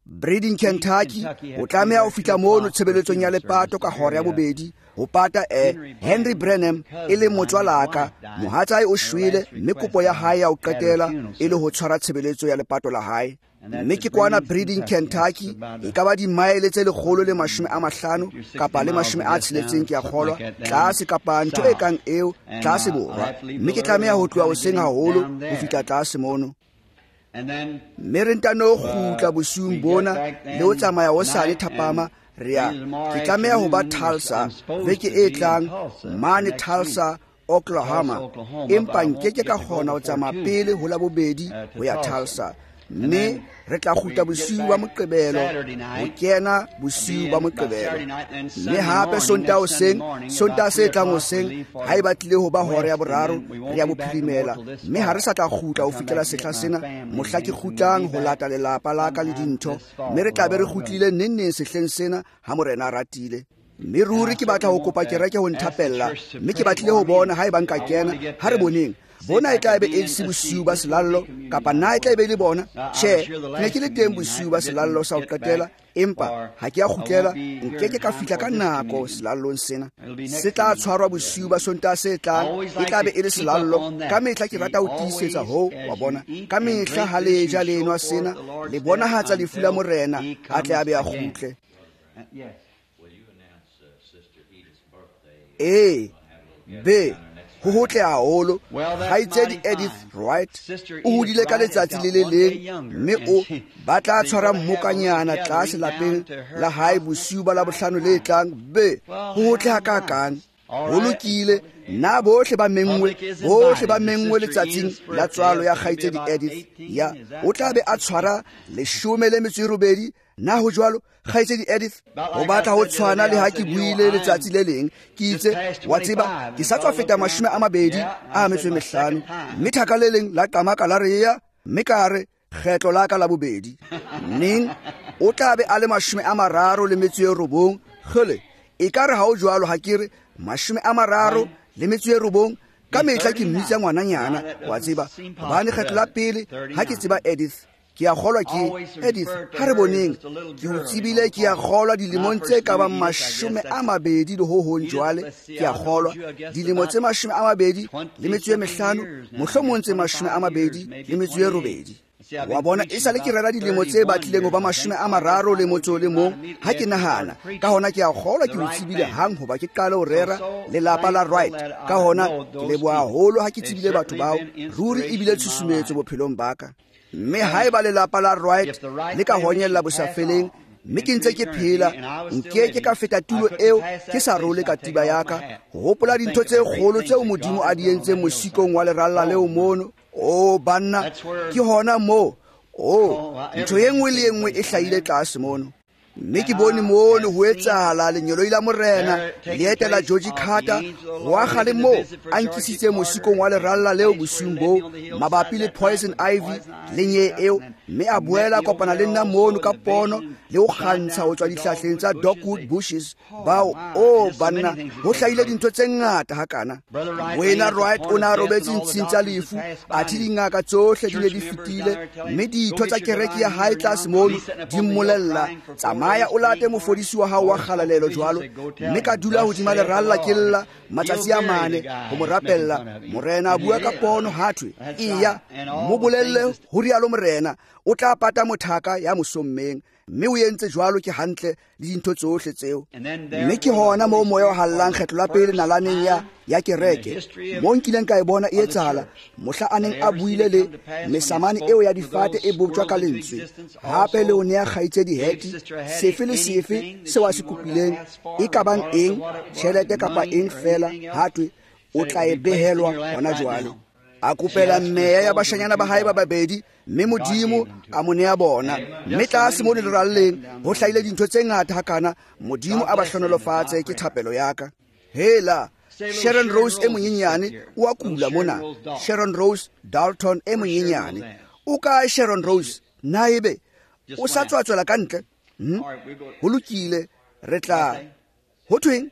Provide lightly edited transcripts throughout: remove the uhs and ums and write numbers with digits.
Breeding, Kentucky, o tlameha ho fihla mono tshebeletsong ya lepato ka hora ya bobedi ho pata Henry Branham e leng motswalaka. Mohatsae o shwele mme kopo ya hae ya ho qetela e le ho tshwara tshebeletso ya lepato la hae. Mme ke kwana Breeding, Kentucky, e ka ba dimaele tse 150 kapa le 60 ke a kgolwa, tlase kapa ntho e kang eo, tlase borwa. Mme ke tlameha ho tloha hoseng haholo ho fihla tlase mono. Mme re ntano kgutla bosiung bona le ho tsamaya hosane thapama re ya ke tlameha ho ba Tulsa veke e tlang mane Tulsa, Oklahoma, empa nkeke ka kgona ho tsamaya pele ho la bobedi ho ya Tulsa. Mme re tla kgutla bosiu ba Moqebelo ho kena bosiu ba Moqebelo. Mme hape Sontaha hoseng, Sontaha se tlang hoseng, ha e batlile ho ba hora ya boraro re ya bophirimela. Mme ha re sa tla kgutla ho fihlela sehla sena, mohla ke kgutlang ho lata lelapa la ka le dintho. Mme re tla be re kgutlile neng neng sehleng sena ha Morena a ratile. Mme ruri ke batla ho kopa kereke ho nthapella, mme ke batlile ho bona ha eba nka kena. Ha re boneng bona e tla be e se bosiu ba selallo kapa na e tla be e le bona. Tjhe, ke ne ke le teng bosiu ba selallo sa ho qetela, empa ha ke a kgutlela, nkeke ka fihla ka nako selallong sena. Se tla tshwarwa bosiu ba Sontaha se tlang, e tla be e le selallo. Ka mehla ke rata ho tiisetsa hoo, wa bona. Ka mehla ha le ja le enwa sena, le bonahatsa lefu la Morena, a tle a be a kgutle. Ee, be ho hotle haholo. Kgaitsedi Edith Wright o hodile ka letsatsi le le leng, mme o ba tla tshwara mmokanyana tlase lapeng la hae bosiu ba Labohlano le tlang. Be ho hotle hakakang. Ho lokile, nna bohle ba menngwe, bohle ba menngwe letsatsing la tswalo ya kgaitsedi Edith. Ya o tla be a tshwara 18. Na ho jwalo, kgaitsedi Edith? Ho batla ho tshwana le ha ke buile letsatsi le leng, ke itse, wa tseba, ke sa tswa feta 25, mme thaka le leng la qamaka la re ya, mme ka re kgetlo la ka la bobedi. Neng o tla be a le 39. Kgele, e ka re ha o jwalo, ha ke re 39. Ka mehla ke mmitsa ngwananyana, wa tseba, hobane kgetlo la pele ha ke tseba Edith, ke a kgolwa ke Edith, ha re boneng, ke o tsebile, ke a kgolwa dilemong tse ka bang 20 le ho hong jwale, ke a kgolwa dilemo tse 25, mohlomong tse 28. Wa bona, e sale ke rera dilemo tse batlileng ho ba 31, ha ke nahana. Ka hona ke a kgolwa ke o tsebile hang hoba ke qale ho rera lelapa la Wright. Ka hona ke leboha haholo ha ke tsebile batho bao, ruri ebile tshusumetso bophelong ba ka. Mme haeba lelapa la Wright le ka honyella bosafeleng, mme ke ntse ke phela, nke ke ka feta tulo eo ke sa role katiba ya ka, ho hopola dintho tse kgolo tseo Modimo a di entseng mosikong wa leralla leo mono. O banna, ke hona moo, o ntho e nngwe le e nngwe e hlahile tlase mono. Mme ke bone mono ho etsahala lenyoloi la Morena le etela George Carter ho akga le moo a nkisitse mosikong wa leralla leo bosiung boo mabapi le poison ivy le nye eo, mme a boela kopana le nna mono ka pono le ho kgantsha ho tswa dihlahleng tsa dogwood bushes. Bao, o banna, ho hlahile dintho tse ngata hakana. Moena Wright o ne a robetse ntshing tsa lefu, athe dingaka tsohle di ne di fetile, mme ditho tsa kereke ya hae tlase mono di mmolella, tsamaya o late mofodisi wa hao wa kgalalelo jwalo. Mme ka dula hodima leralla ke lla matsatsi a mane ho mo rapella. Morena a bua ka pono, ha thwe, eya mo bolelle, ho rialo Morena, o tla pata mothaka ya mosommeng. Mme o entse jwalo, ke hantle le dintho tsohle tseo. Mme ke hona moo moya o hallang kgetlo la pele nalaneng ya kereke, moo nkileng ka e bona e etsahala, mohla a neng a buile le mesamane eo ya difate e boptjwa ka lentswe, hape le ho nea kgaitsedi Hattie sefe le sefe seo a se kopileng, e ka bang eng, tjhelete kapa eng feela, ha thwe o tla e behelwa hona jwale. A kopela meya ya bashanyana ba hae ba babedi, mme Modimo a mo nea bona. Mme tlase mo leralleng ho hlahile dintho tse ngata hakana. Modimo a ba hlohonolofatse, ke thapelo ya ka. Hela, Sharon Rose e monyenyane o a kula mona. Sharon Rose Dalton e monyenyane. O kae Sharon Rose? Na ebe o sa tswa tswela ka ntle? Ho lokile, re tla ho thweng?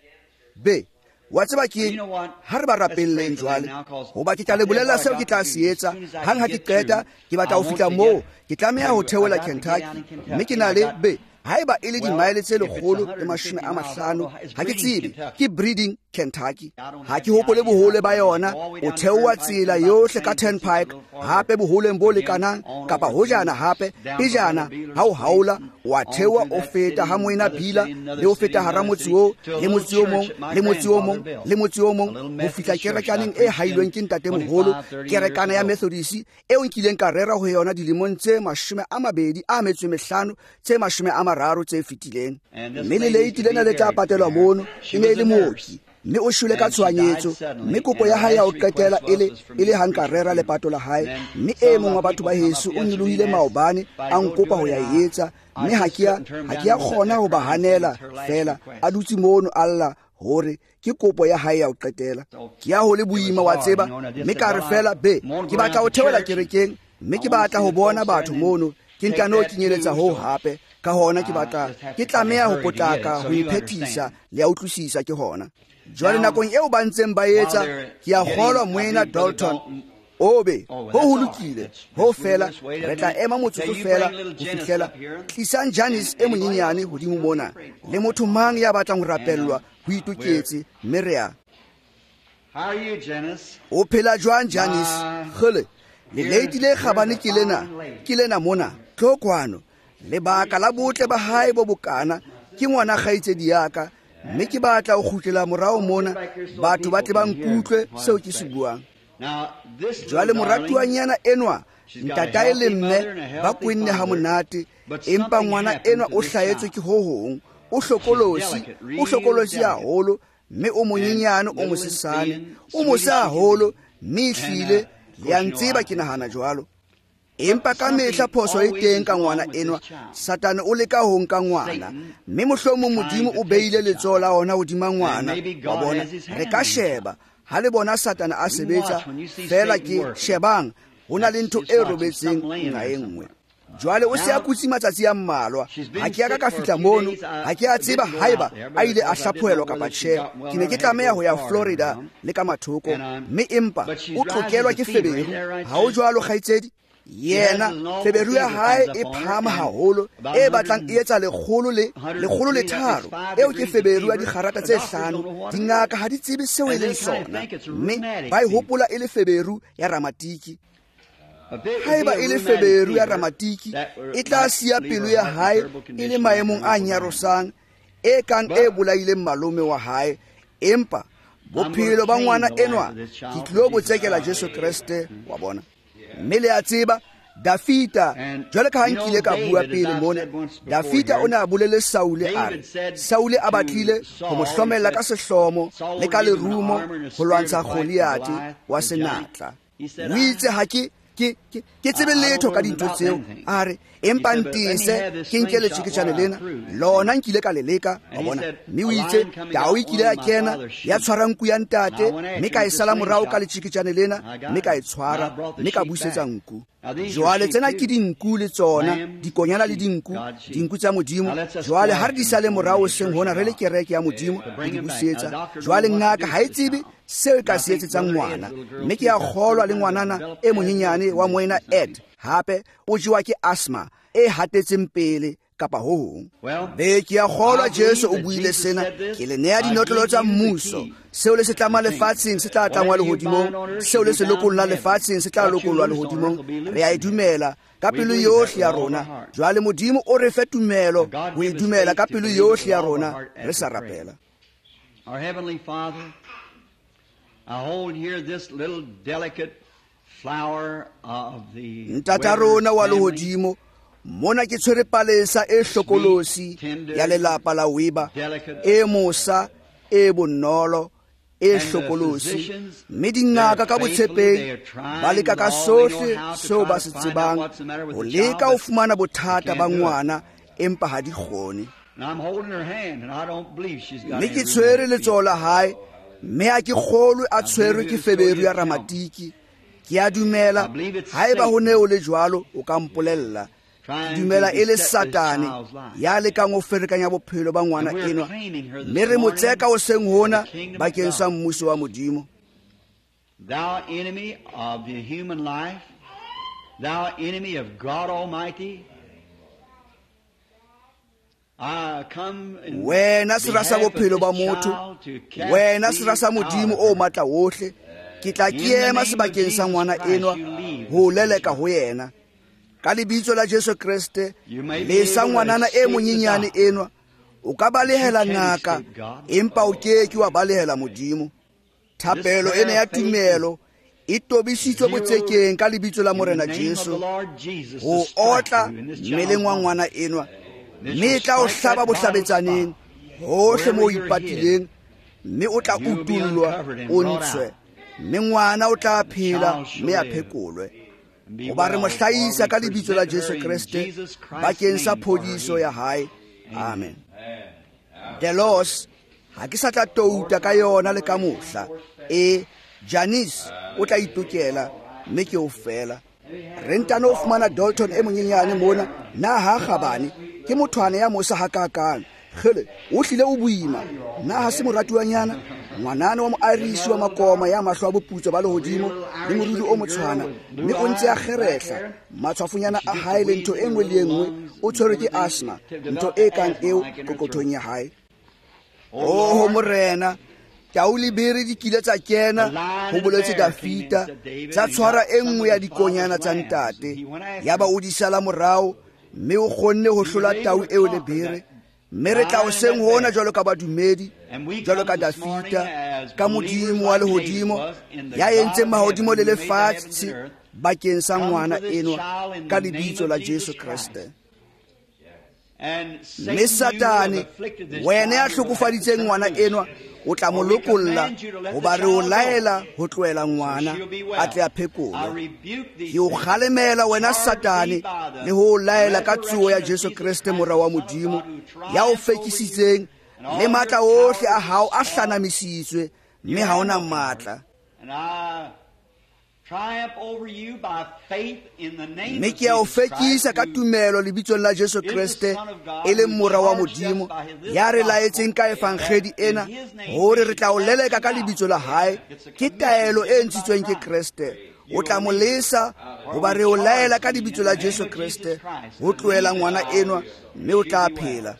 Be. Wa tseba ke ha re ba rapelleng jwale, hoba ke tla le bolella seo ke tla se etsa. Hang ha ke qeta, ke batla ho fihla moo, ke tlameha ho theola Kentucky, mme ke na le be haeba e le dimaele tse 150, ha ke tsebe, ke Breeding, Kentucky. Ha ke hopole bohole ba yona. O theoha tsela yohle ka Turnpike, hape boholeng bo lekanang kapa hojana hape pejana ha o haola, wa theoha o feta ha Moena Bila, le o feta hara motse oo, le motse o mong, le motse o mong, le motse o mong, ho fihla kerekaneng e hailweng ke ntatemoholo, kerekana ya Methodist eo nkileng ka rera ho yona dilemong tse 25 tse 30 tse fetileng. Mme le leiti lena le tla patelwa mono, e ne e le mooki, mme o shwele ka tshohanyetso, mme kopo ya hae ya ho qetela e le ha nka rera lepato la hae. Mme e mong wa batho ba heso o nyolohile maobane a nkopa ho ya e etsa, mme ha ke a kgona ho ba hanela fela, a dutse mono a lla hore ke kopo ya hae ya ho qetela. Ke ya ho le boima, wa tseba, mme ka re fela be ke batla ho theola kerekeng, mme ke batla ho bona batho mono, ke ntano kenyeletsa ho hape. Ka hona ke batla ke tlameha ho potlaka ho iphethisa le a utlwisisa ke hona. Jwale nakong eo ba ntseng ba etsa, ke a kgolwa Moena Dalton obe ho ho lokile ho fela, re tla ema motsotso fela ho fihlela. Tlisang Janice e monyenyane hodimo mona, le motho mang ya batlang ho rapellwa ho itoketse, mme re a. O phela jwang Janice? Kgele, leleiti le kgabane ke lena mona, tlo kwano. Lebaka la botle ba hae bo bokana ke ngwana kgaitsedi ya ka, mme ke batla ho kgutlela morao mona, batho ba tle ba nkutlwe seo ke se buang. Jwale moratuwanyana enwa, ntatae le mme ba kwenne ha monate, empa ngwana enwa o hlahetswe ke ho hong, o hlokolosi haholo, mme o monyenyane, o mosesane, o mose haholo, mme ehlile le a ntseba ke nahana jwalo. Empa ka mehla phoso e teng ka ngwana enwa, Satane o leka ho nka ngwana, mme mohlomong Modimo o beile letsoho la ona hodima ngwana. Wa bona, re ka sheba ha le bona Satane a sebetsa fela, ke shebang ho na le ntho e robetseng nqa e nngwe. Jwale o se a kutse matsatsi a mmalwa, ha ke a ka fihla mono, ha ke a tseba haeba a ile a hlaphohelwa kapa tjhe. Ke ne ke tlameha ho ya Florida le ka mathoko, mme empa o tlokelwa ke feberu. Ha o jwalo kgaitsedi? Yena feberu ya hae e phahama haholo, e batlang e etsa 103. Eo ke feberu ya dikgarata tse 5. Dingaka ha di tsebe seo e leng sona, mme ba e hopola e le feberu ya ramatiki. Haeba e le feberu ya ramatiki, e tla siya pelo ya hae e le maemong a nyarosang, e kang e bolaileng malome wa hae. Empa bophelo ba ngwana enwa ke tlilo bo tsekela Jesu Kreste, wa bona. Mme le a tseba Dafita, jwale ka ha nkile ka bua pele mona, Dafita o ne a bolele Saule a re, Saule a batlile ho mo hlomella ka sehlomo le ka lerumo ho lwantsha Goliate wa senatla. O itse ha ke tsebe letho ka dintho tseo, a re empa ntese ke nke letjeketjane lena, lona nkile ka le leka, wa bona. Mme o itse tau e kile ya kena ya tshwara nku ya ntate, mme ka e sala morao ka letjeketjane lena, mme ka e tshwara, mme ka busetsa nku. Jwale tsena ke dinku le tsona, dikonyana le dinku, dinku tsa Modimo. Jwale ha re di sale morao seng hona re le kereke ya Modimo ho di busetsa. Jwale ngaka ha e tsebe seo e ka se etsetsang ngwana, mme ke a kgolwa le ngwanana e monyenyane wa Moena Ed hape o jewa ke asthma e hatetseng pele kapa ho hong. Be ke a kgolwa Jesu o buile sena, ke le nea dinotlolo tsa mmuso. Seo le se tlamang lefatsheng se tla tlangwa lehodimong, seo le se lokollang lefatsheng se tla lokollwa lehodimong. Re a e dumela ka pelo yohle ya rona. Jwale Modimo o re fe tumelo ho e dumela ka pelo yohle ya rona, re sa rapela. Our Heavenly Father, I hold here this little delicate flower of the Ntata rona wa lehodimo, mona ke tshwere palesa e hlokolosi ya lelapa la Weba, e mosa, e bonolo, e hlokolosi. Mme dingaka ka botshepehi ba leka ka sohle seo ba se tsebang ho leka ho fumana bothata ba ngwana, empa ha di kgone. Mme ke tshwere letsoho la hae, mme ha ke kgolwe a tshwerwe ke feberu ya ramatiki. Ke a dumela haeba ho ne o le jwalo o ka mpolella. Dumela e le Satane ya lekang ho ferekanya bophelo ba ngwana enwa, mme re mo tseka hoseng hona bakeng sa mmuso wa Modimo. Thou enemy of the human life, thou enemy of God Almighty, wena sera sa bophelo ba motho, wena sera sa Modimo o matla wohle, ke tla ke ema sebakeng sa ngwana enwa ho leleka ho yena. Ka lebitso la Jesu Kreste, lesa ngwanana e monyenyane enwa. O ka balehela ngaka, empa o ke ke wa balehela Modimo. Thapelo ena ya tumelo e tobisitswe botsekeng ka lebitso la Morena Jesu ho otla mmeleng wa ngwana enwa, mme e tla o hlaba bohlabetsaneng hohle moo o ipatileng, mme o tla utullwa o ntshwe, mme ngwana o tla phela mme a phekolwe. Hoba re mo hlahisa ka lebitso la Jesu Kreste bakeng sa phodiso ya hae. Amen. Delos, ha ke sa tla touta ka yona le ka mohla. E Janice o tla itokela mme ke o fela. Re ntano o fumana Dalton e monyenyane mona, na ha kgabane, ke mothwana ya mosa hakakang. Kgele, o hlile o boima. Na ha se moratuwanyana? Ngwanana wa mo-Irish wa makoma ya mahlo a boputswa ba lehodimo le moriri o motshwana, mme o ntse a kgerehla matshwafonyana a hae le ntho e nngwe le e nngwe. O tshwerwe ke asthma, ntho e kang eo kokothong ya hae. Oho Morena, tau le bere di kile tsa kena, ho boletse Dafita, tsa tshwara e nngwe ya dikonyana tsa ntate. Yaba o di sala morao, mme o kgonne ho hlola tau eo le bere. Mme re tla hoseng hona jwalo ka badumedi, jwalo ka Dafita, ka Modimo wa lehodimo ya entseng mahodimo le lefatshe bakeng sa ngwana enwa ka lebitso la Jesu Kreste. Mme Satane, wena ya hlokofaditseng ngwana enwa, o tla mo lokolla, hoba re o laela ho tlohela ngwana a tle a phekolwe. Ke o kgalemela wena Satane le ho o laela ka tsoho ya Jesu Kreste mora wa Modimo, ya o fekisitseng, le matla ohle a hao a hlanamisitswe, mme ha ona matla. Mme ke a o fekisa ka tumelo lebitsong la Jesu Kreste, e leng mora wa Modimo, ya re laetseng ka evangedi ena hore re tla o leleka ka lebitso la hae. Ke taelo e ntshitsweng ke Kreste. O tla mo lesa, hoba re o laela ka lebitso la Jesu Kreste ho tlohela ngwana enwa, mme o tla phela.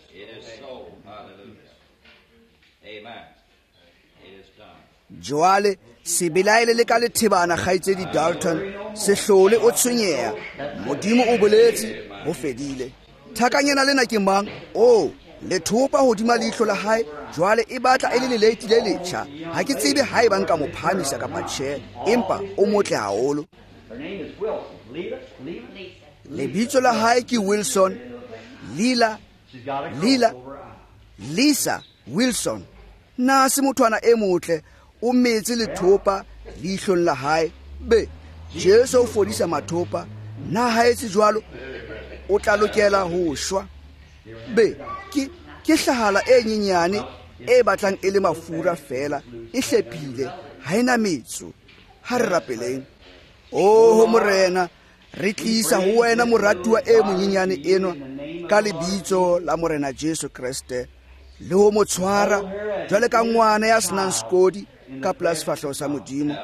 Jwale se belaele le ka lethebana, kgaitsedi Dalton, se hlole o tshwenyeha. Modimo o boletse, ho fedile. Thakanyana lena ke mang? O lethopa hodima leihlo la hae, jwale e batla e le leleiti le letjha. Ha ke tsebe ha eba nka mo phahamisa kapa tjhe, empa o motle haholo. Lebitso la hae ke Wilson. Lila, Lila, Lisa Wilson. Na se mothwana e motle, o metse lethopa leihlong la hae. Be, Jesu o fodisa mathopa. Na ha etse jwalo, o tla lokela ho shwa. Be, ke hlahala e nyenyane e batlang e le mafura fela, e hlephile, ha ena metso. Ha re rapeleng. Oho Morena, re tlisa ho wena moratuwa e monyenyane enwa ka lebitso la Morena Jesu Kreste, le ho mo tshwara jwale ka ngwana ya senang sekodi ka pela sefahleho sa Modimo.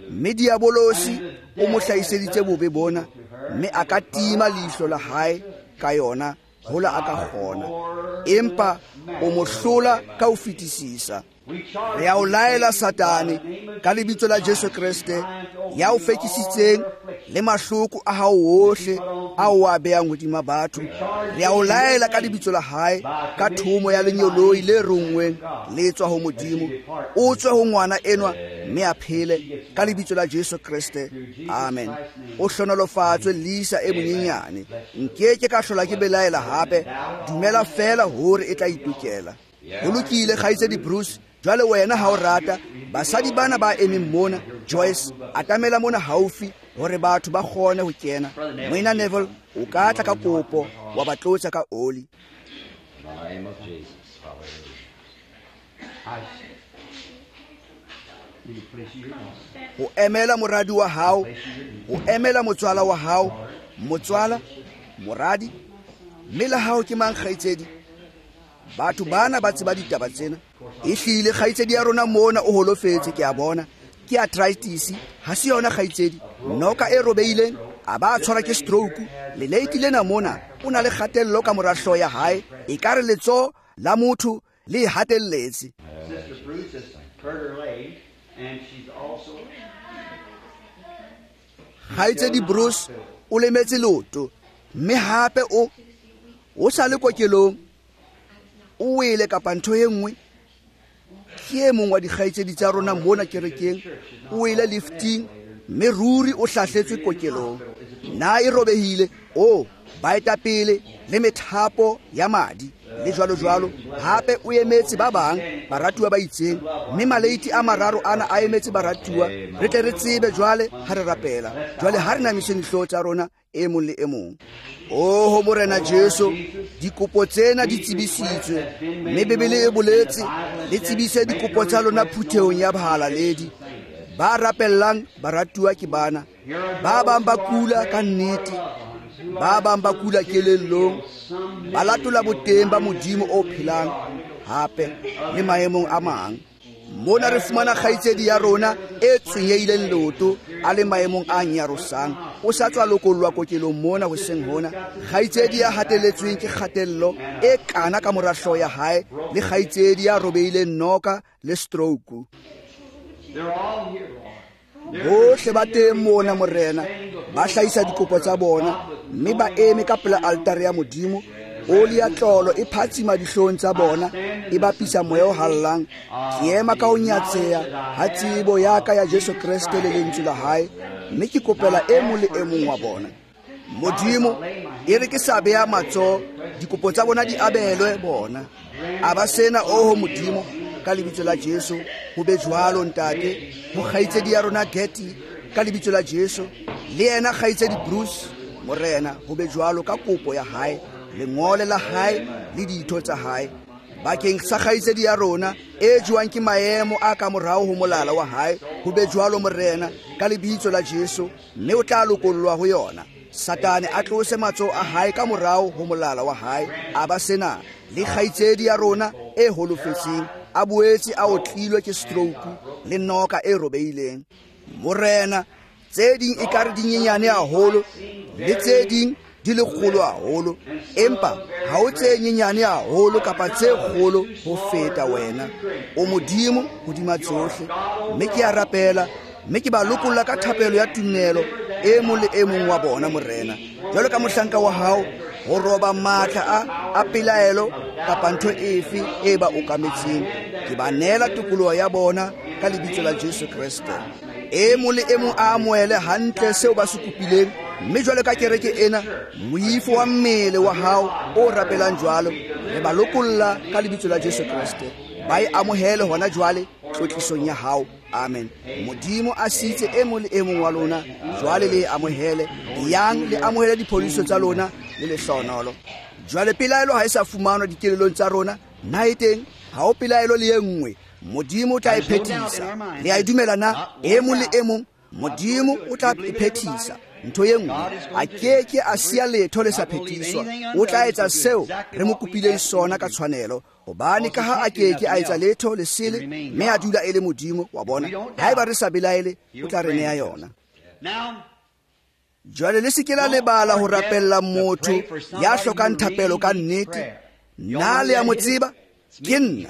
Mme diabolosi o mo hlahiseditse bobe bona, mme a ka tima leihlo la hae ka yona hola a ka kgona, empa o mo hlola ka ho fetisisa. Re a o laela Satane ka lebitso la Jesu Kreste, ya o fekisitseng le mahloko a hao ohle a o a behang hodima batho. Re a o laela ka lebitso la hae, ka thomo ya lenyoloi le ronngweng le tswa ho Modimo, o tswe ho ngwana enwa mme a phele ka lebitso la Jesu Kreste. Amen. O hlonolofatswe Lisa e monyenyane. Nkeke ka hlola ke belaela hape. Dumela fela hore e tla itokela. Ho lokile, kgaitsedi Bruce. Jwale wena ha o rata, basadi bana ba emeng mona, Joyce, atamela mona haufi hore batho ba kgone ho kena. Moena Neville, o ka tla ka kopo wa ba tlotsa ka oli. Ho emela moradi wa hao, ho emela motswala wa hao, motswala, Moradi, mme la hao ke mang kgaitsedi? Batho bana ba tseba ditaba tsena. Ehlile kgaitsedi ya rona mona o holofetse, ke a bona. Ke arthritis, ha se yona kgaitsedi. Noka e robeileng, a ba tshwara ke stroke. Leleiti lena mona o na le kgatello ka mora hlooho ya hae, e ka re letsoho la motho le e hatelletse. Sister Bruce has hurt her leg, and she's also Kgaitsedi Bruce o lemetse leoto, mme hape o sa le kokelong, o wele kapa ntho e nngwe. Ke e mong wa dikgaitsedi tsa rona mona kerekeng, o wele lifting, mme ruri o hlahletswe kokelong. Na e robehile, o baetapele le methapo ya madi le jwalo jwalo. Hape o emetse ba bang baratuwa ba itseng, mme maleiti a mararo ana a emetse baratuwa. Re tle re tsebe jwale ha re rapela. Jwale ha re namiseng dihlooho tsa rona e mong le e mong. Oho Morena Jesu, dikopo tsena di tsebisitswe, mme Bibele e boletse le tsebise dikopo tsa lona phuthehong ya bahalaledi. Ba rapellang baratuwa ke bana. Ba bang ba kula ka nnete, ba bang ba kula kelellong, ba latola boteng ba Modimo o phelang, hape le maemong a mang. Mona re fumana kgaitsedi ya rona e tshwenyehileng leoto, a le maemong a nyarosang. O sa tswa lokollwa kokelong mona hoseng hona. Kgaitsedi ya hateletsweng ke kgatello e kana ka mora hlooho ya hae, le kgaitsedi ya robehileng noka le stroke. Bohle ba teng mona Morena, ba hlahisa dikopo tsa bona, mme ba eme ka pela altare ya Modimo. Oli ya tlolo e phatsima dihlong tsa bona, e bapisa moya o hallang. Ke ema ka ho nyatseha ha tsebo ya ka ya Jesu Kreste le lentswe la hae, mme ke kopela e mong le e mong wa bona. Modimo, e re ke sa beha matsoho, dikopo tsa bona di abelwe bona. A ba sena, oho Modimo, ka lebitso la Jesu, ho be jwalo ntate. Ho kgaitsedi ya rona Getty, ka lebitso la Jesu, le yena kgaitsedi Bruce, Morena, ho be jwalo ka kopo ya hae, lengole la hae le ditho tsa hae. Bakeng sa kgaitsedi ya rona e jwang ke maemo a ka morao ho molala wa hae, ho be jwalo Morena, ka lebitso la Jesu, mme o tla lokollwa ho yona. Satane a tlose matsoho a hae ka morao ho molala wa hae, a ba sena. Le kgaitsedi ya rona e holofetseng, a boetse a otlilwe ke stroke le noka e robehileng. Morena, tse ding ekare di nyenyane haholo, le tse ding di le kgolo haholo, empa ha o tse nyenyane haholo kapa tse kgolo ho feta wena. O Modimo hodima tsohle, mme ke a rapela, mme ke ba lokolla ka thapelo ya tumelo e mong le e mong wa bona Morena. Jwalo ka mohlanka wa hao, ho roba matla a pelaelo kapa ntho efe e ba okametseng, ke ba neela tokoloho ya bona ka lebitso la Jesu Kreste. E mong le e mong a amohele hantle seo ba se kopileng, mme jwalo ka kereke ena, moifo wa mmele wa hao o rapelang jwalo, re ba lokolla ka lebitso la Jesu Kreste. Ba e amohele hona jwale tlotlisong ya hao. Amen. Modimo a sitse e mong le e mong wa lona, jwale le e amohele. Yang le amohele diphodiso tsa lona le lehlohonolo. Jwale pelaelo ha e sa fumanwa dikelelong tsa rona, na e teng? Ha ho pelaelo le e nngwe. Modimo o tla e phethisa. Le a e dumela na? E mong le e mong, Modimo o tla e phethisa. Ntho e nngwe, a ke ke a siya letho le sa phethiswa. O tla etsa seo re mo kopileng sona ka tshwanelo, hobane ka ha a ke ke a etsa letho le sele, mme a dula e le Modimo wa bona. Haeba re sa belaele, o tla re neha yona. Jwale le se ke la lebala ho rapella motho ya hlokang thapelo ka nnete. Na le ya mo tseba? Ke nna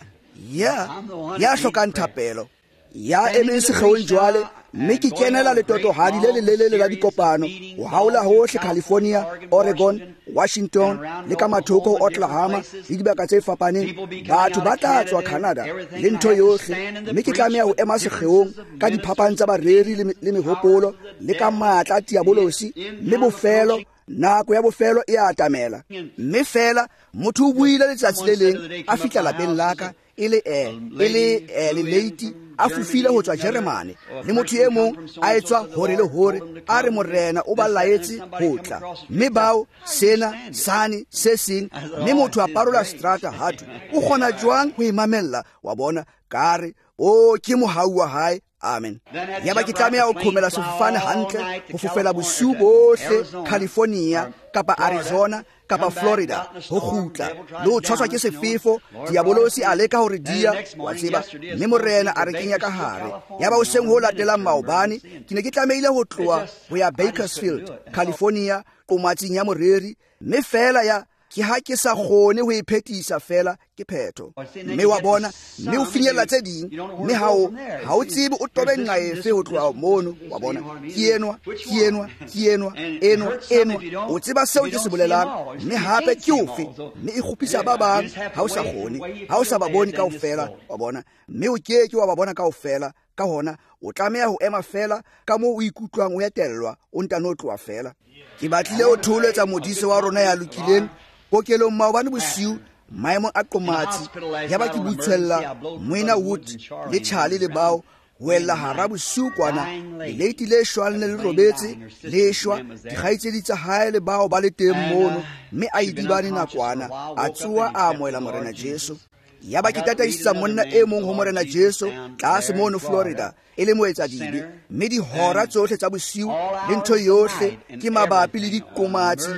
ya hlokang thapelo, ya emeng sekgeong jwale, mme ke kenela letotohadi le lelelele la dikopano ho haola hohle California, Oregon, Washington le ka mathoko ho Oklahoma le dibaka tse fapaneng. Batho ba tla tswa Canada le ntho yohle, mme ke tlameha ho ema sekgeong ka diphapang tsa bareri le mehopolo le ka matla a diabolosi, mme bofelo, nako ya bofelo e a atamela. Mme fela motho o buile letsatsi le leng a fihla lapeng la ka, e le leleiti a fofile ho tswa Jeremane, le motho e mong a etswa hore le hore, a re Morena o ba laetse ho tla, mme bao sena sane se seng, mme motho a parola strata hathwe o kgona jwang ho e mamella? Wa bona, ka re o ke mohau wa hae. Amen. Yaba ke tlameha ho qhomela sefofane hantle ho fofela bosiu bohle California kapa Arizona kapa Florida ho kgutla le ho tshwaswa ke sefefo. Diabolosi a leka hore dia wa tseba, mme Morena a re kenya ka hare. Yaba hoseng ho latelang maobane ke ne ke tlamehile ho tloha ho ya Bakersfield, California, qomatsing ya moreri, mme fela ya ke ha ke sa kgone ho e phetisa fela ke phetho. Mme wa bona, mme o finyella tse ding, mme ha o tsebe o tobe nqa efe ho tloha mono. Wa bona, ke enwa, ke enwa, ke enwa, enwa, enwa. O tseba seo ke se bolelang, mme hape ke ofe, mme e kgopisa ba bang ha o sa kgone, ha o sa ba bone kaofela. Wa bona, mme o ke ke wa ba bona kaofela. Ka hona o tlameha ho ema fela ka moo o ikutlwang o etellwa, o ntano tloha fela. Ke batlile ho thoholetsa modise wa rona ya lokileng kokelong maobane bosiu maemong a qomatsi. Yaba ke butswella Moena Wood le Charlie le bao ho ella hara bosiu kwana, leleiti le shwang le le robetse le shwa, dikgaitsedi tsa hae le bao ba le teng mono, mme a idibane nakwana, a tsoha a amohela Morena Jesu. Yaba ke tataisa monna e mong ho Morena Jesu tlase mono Florida, e le moetsadibe, mme dihora tsohle tsa bosiu le ntho yohle ke mabapi le diqomatsi.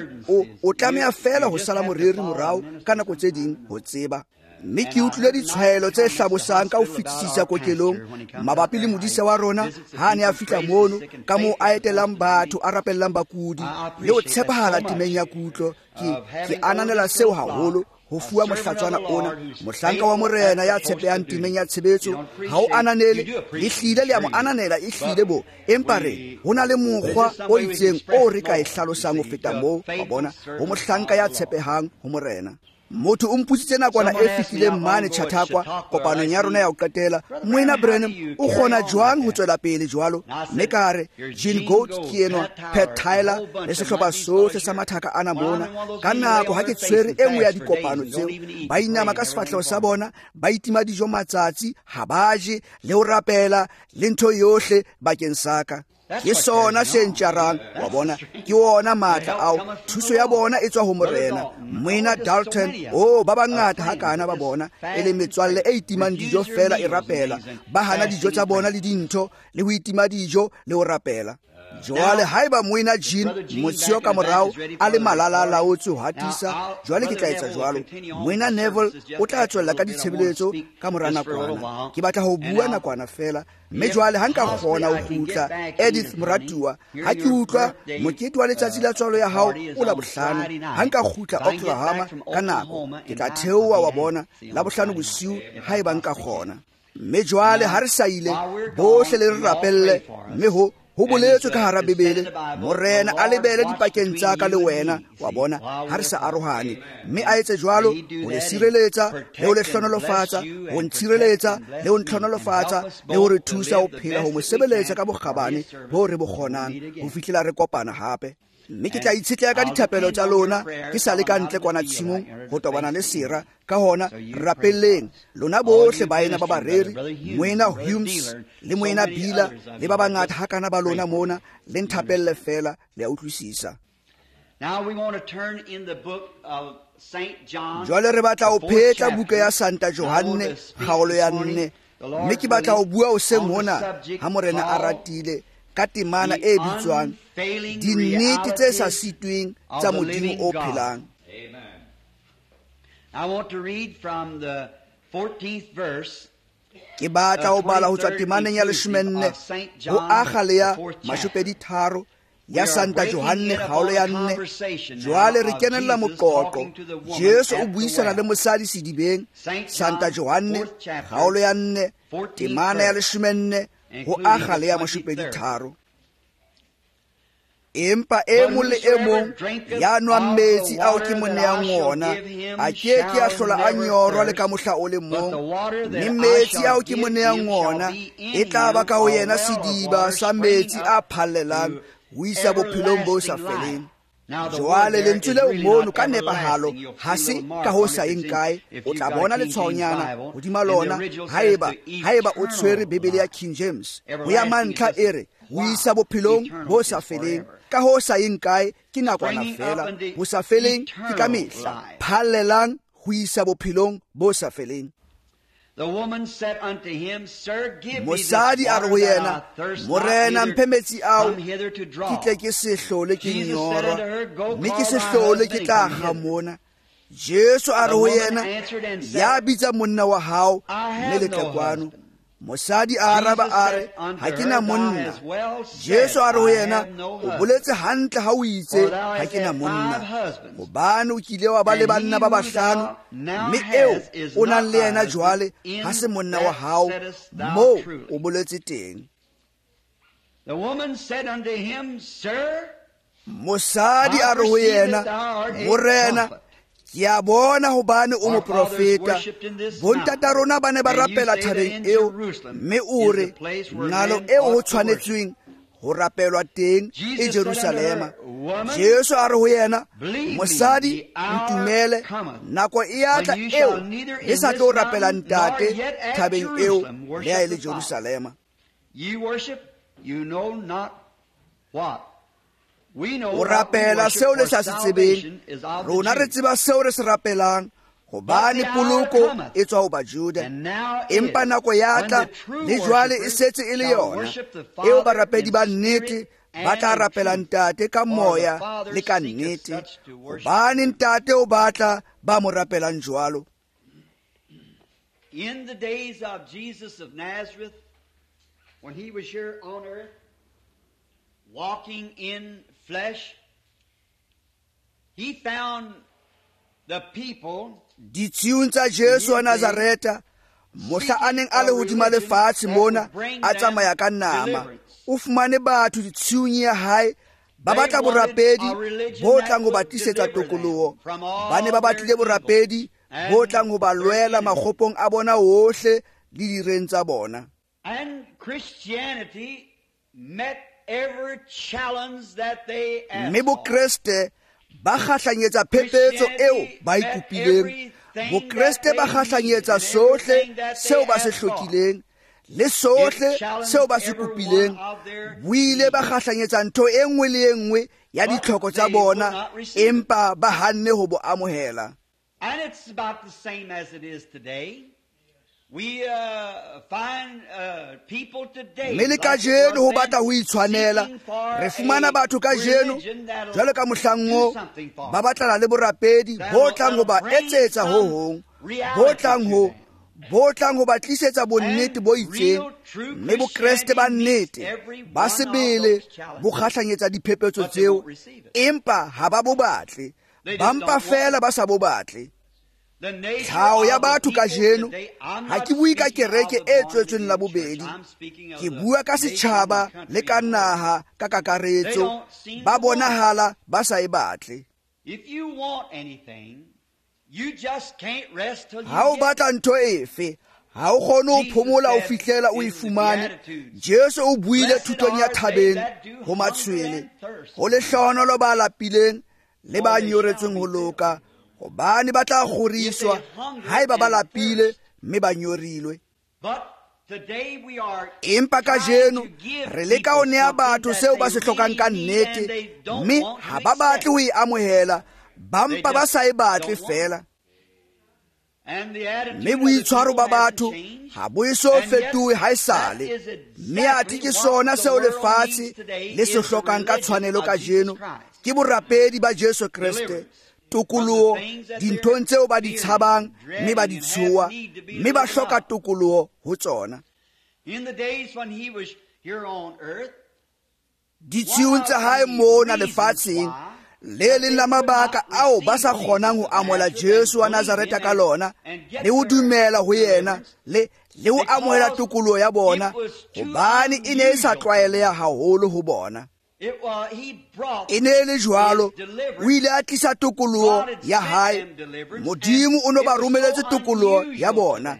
O tlameha fela ho sala moreri morao ka nako tse ding ho tseba. Mme ke utlwile ditshwaelo tse hlabosang ka ho fetisisa kokelong mabapi le modise wa rona ha a ne a fihla mono, ka moo a etelang batho, a rapellang bakudi le ho tshepahala temeng ya kutlo. Ke ananela seo haholo ho fuwa mohlatswana ona, mohlanka wa Morena ya tshepehang temeng ya tshebetso. Ha o ananele, le hlile le a mo ananela, e hlile bo, empa re ho na le mokgwa o itseng o re ka e hlalosang ho feta moo. Wa bona, ho mohlanka ya tshepehang ho Morena. Motho o mputsitse nakwana e fihlileng mane Chautauqua kopanong ya rona ya ho qetela, Moena Branham o kgona jwang ho tswela pele jwalo? Mme ka re, Gene Goat ke enwa, Pat Tyler le sehlopha sohle sa mathaka ana mona. Ka nako ha ke tshwere e nngwe ya dikopano tseo, ba inama ka sefahleho sa bona, ba itima dijo matsatsi, ha ba je le ho rapela le ntho yohle bakeng sa ka. Ke sona se ntjarang, wa bona, ke ona matla ao. Thuso ya bona e tswa ho Morena. Moena Dalton, oh, ba bangata hakana ba bona e le metswalle e itimang dijo fela e rapela, ba hana dijo tsa bona le dintho le ho itima dijo le ho rapela. Jwale haeba Moena Jean motsheo ka morao a le malala a laotswe ho hatisa, jwale ke tla etsa jwalo. Moena Neville o tla tswella ka ditshebeletso ka mora nakwana. Ke batla ho bua nakwana fela. Mme jwale ha nka kgona ho kgutla, Edith moratuwa, ha ke utlwa mokete wa letsatsi la tswalo ya hao o Labohlano, ha nka kgutla Oklahoma ka nako, ke tla theoha wa bona Labohlano bosiu haeba nka kgona. Mme jwale ha re sa ile, bohle le re rapelle, mme ho boletswe ka hara Bibele, Morena a lebele dipakeng tsa ka le wena, wa bona, ha re sa arohane. Mme a etse jwalo ho le sireletsa le ho le hlohonolofatsa, ho ntshireletsa le ho ntlhonolofatsa, le ho re thusa ho phela ho mo sebeletsa ka bokgabane bo re bo kgonang ho fihlela re kopana hape. Mme ke tla itshetleha ka dithapelo tsa lona ke sa le ka ntle kwana tshimong ho tobana le sera. Ka hona rapelleng lona bohle baena ba bareri, Moena Humes le Moena Bila le ba bangata hakana ba lona mona, le nthapelle fela, le a utlwisisa. Jwale re batla ho phetla buka ya Santa Johanne kgaolo ya 4, mme ke batla ho bua hoseng hona ha Morena a ratile ka temana e bitswang Dinnete tse sa sitweng tsa Modimo o phelang. Ke batla ho bala ho tswa temaneng ya 14 ho akga le ya 23 ya Santa Johanne kgaolo ya 4. Jwale re kenella moqoqo. Jesu o buisana le mosadi sedibeng. Santa Johanne kgaolo ya 4 temana ya 14 ho akga le ya 23. Empa e mong le e mong ya nwang metsi ao ke mo neang ona a ke ke a hlola a nyorwa le ka mohla o le mong, mme metsi ao ke mo neang ona e tla ba ka ho yena sediba sa metsi a phallelang ho isa bophelong bo sa feleng. Jwale lentswe leo mono ka nepahalo ha se ka ho sa yeng kae, o tla bona letshwaonyana hodima lona haeba o tshwere Bibele ya King James. Ho ya mantlha e re ho isa bophelong bo sa feleng. Ka ho sa yeng kae ke nakwana fela, ho sa feleng ke ka mehla, phallelang ho isa bophelong bo sa feleng. Mosadi a re ho yena, Morena, mphe metsi ao, ke tle ke se hlole ke nyorwa, mme ke se hlole ke tla kga mona. Jesu a re ho yena, ya bitsa monna wa hao, mme le tle kwano. Mosadi a araba a re, ha ke na monna. Jesu a re ho yena, o boletse hantle ha o itse, ha ke na monna. Hobane o kile wa ba le banna ba bahlano, mme eo o nang le yena jwale ha se monna wa hao, moo o boletse teng. Mosadi a re ho yena, Morena, ke a bona hobane o moprofeta. Bontata rona ba ne ba rapela thabeng eo, mme o re nqalo eo ho tshwanetsweng ho rapelwa teng e Jerusalema. Jesu a re ho yena, mosadi, ntumele, nako e a tla eo le sa tlo rapela Ntate thabeng eo le ha e le Jerusalema. O rapela seo le sa se tsebeng, rona re tseba seo re se rapelang, hobane poloko e tswa ho Bajuda. Empa nako ya tla, le jwale e setse e le yona, eo barapedi ba nnete ba tla rapela Ntate ka moya le ka nnete, hobane Ntate o batla ba mo rapelang jwalo. In the days of Jesus of Nazareth, when he was here on earth, walking in flesh, he found the people. Ditshiung tsa Jesu wa Nazareta, mohla a neng a le hodima lefatshe mona, a tsamaya ka nama, o fumane batho ditshiung ya hae ba batla borapedi bo tlang ho ba tlisetsa tokoloho. Ba ne ba batlile borapedi bo tlang ho ba lwela makgopong a bona ohle le direng tsa bona. And Christianity met every challenge that they asked. Mme Bokreste ba kgahlanyetsa phephetso eo ba e kopileng. Bokreste ba kgahlanyetsa sohle seo ba se hlokileng le sohle seo ba se kopileng. Bo ile ba kgahlanyetsa ntho e nngwe le e nngwe ya ditlhoko tsa bona, empa ba hanne ho bo amohela. And it's about the same as it is today. We find people today. Mme le kajeno ho batla ho itshwanela, re fumana batho kajeno jwalo ka mohlang oo ba batlana le borapedi bo tlang ho ba etsetsa ho hong, bo tlang ho ba tlisetsa bonnete bo itseng. Mme Bokreste ba nnete ba sebele bo kgahlanyetsa diphephetso tseo, empa ha ba bo batle, ba mpa fela ba sa bo batle. Tlhaho ya batho kajeno, ha ke bue ka kereke e tswetsweng la bobedi, ke bua ka setjhaba le ka naha ka kakaretso, ba bonahala ba sa e batle. Ha o batla ntho efe, ha o kgone ho phomola ho fihlela o e fumane. Jesu o buile thutong ya thabeng ho matshwele, ho lehlohonolo ba lapileng le ba nyoretsweng ho loka, hobane ba tla kgoriswa haeba ba lapile mme ba nyorilwe. Empa kajeno re leka ho nea batho seo ba se hlokang ka nnete, mme ha ba batle ho e amohela, ba mpa ba sa e batle fela. Mme boitshwaro ba batho ha bo eso fetohe haesale, mme athe ke sona seo lefatshe le se hlokang ka tshwanelo kajeno, ke borapedi ba Jesu Kreste, tokoloho dinthong tseo ba di tshabang mme ba di tshoha, mme ba hloka tokoloho ho tsona. Ditshiung tsa hae mona lefatsheng, le leng la mabaka ao ba sa kgonang ho amohela Jesu wa Nazareta ka lona le ho dumela ho yena le ho amohela tokoloho ya bona, hobane e ne e sa tlwaeleha haholo ho bona. E ne e le jwalo, o ile a tlisa tokoloho ya hae. Modimo o no ba romeletse tokoloho ya bona,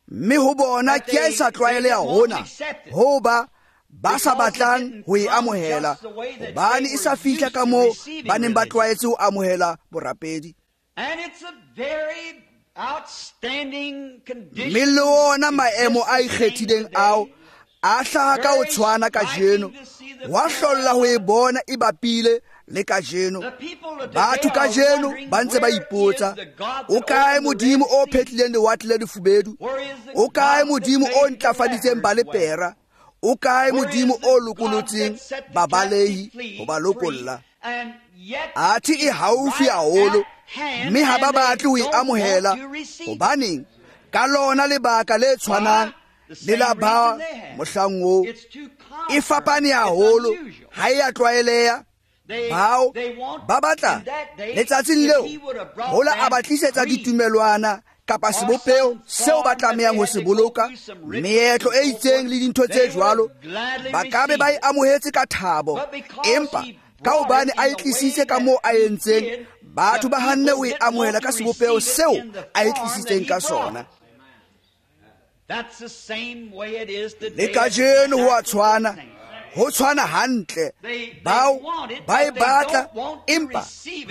mme ho bona ke a e sa tlwaeleha hona ho ba ba sa batlang ho e amohela, hobane e sa fihla ka moo ba neng ba tlwaetse ho amohela borapedi. Mme le ona maemo a ikgethileng ao a hlaha ka ho tshwana kajeno, wa hlolla ho e bona e bapile le kajeno. Batho kajeno ba ntse ba ipotsa, o kae Modimo o phetlileng lewatle le lefubedu? O kae Modimo o ntlafaditseng balepera? O kae Modimo o lokolotseng babalehi ho ba lokolla? Athe e haufi haholo, mme ha ba batle ho e amohela. Hobaneng? Ka lona lebaka le tshwanang le la ba mohlang oo. E fapane haholo, ha e a tlwaeleha. Bao ba batla letsatsing leo hola a ba tlisetsa ditumelwana kapa sebopeho seo ba tlamehang ho se boloka, meetlo e itseng le dintho tse jwalo, ba ka be ba e amohetse ka thabo. Empa ka hobane a e tlisitse ka moo a entseng, batho ba hanne ho e amohela ka sebopeho seo a e tlisitseng ka sona. Le kajeno ho a tshwana, ho tshwana hantle. Bao ba e batla, empa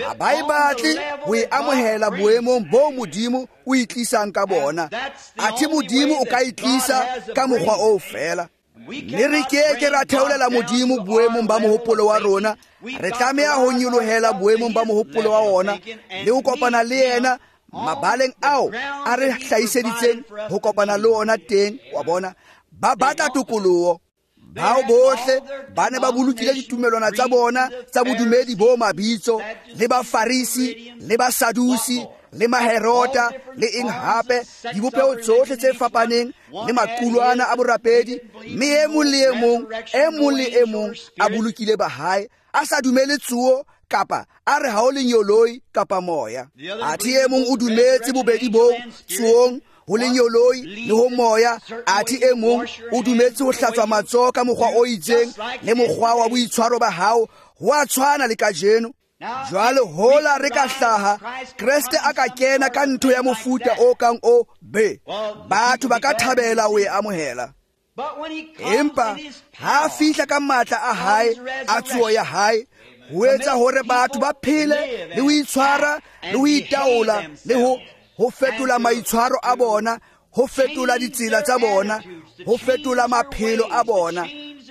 ha ba e batle ho e amohela boemong bo Modimo o e tlisang ka bona. Athe Modimo o ka e tlisa ka mokgwa oo feela. Mme re keke ra theolela Modimo boemong ba mohopolo wa rona. Re tlameha ho nyolohela boemong ba mohopolo wa ona le ho kopana le yena mabaleng ao a re hlahiseditseng ho kopana le ona teng. Wa bona, ba batla tokoloho. Bao bohle ba ne ba bolokile ditumelwana tsa bona tsa bodumedi bo mabitso, le Bafarisi, le Basadusi, le Maherota, le eng hape, dibopeho tsohle tse fapaneng le maqulwana a borapedi. Mme e mong le e mong, e mong le e mong a bolokile ba hae, a sa dumele tsoho kapa a re ha o lenyoloi kapa moya. Athe e mong o dumetse bobedi boo, tsohong, ho lenyoloi le ho moya. Athe e mong o dumetse ho hlatswa matsoho ka mokgwa o itseng le mokgwa wa boitshwaro ba hao. Ho a tshwana le kajeno. Jwale hola re ka hlaha, Kreste a ka kena ka ntho ya mofuta o kang o be, batho ba ka thabela ho e amohela. Empa ha a fihla ka matla a hae a tsoho ya hae, ho etsa hore batho ba phele le ho itshwara le ho itaola le ho fetola maitshwaro a bona, ho fetola ditsela tsa bona, ho fetola maphelo a bona.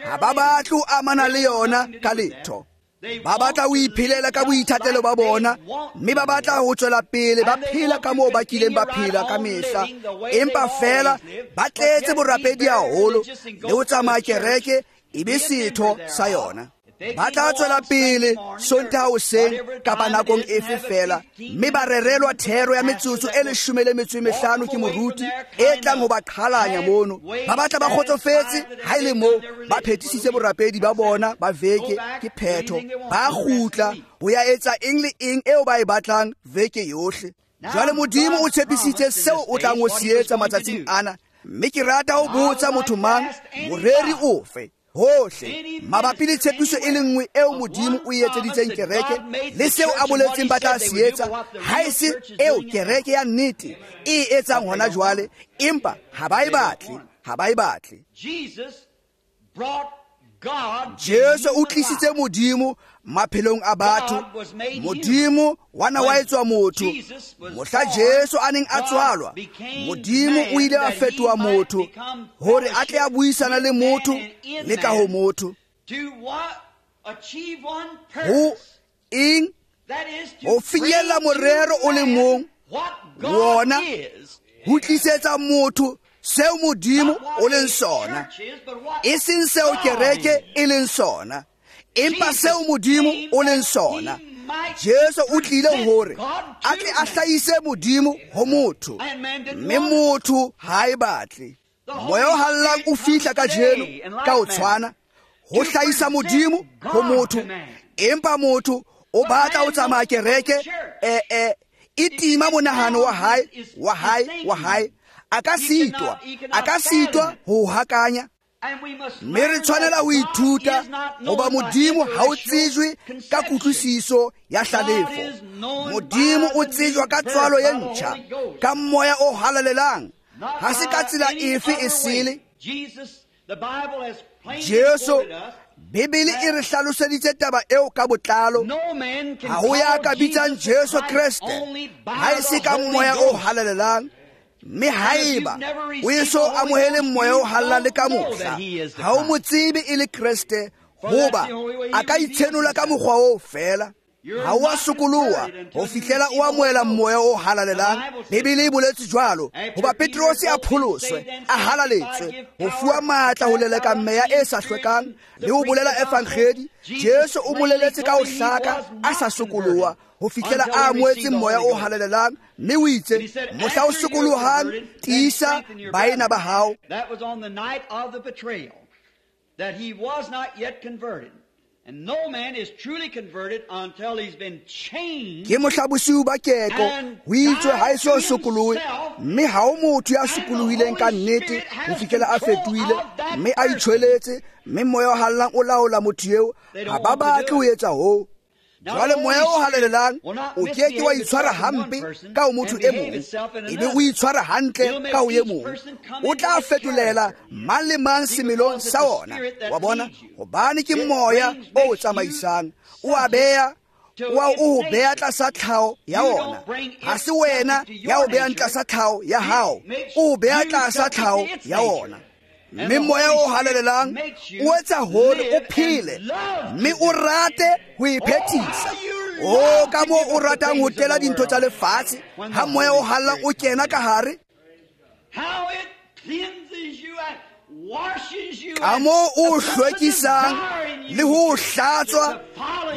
Ha ba batle ho amana le yona ka letho. Ba batla ho iphelela ka boithatelo ba bona, mme ba batla ho tswela pele ba phela ka moo ba kileng ba phela ka mehla. Empa feela ba tletse borapedi haholo le ho tsamaya kereke e be setho sa yona. Ba tla tswela pele Sontaha hoseng kapa nakong efe fela, mme ba rerelwa thero ya metsotso e 15 ke moruti e tlang ho ba qhalanya mono. Ba batla ba kgotsofetse ha e le moo ba phethisitse borapedi ba bona ba veke, ke phetho. Ba kgutla ho ya etsa eng le eng eo ba e batlang veke yohle. Jwale Modimo o tshepisitse seo o tlang ho se etsa matsatsing ana, mme ke rata ho botsa motho mang, moreri ofe hohle mabapi le tshepiso e le nngwe eo Modimo o e etseditseng kereke le seo a boletseng ba tla se etsa, ha e se eo kereke ya nnete e etsang hona jwale. Empa ha ba e batle, ha ba e batle. Jesu o tlisitse Modimo maphelong a batho. Modimo wa na wa etswa motho. Mohla Jesu a neng a tswalwa, Modimo o ile a fetoha motho hore a tle a buisana le motho le ka ho motho. Ho eng? Ho finyella morero o le mong, wona ho tlisetsa motho seo Modimo o leng sona, e seng seo kereke e leng sona, empa seo Modimo o leng sona. Jesu o tlile hore a tle a hlahise Modimo ho motho, mme motho ha e batle. Moya o hallang o fihla kajeno ka ho tshwana, ho hlahisa Modimo ho motho, empa motho o batla ho tsamaya kereke e tima monahano wa hae, wa hae, wa hae. A ka sitwa ho hakanya. Mme re tshwanela ho ithuta hoba Modimo ha o tsejwe ka kutlwisiso ya hlalefo. Modimo o tsejwa ka tswalo ye ntjha, ka moya o halalelang, ha se ka tsela efe e sele. Jesu, Bibele e re hlaloseditse taba eo ka botlalo. Ha ho ya ka bitsang Jesu Kreste ha e se ka moya o halalelang. Mme haeba o eso amohele moya o halalelang le ka mohla, ha o mo tsebe e le Kreste, Hoba a ka itshenola ka mokgwa oo fela. Ha o a sokoloha ho fihlela o amohela moya o halalelang. Bibele e boletse jwalo, hoba Petrose a pholoswe, a halaletswe, ho fuwa matla ho leleka meya e sa hlwekang le ho bolela evangedi. Jesu o moleletse ka ho hlaka a sa sokoloha ho fihlela a amohetse moya o halalelang, mme o itse, mohla o sokolohang, tiisa baena ba hao. That was on the night of the betrayal, that he was not yet converted. And no man is truly converted until he's been changed. Ke mohla bosiu ba keko, ho itswe ha e so sokolohe, mme ha o motho ya sokolohileng ka nnete ho fihlela a fetohile, mme a itjhweletse, mme moya o halalelang o laola motho eo. Ha ba batle ho etsa hoo. Jwale moya o halalelang o ke ke wa itshwara hampe ka ho motho e mong, ebe o itshwara hantle ka ho e mong. O tla fetolela mang le mang semelong sa ona. Wa bona, hobane ke moya o tsamaisang, o a beya, o a o beya tlasa tlhaho ya ona. Ha se wena ya o beyang tlasa tlhaho ya hao, o beya tlasa tlhaho ya ona. Mme moya o halalelang o etsa hore o phele, mme o rate ho e phethisa. O ka moo o ratang ho tela dintho tsa lefatshe, ha moya o halalelang o kena ka hare. Ka moo o hlwekisang le ho hlatswa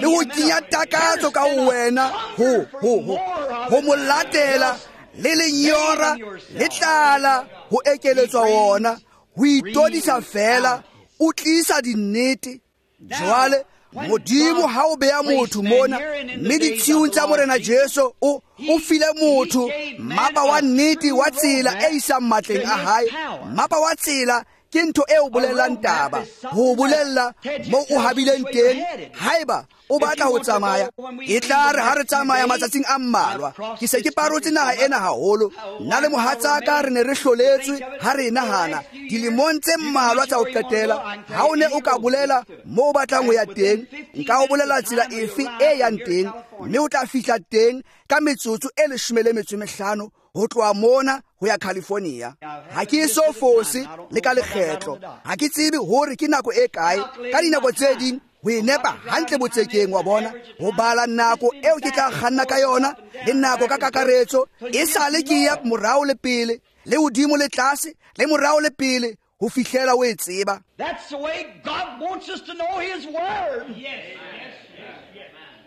le ho kenya takatso ka ho wena, ho mo latela le lenyora le tlala ho ekeletswa wona. Ho itodisa fela, o tlisa dinnete. Jwale Modimo ha o beya motho mona, mme ditshiung tsa Morena Jesu o file motho mmapa wa nnete wa tsela e isang matleng a hae. Mmapa wa tsela ke ntho e o bolelang taba, ho bolella moo o habileng teng haeba o batla ho tsamaya. E tla re ha re tsamaya matsatsing a mmalwa, ke se ke parotse naha ena haholo. Nna le mohatsaka re ne re hloletswe ha re e nahana dilemong tse mmalwa tsa ho qetela. Ha o ne o ka bolela moo o batlang ho ya teng, nka o bolela tsela efe e yang teng, mme o tla fihla teng ka metsotso e 15 ho tloha mona ho ya California. Ha ke so fose le ka lekgetlo. Ha ke tsebe hore ke nako e kae. Ka dinako tse ding ho e nepa hantle botsekeng, wa bona, ho bala nako eo ke tla kganna ka yona le nako ka kakaretso. E sale ke ya morao le pele, le hodimo le tlase, le morao le pele, ho fihlela o e tseba. That's the way God wants us to know his word. Yes.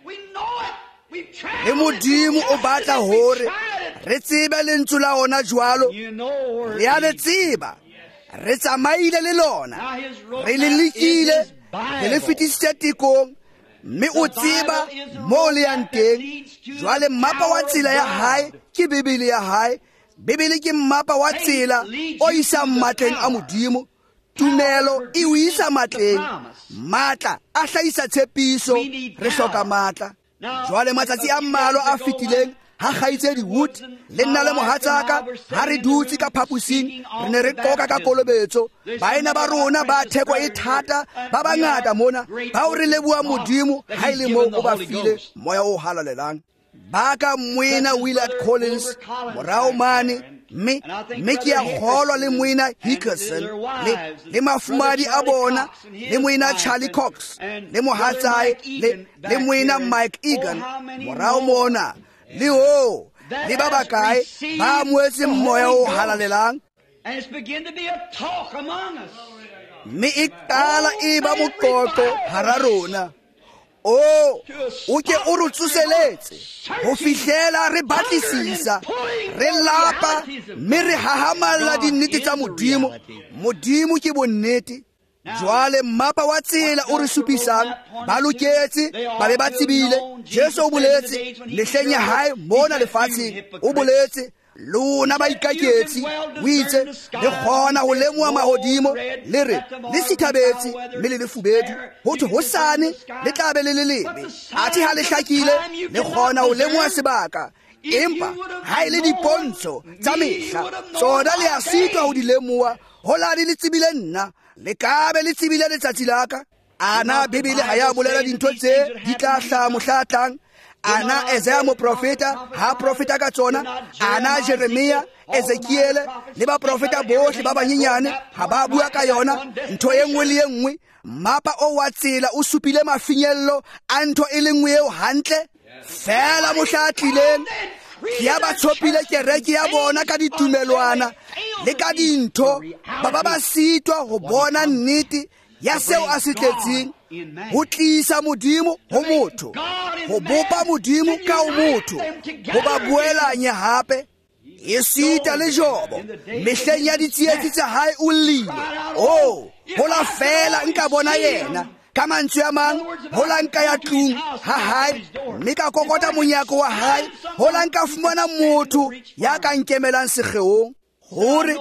We know it. Le Modimo o batla hore re tsebe lentswe la ona jwalo. Re a le tseba, re tsamaile le lona, re le lekile, re le fetisitse tekong, mme o tseba moo le yang teng. Jwale mmapa wa tsela ya hae ke Bibele ya hae. Bibele ke mmapa wa tsela o isang matleng a Modimo. Tumelo e o isa matleng, matla a hlahisa tshepiso. Re hloka matla. Jwale matsatsi a mmalwa a fetileng, ha kgaitsedi Wood le nna le mohatsaka ha re dutse ka phaposing, re ne re qoka ka kolobetso. Baena ba rona ba theko e thata ba bangata mona, bao re leboha Modimo ha e le moo o ba file moya o halalelang. Ba ka moena Willard Collins morao mane, mme ke a kgolwa le moena Hickerson le mafumadi a bona, le moena Charlie Cox le mohatsae le moena Mike Egan morao mona, le ho le ba bakae ba amohetseng moya o halalelang. Mme e qala e ba moqoqo hara rona. O ke o re tsoseletse ho fihlela re batlisisa, re lapa, mme re hahamalla dinnete tsa Modimo. Modimo ke bonnete. Jwale mmapa wa tsela o re supisang, ba loketse ba be ba tsebile. Jesu o boletse mehleng ya hae mona lefatsheng, o boletse lona baikaketsi, o itse le kgona ho lemoha mahodimo, le re le sithabetse mme le lefubedu, ho thwe hosane le tla be le le lebe. Athe ha le hlakile le kgona ho lemoha sebaka, empa ha e le dipontsho tsa mehla tsona le a sitwa ho di lemoha. Hola le tsebile nna, le ka be le tsebile letsatsi la ka. Ana Bibele ha ya bolela dintho tse di tla hlaha mohla tlang? Ana Isaiah moprofeta ha profeta ka tsona, ana Jeremia, Ezekiele le baprofeta bohle ba banyenyane ha ba bua ka yona ntho e nngwe le e nngwe. Mmapa o wa tsela o supile mafinyello a ntho e le nngwe eo hantle fela mohla a tlileng. Ke ya ba tshopile kereke ya bona ka ditumelwana le ka dintho, ba ba sitwa ho bona nnete ya seo a se tletseng, ho tlisa Modimo ho motho, ho bopa Modimo ka ho motho, ho ba boelanye hape. Esita le Jobo mehleng ya ditsietsi tsa hae o llile, oh, hola fela nka bona yena. Ka mantswe a mang, hola nka ya tlung ha hae mme ka kokota monyako wa hae, hola nka fumana motho ya ka nkemelang sekgeong. Hore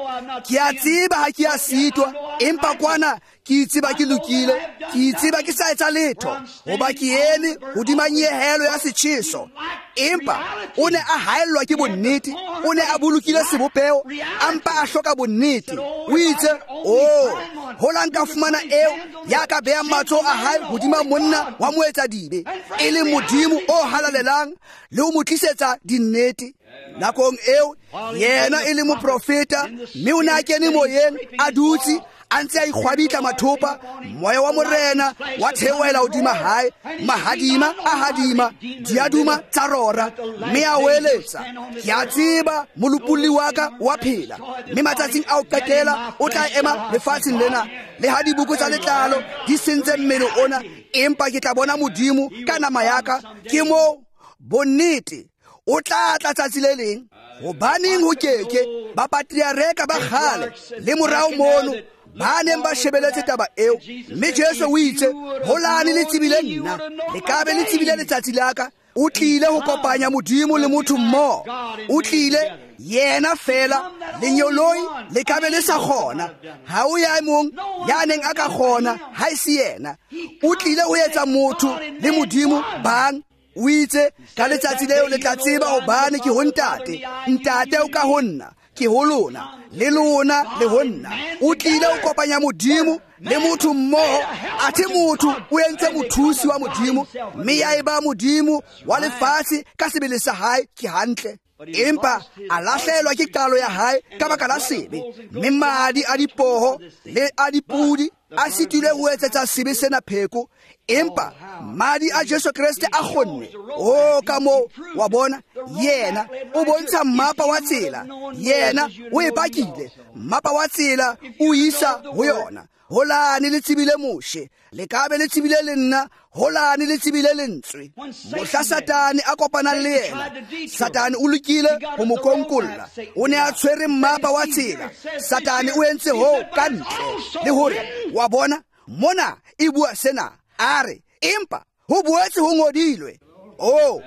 ke a tseba ha ke a sitwa, empa kwana ke itseba ke lokile, ke itseba ke sa etsa letho, hoba ke eme hodima nyehelo ya setjheso. Empa o ne a haellwa ke bonnete, o ne a bolokile sebopeho, a mpa a hloka bonnete. O itse, oh, hola nka fumana eo ya ka behang matsoho a hae hodima monna wa moetsadibe, e leng Modimo o halalelang, le ho mo tlisetsa dinnete. Nakong eo yena e le moprofeta, mme o ne a kene moyeng, a dutse a ntse a ikgwabitla mathopa, moya wa Morena wa theohela hodima hae, mahadima a hadima, diaduma tsa rora, mme a weletsa, ke a tseba molopolli wa ka wa phela, mme matsatsing a ho qetela o tla ema lefatsheng lena. Le ha dibuko tsa letlalo di sentse mmele ona, empa ke tla bona Modimo ka nama ya ka. Ke moo bonnete o tla tla tsatsi le leng. Hobaneng ho keke ba patriareka ba kgale le morao mono ba neng ba shebeletse taba eo, mme Jesu o itse, holane le tsebile nna, le ka be le tsebile letsatsi la ka. O tlile ho kopanya Modimo le motho mmoho. O tlile yena fela, lenyoloi le ka be le sa kgona. Ha o ya mong ya neng a ka kgona ha e se yena. O tlile ho etsa motho le Modimo bang. O itse ka letsatsi leo le tla tseba hobane ke ho Ntate, Ntate o ka ho nna, ke ho lona, le lona le ho nna. O tlile ho kopanya Modimo le motho mmoho, athe motho o entse mothusi wa Modimo, mme ya eba Modimo wa lefatshe ka sebele sa hae. Ke hantle. Empa a lahlelwa ke qalo ya hae ka baka la sebe, mme madi a dipoho le a dipudi a sitilwe ho etsetsa sebe sena pheko, empa madi a Jesu Kreste a kgonne. Oh, ka moo wa bona, yena o bontsha mmapa wa tsela, yena o e pakile, mmapa wa tsela o isa ho yona. Holane le tsebile Moshe, le ka be le tsebile le nna, holane le tsebile lentswe. Mohla Satane a kopanang le yena, Satane o lokile ho mo konkolla, o ne a tshwere mmapa wa tsela. Satane o entse hoo ka ntle le hore wa bona mona e bua sena, a re empa ho boetse ho ngodilwe. Oh,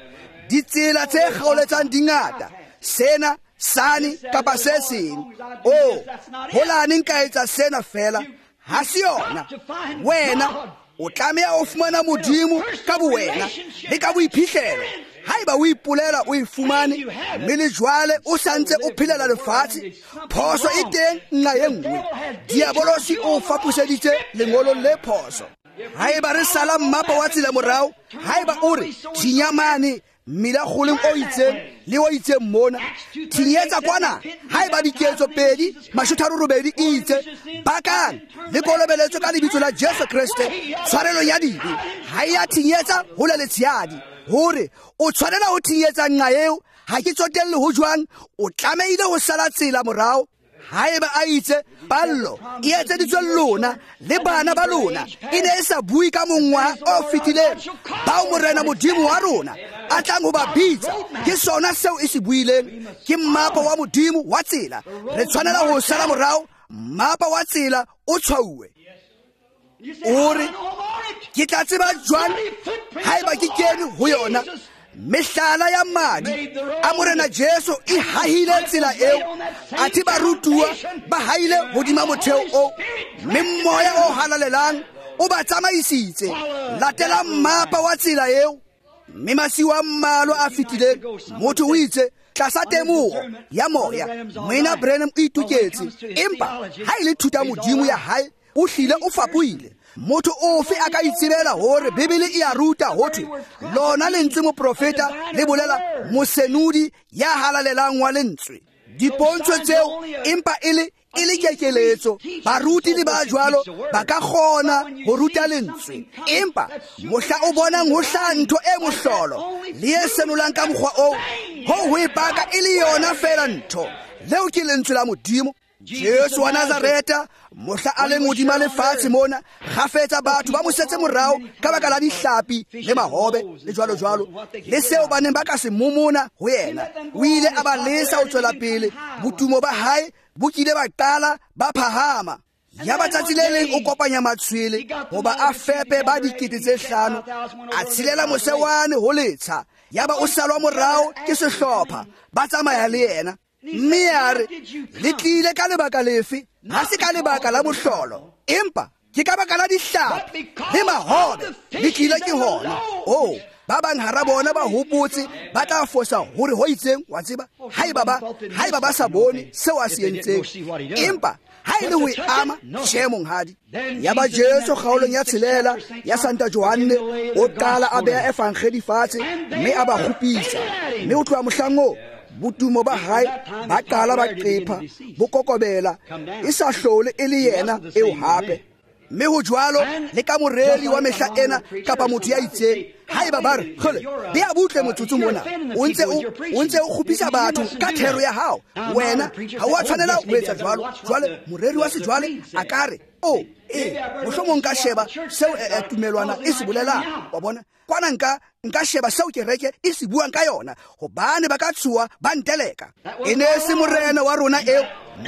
ditsela tse kgaoletsang di ngata, sena sane kapa se seng. Oh, holane nka etsa sena fela, ha se yona. Wena o tlameha ho fumana Modimo ka bowena le ka boiphihlelo. Haeba o ipolela o e fumane, mme le jwale o santse o phelela lefatshe, phoso e teng nqa e nngwe. Diabolosi o faposeditse lengolong le phoso. Haeba re sala mmapa wa tsela morao, haeba o re thinya mane mmila kgoleng o itseng le o itseng mona, thinyetsa kwana, haeba diketso 2:38 e itse bakang le kolobeletswe ka lebitso la Jesu Kreste tshwarelong ya dibe, ha e ya thinyetsa ho le letshehadi. Hore o tshwanela ho thinyetsa nqa eo, ha ke tsotelle ho jwang, o tlamehile ho sala tsela morao. Haeba a itse pallo e etseditswe lona le bana ba lona, e ne e sa bue ka mongwaha o fetileng, bao Morena Modimo wa rona a tlang ho ba bitsa, ke sona seo e se buileng. Ke mmapa wa Modimo wa tsela, re tshwanela ho sala morao mmapa wa tsela o tshwauwe. O re ke tla tseba jwang haeba ke kene ho yona? Mehlala ya madi a Morena Jesu e hahile tsela eo, athe barutuwa ba haile hodima motheo o, mme moya o halalelang o ba tsamaisitse. Latela mmapa wa tsela eo. Mme masiu a mmalwa a fetileng, motho o itse tlasa temoho ya moya, Moena Branham o itoketse, empa ha e le thuta Modimo ya hae o hlile o fapohile. Motho ofe a ka itsebela hore Bibele e a ruta ho thwe lona lentswe moprofeta le bolela mosenodi ya halalelang wa lentswe. Dipontsho tseo empa e le kekeletso. Baruti le ba jwalo ba ka kgona ho ruta lentswe, empa mohla o bonang ho hlaha ntho e mohlolo le e senolang ka mokgwa oo, ho e paka e le yona fela ntho. Leo ke lentswe la Modimo. Jesu wa Nazareta mohla a leng hodima lefatshe mona, kgafetsa batho ba mo setse morao ka baka la dihlapi le mahobe le jwalo jwalo, le seo ba neng ba ka se momona ho yena. O ile a ba lesa ho tswela pele, botumo ba hae bo kile ba qala ba phahama. Ya ba tsatsi le leng o kopanya matshwele hoba a fepe ba 5,000, a tshilela mose wane ho letsha. Ya ba o salwa morao ke sehlopha, ba tsamaya le yena. Mme a re, le tlile ka lebaka lefe? Ha se ka lebaka la mohlolo, empa ke ka baka la dihlapi le mahobe le tlile ke hona. Oh, ba bang hara bona ba hopotse ba tla fosa hore ho itseng, wa tseba, haeba ba sa bone seo a se entseng, empa ha e le ho e ama, tjhe monghadi. Ya ba Jesu kgaolong ya 6 ya Santa Johanne o qala a beha evangeli fatshe mme a ba kgopisa. Mme o tloha mohlang oo, botumo ba hae ba qala ba qepha, bo kokobela, e sa hlole e le yena eo hape. Mme ho jwalo le ka moreri wa mehla ena kapa motho ya itseng, haeba ba re kgole bea butle motsotso mona, o ntse o kgopisa batho ka thero ya hao, wena ha o a tshwanela ho etsa jwalo. Jwale moreri wa sejwale a ka re, o mohlomong nka sheba seo tumelwana e se bolelang, wa bona, kwana nka sheba seo kereke e se buang ka yona, hobane ba ka tshuwa ba nteleka. E ne se morena wa rona eo.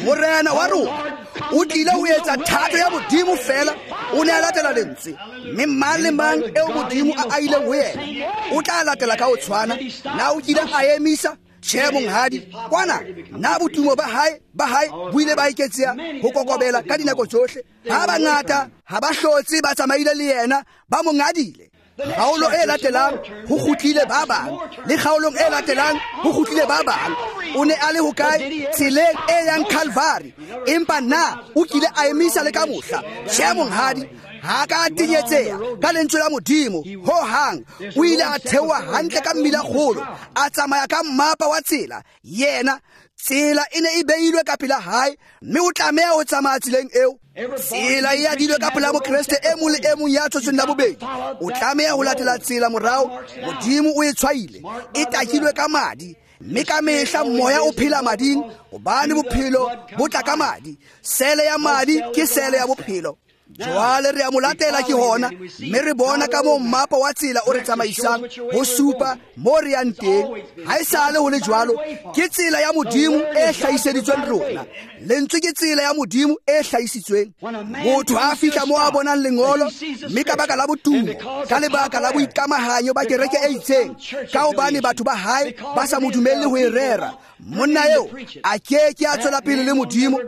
Morena wa rona o tlile ho etsa thato ya Modimo fela, o ne a latela lentswe. Mme mang le mang eo Modimo a aileng ho yena o tla latela ka ho tshwana. Na o kile a emisa? Tjhe monghadi. Kwana na botumo ba hae bo ile ba eketseha ho kokobela ka dinako tsohle. Ba bangata ha ba hlotse ba tsamaile le yena, ba mo ngadile. Kgaolo e latelang ho kgutlile ba bang, le kgaolong e latelang ho kgutlile ba bang. O ne a le hokae? Tseleng e yang Calvary. Empa na o kile a emisa le ka mohla? Tjhe monghadi. Ha ka tenyetseha ka lentswe la Modimo ho hang. O ile a theoha hantle ka mmila kgolo, a tsamaya ka mmapa wa tsela. Yena tsela e ne e beilwe ka pela hae, mme o tlameha ho tsamaya tseleng eo. Tsela e adilwe ka pela Mokreste e mong le e mong ya tshotsweng la bobedi. O tlameha ho latela tsela morao. Modimo o e tshwaile, e takilwe ka madi. Mme ka mehla moya o phela mading, hobane bophelo bo tla ka madi. Sele ya madi ke sele ya bophelo. Jwale re a mo latela ke hona, mme re bona ka moo mmapa wa tsela o re tsamaisang ho supa mo re yang teng. Ha e sale ho le jwalo, ke tsela ya Modimo e hlahiseditsweng rona. Lentswe ke tsela ya Modimo e hlahisitsweng. Motho ha a fihla mo a bonang lengolo, mme ka baka la botumo, ka lebaka la boikamahanyo ba kereke e itseng, ka hobane batho ba hae ba sa mo dumelle ho e rera, monna eo a ke ke a tswela pele le Modimo.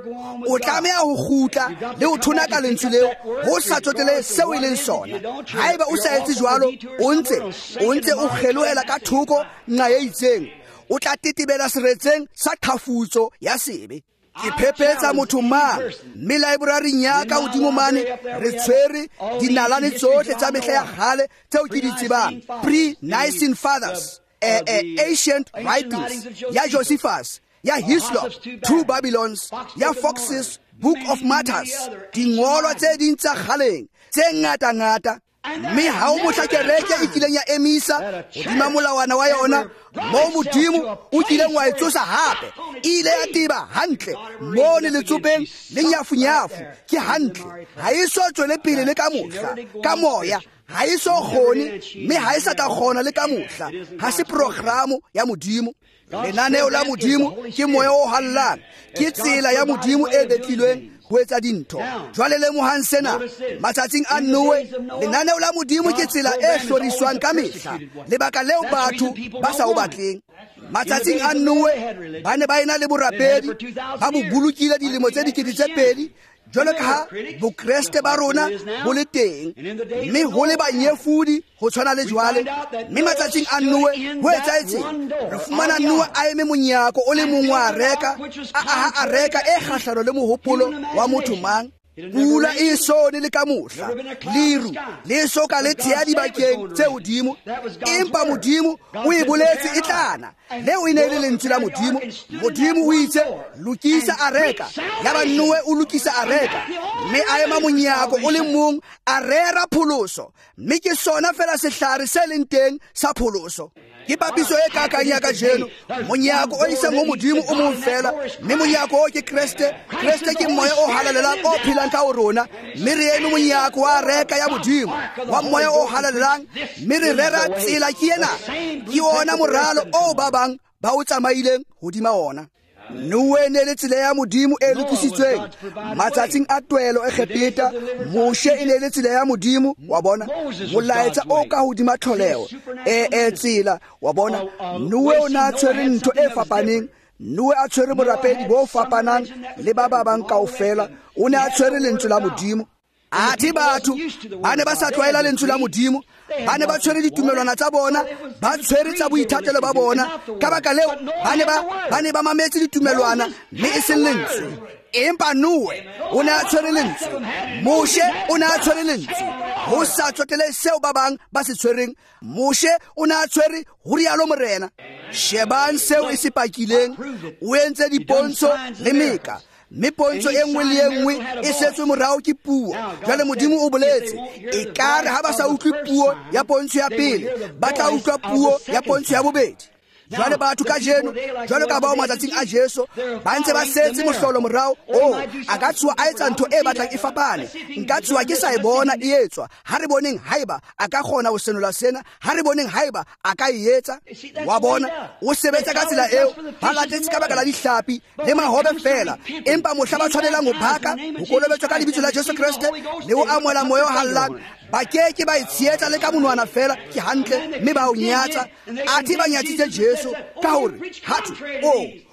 O tlameha ho kgutla le ho thonaka lentswe leo, ho sa tsotele seo e leng sona. Haeba o sa etse jwalo, o ntse o kgelohela ka thoko nqa e itseng, o tla tetebela seretseng sa qhafutso ya sebe. Ke phephetsa motho mang, mme libraryng ya ka hodimo mane re tshwere dinalane tsohle tsa mehla ya kgale tseo ke di tsebang, pre-Nicene Fathers, Ancient Writings ya Josephus, ya Hislop, Two Babylons, ya Fox's Book of Martyrs, dingolwa tse ding tsa kgaleng tse ngata-ngata. Mme ha o mohla kereke e kileng ya emisa hodima molawana wa yona moo Modimo o kileng wa e tsosa hape, e ile ya teba hantle mone letsopeng le nyafunyafu. Ke hantle, ha e so tswele pele le ka mohla. Ka moya ha e so kgone, mme ha e sa tla kgona le ka mohla. Ha se programo ya Modimo. Lenaneo la Modimo ke moya o hallang, ke tsela ya Modimo e betlilweng ho etsa dintho. Jwale lemohang sena, matsatsing a Noe, lenaneo la Modimo ke tsela e hloriswang ka mehla, lebaka leo batho ba sa o batleng. Matsatsing a Noe ba ne ba ena le borapedi, ba bo bolokile dilemo tse 2000, jwalo ka ha bokreste ba rona bo le teng, mme ho le banyefodi ho tshwana le jwale. Mme matsatsing a Noe ho etsahetseng? Re fumana Noe a eme monyako o le mong wa areka, a aha areka e kgahlano le mohopolo wa motho mang. Pula e so ne le ka mohla, leru le so ka le thea dibakeng tse hodimo, empa Modimo o e boletse e tlana. Leo e ne le lentswe la Modimo. Modimo o itse lokisa areka, yaba Noe o lokisa areka, mme a ema monyako o le mong a rera pholoso, mme ke sona fela sehlare se leng teng sa pholoso. Ke papiso e kakang ya kajeno. Monyako o isang ho Modimo o mong fela, mme monyako o ke Kreste. Kreste ke moya o halalelang o phelang ka ho rona, mme re eme monyako wa areka ya Modimo wa moya o halalelang, mme re rera tsela ke ena. Ke ona moralo o ba bang ba o tsamaileng hodima ona. Noe ne le tsela ya Modimo e lokisitsweng matsatsing a twelo Egepeta. Moshe e ne le tsela ya Modimo, wa bona, molaetsa o ka hodima tlholeho e tsela, wa bona. Noe o na tshwere ntho e fapaneng. Noe a tshwere borapedi bo fapanang le ba ba bang kaofela. O ne a tshwere lentswe la Modimo. Athe batho ba ne ba sa tlwaela lentswe la Modimo, ba ne ba tshwere ditumelwana tsa bona, ba tshwere tsa boithatelo ba bona. Ka baka leo ba ne ba mametse ditumelwana mme e seng lentswe. Empa Noe o ne a tshwere lentswe, Moshe o ne a tshwere lentswe, ho sa tsotele seo ba bang ba se tshwereng. Moshe o ne a tshwere ho rialo Morena. Shebang seo e se pakileng. O entse dipontsho le meka, mme pontsho e nngwe le e nngwe e setswe morao ke puo. Jwale Modimo o boletse, ekare ha ba sa utlwe puo ya pontsho ya pele, ba tla utlwa puo ya pontsho ya bobedi. Jwale batho kajeno, jwalo ka bao matsatsing a Jesu, ba ntse ba setse mohlolo morao. O a ka tswa a etsa ntho e batlang e fapane, nka tswa ke sa e bona e etswa. Ha re boneng haeba a ka kgona ho senola sena, ha re boneng haeba a ka e etsa. Wa bona, o sebetsa ka tsela eo. Ba latetse ka baka la dihlapi le mahobe fela, empa mohla ba tshwanelang ho baka, ho kolobetswa ka lebitso la Jesu Kreste le ho amohela moya o hallang, ba ke ke ba e tshehetsa le ka monwana fela. Ke hantle, mme ba o nyatsa. Athe ba nyatsitse Jesu ka hore hathwe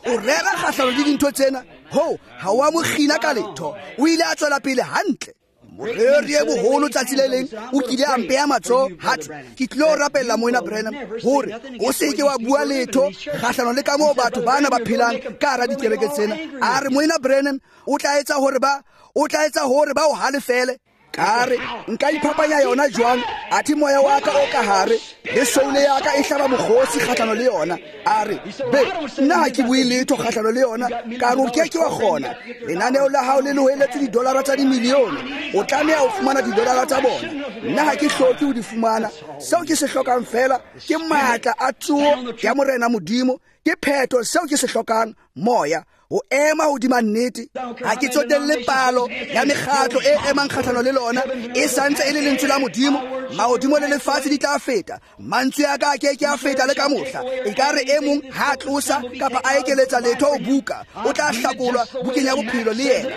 o rera kgahlano le dintho tsena, ho ha wa mo kgina ka letho. O ile a tswela pele hantle. Moreri e boholo tsatsi le leng o kile a mpeya matsoho, hathwe ke tlilo rapella Moena Branham hore o se ke wa bua letho kgahlano le ka moo batho bana ba phelang ka hara dikereke tsena. A re Moena Branham o tla etsa hore ba o halefele. Ka re nka iphapanya yona jwang? Athe moya wa ka o ka hare le soule ya ka e hlaba mokgosi kgahlano le yona. A re be nna ha ke bue letho kgahlano le yona. Ka re o ke ke wa kgona. Lenaneo la hao le loheletse didolara tsa dimilione, o tlameha ho fumana didolara tsa bona. Nna ha ke hloke ho di fumana. Seo ke se hlokang fela ke matla a tsoho ya Morena Modimo. Ke phetho seo ke se hlokang, moya ho ema hodima nnete. Ha ke tsotelle palo ya mekgatlo e emang kgahlano le lona, e santse e le lentswe la Modimo. Mahodimo le lefatshe di tla feta, mantswe a ka a ke ke a feta le ka mohla. Ekare e mong ha a tlosa kapa a ekeletsa letho ho buka, o tla hlakolwa bukeng ya bophelo le yena.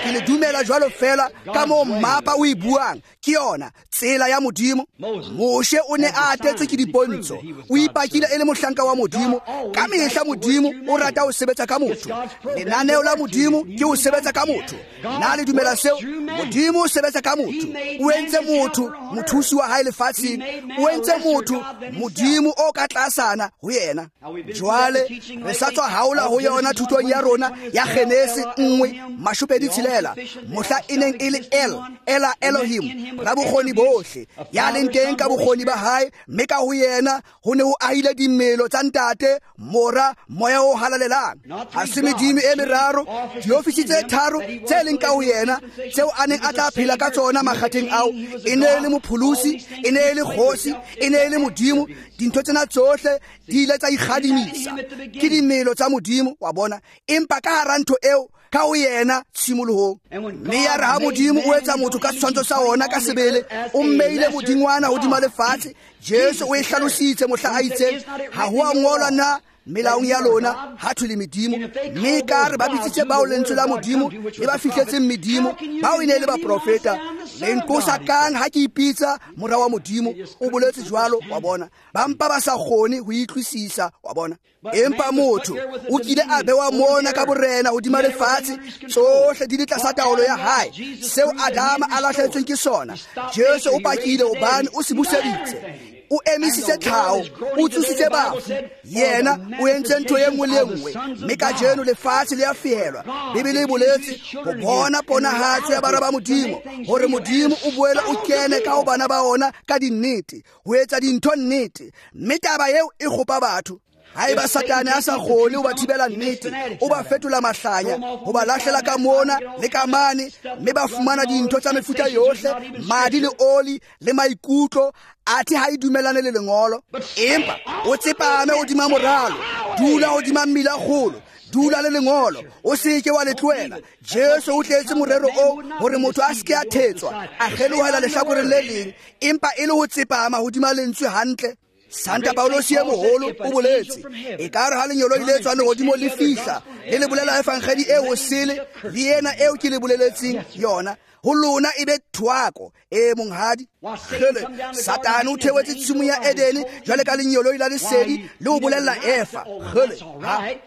Ke le dumela jwalo fela ka moo mmapa o e buang. Ke yona tsela ya Modimo. Moshe o ne a atetswe ke dipontsho, o ipakile e le mohlanka wa Modimo. Ka mehla Modimo o rata ho sebetsa ka motho. Lenaneo la Modimo ke ho sebetsa ka motho. Na le dumela seo? Modimo o sebetsa ka motho. O entse motho mothusi wa hae lefatsheng, o entse motho Modimo o ka tlasana ho yena. Jwale re sa tswa haola ho yona thutong ya rona ya Genese 1:26, mohla e neng e le El, Ela Elohim, la bokgoni bohle, ya leng teng ka bokgoni ba hae, mme ka ho yena ho ne ho ahile dimelo tsa Ntate, Mora, Moya o halalelang. Ha se medimo e meraro, diofisi tse tharo tse leng ka ho yena, tseo a neng a tla phela ka tsona makgatheng ao. E ne e le mopholosi, e ne e le kgosi, e ne e le Modimo. Dintho tsena tsohle di ile tsa ikgadimisa, ke dimelo tsa Modimo, wa bona. Empa ka hara ntho eo, ka ho yena tshimolohong. Mme ya re ha Modimo o etsa motho ka setshwantsho sa ona ka sebele, o mmeile modingwana hodima lefatshe. Jesu o e hlalositse mohla a itseng, ha ho a ngolwa na melaong ya lona ha thwe le medimo? Mme ka re ba bitsitse bao lentswe la Modimo le ba fihletseng medimo, bao e ne e le baprofeta. Le nqosa kang ha ke ipitsa mora wa Modimo? O boletse jwalo, wa bona. Ba mpa ba sa kgone ho itlwisisa, wa bona. Empa motho o kile a bewa mona ka borena hodima lefatshe, tsohle di le tlasa taolo ya hae. Seo Adama a lahlehetsweng ke sona, Jesu o pakile hobane o se buseditse. O emisitse tlhaho, o tsositse bafu. Yena o entse ntho e nngwe le e nngwe. Mme kajeno lefatshe le a fehelwa. Bibele e boletse ho bona ponahatso ya bara ba Modimo, hore Modimo o boele o kene ka ho bana ba ona ka dinnete, ho etsa dintho nnete. Mme taba eo e kgopa batho. Haeba Satane a sa kgone ho ba thibela nnete, o ba fetola mahlanya, ho ba lahlela ka mona le ka mane, mme ba fumana dintho tsa mefuta yohle, madi le oli le maikutlo, athe ha e dumellane le lengolo. Empa o tsepame hodima moralo, dula hodima mmila kgolo, dula le lengolo, o seke wa le tlohela. Jesu o tletse morero o hore motho a seke a thetswa, a kgelohela lehlakoreng le leng, empa e le ho tsepama hodima lentswe hantle. Santa Paulosi e moholo o boletse, ekare ha lenyoloi le tswang lehodimo le fihla, le le bolela evangeli e hosele, le ena eo ke le boleletseng yona, ho lona e be thwako. E monghadi, kgele, Satane o theohetse tshimong ya Edene jwale ka lenyoloi la lesedi le ho bolella Eva. Kgele,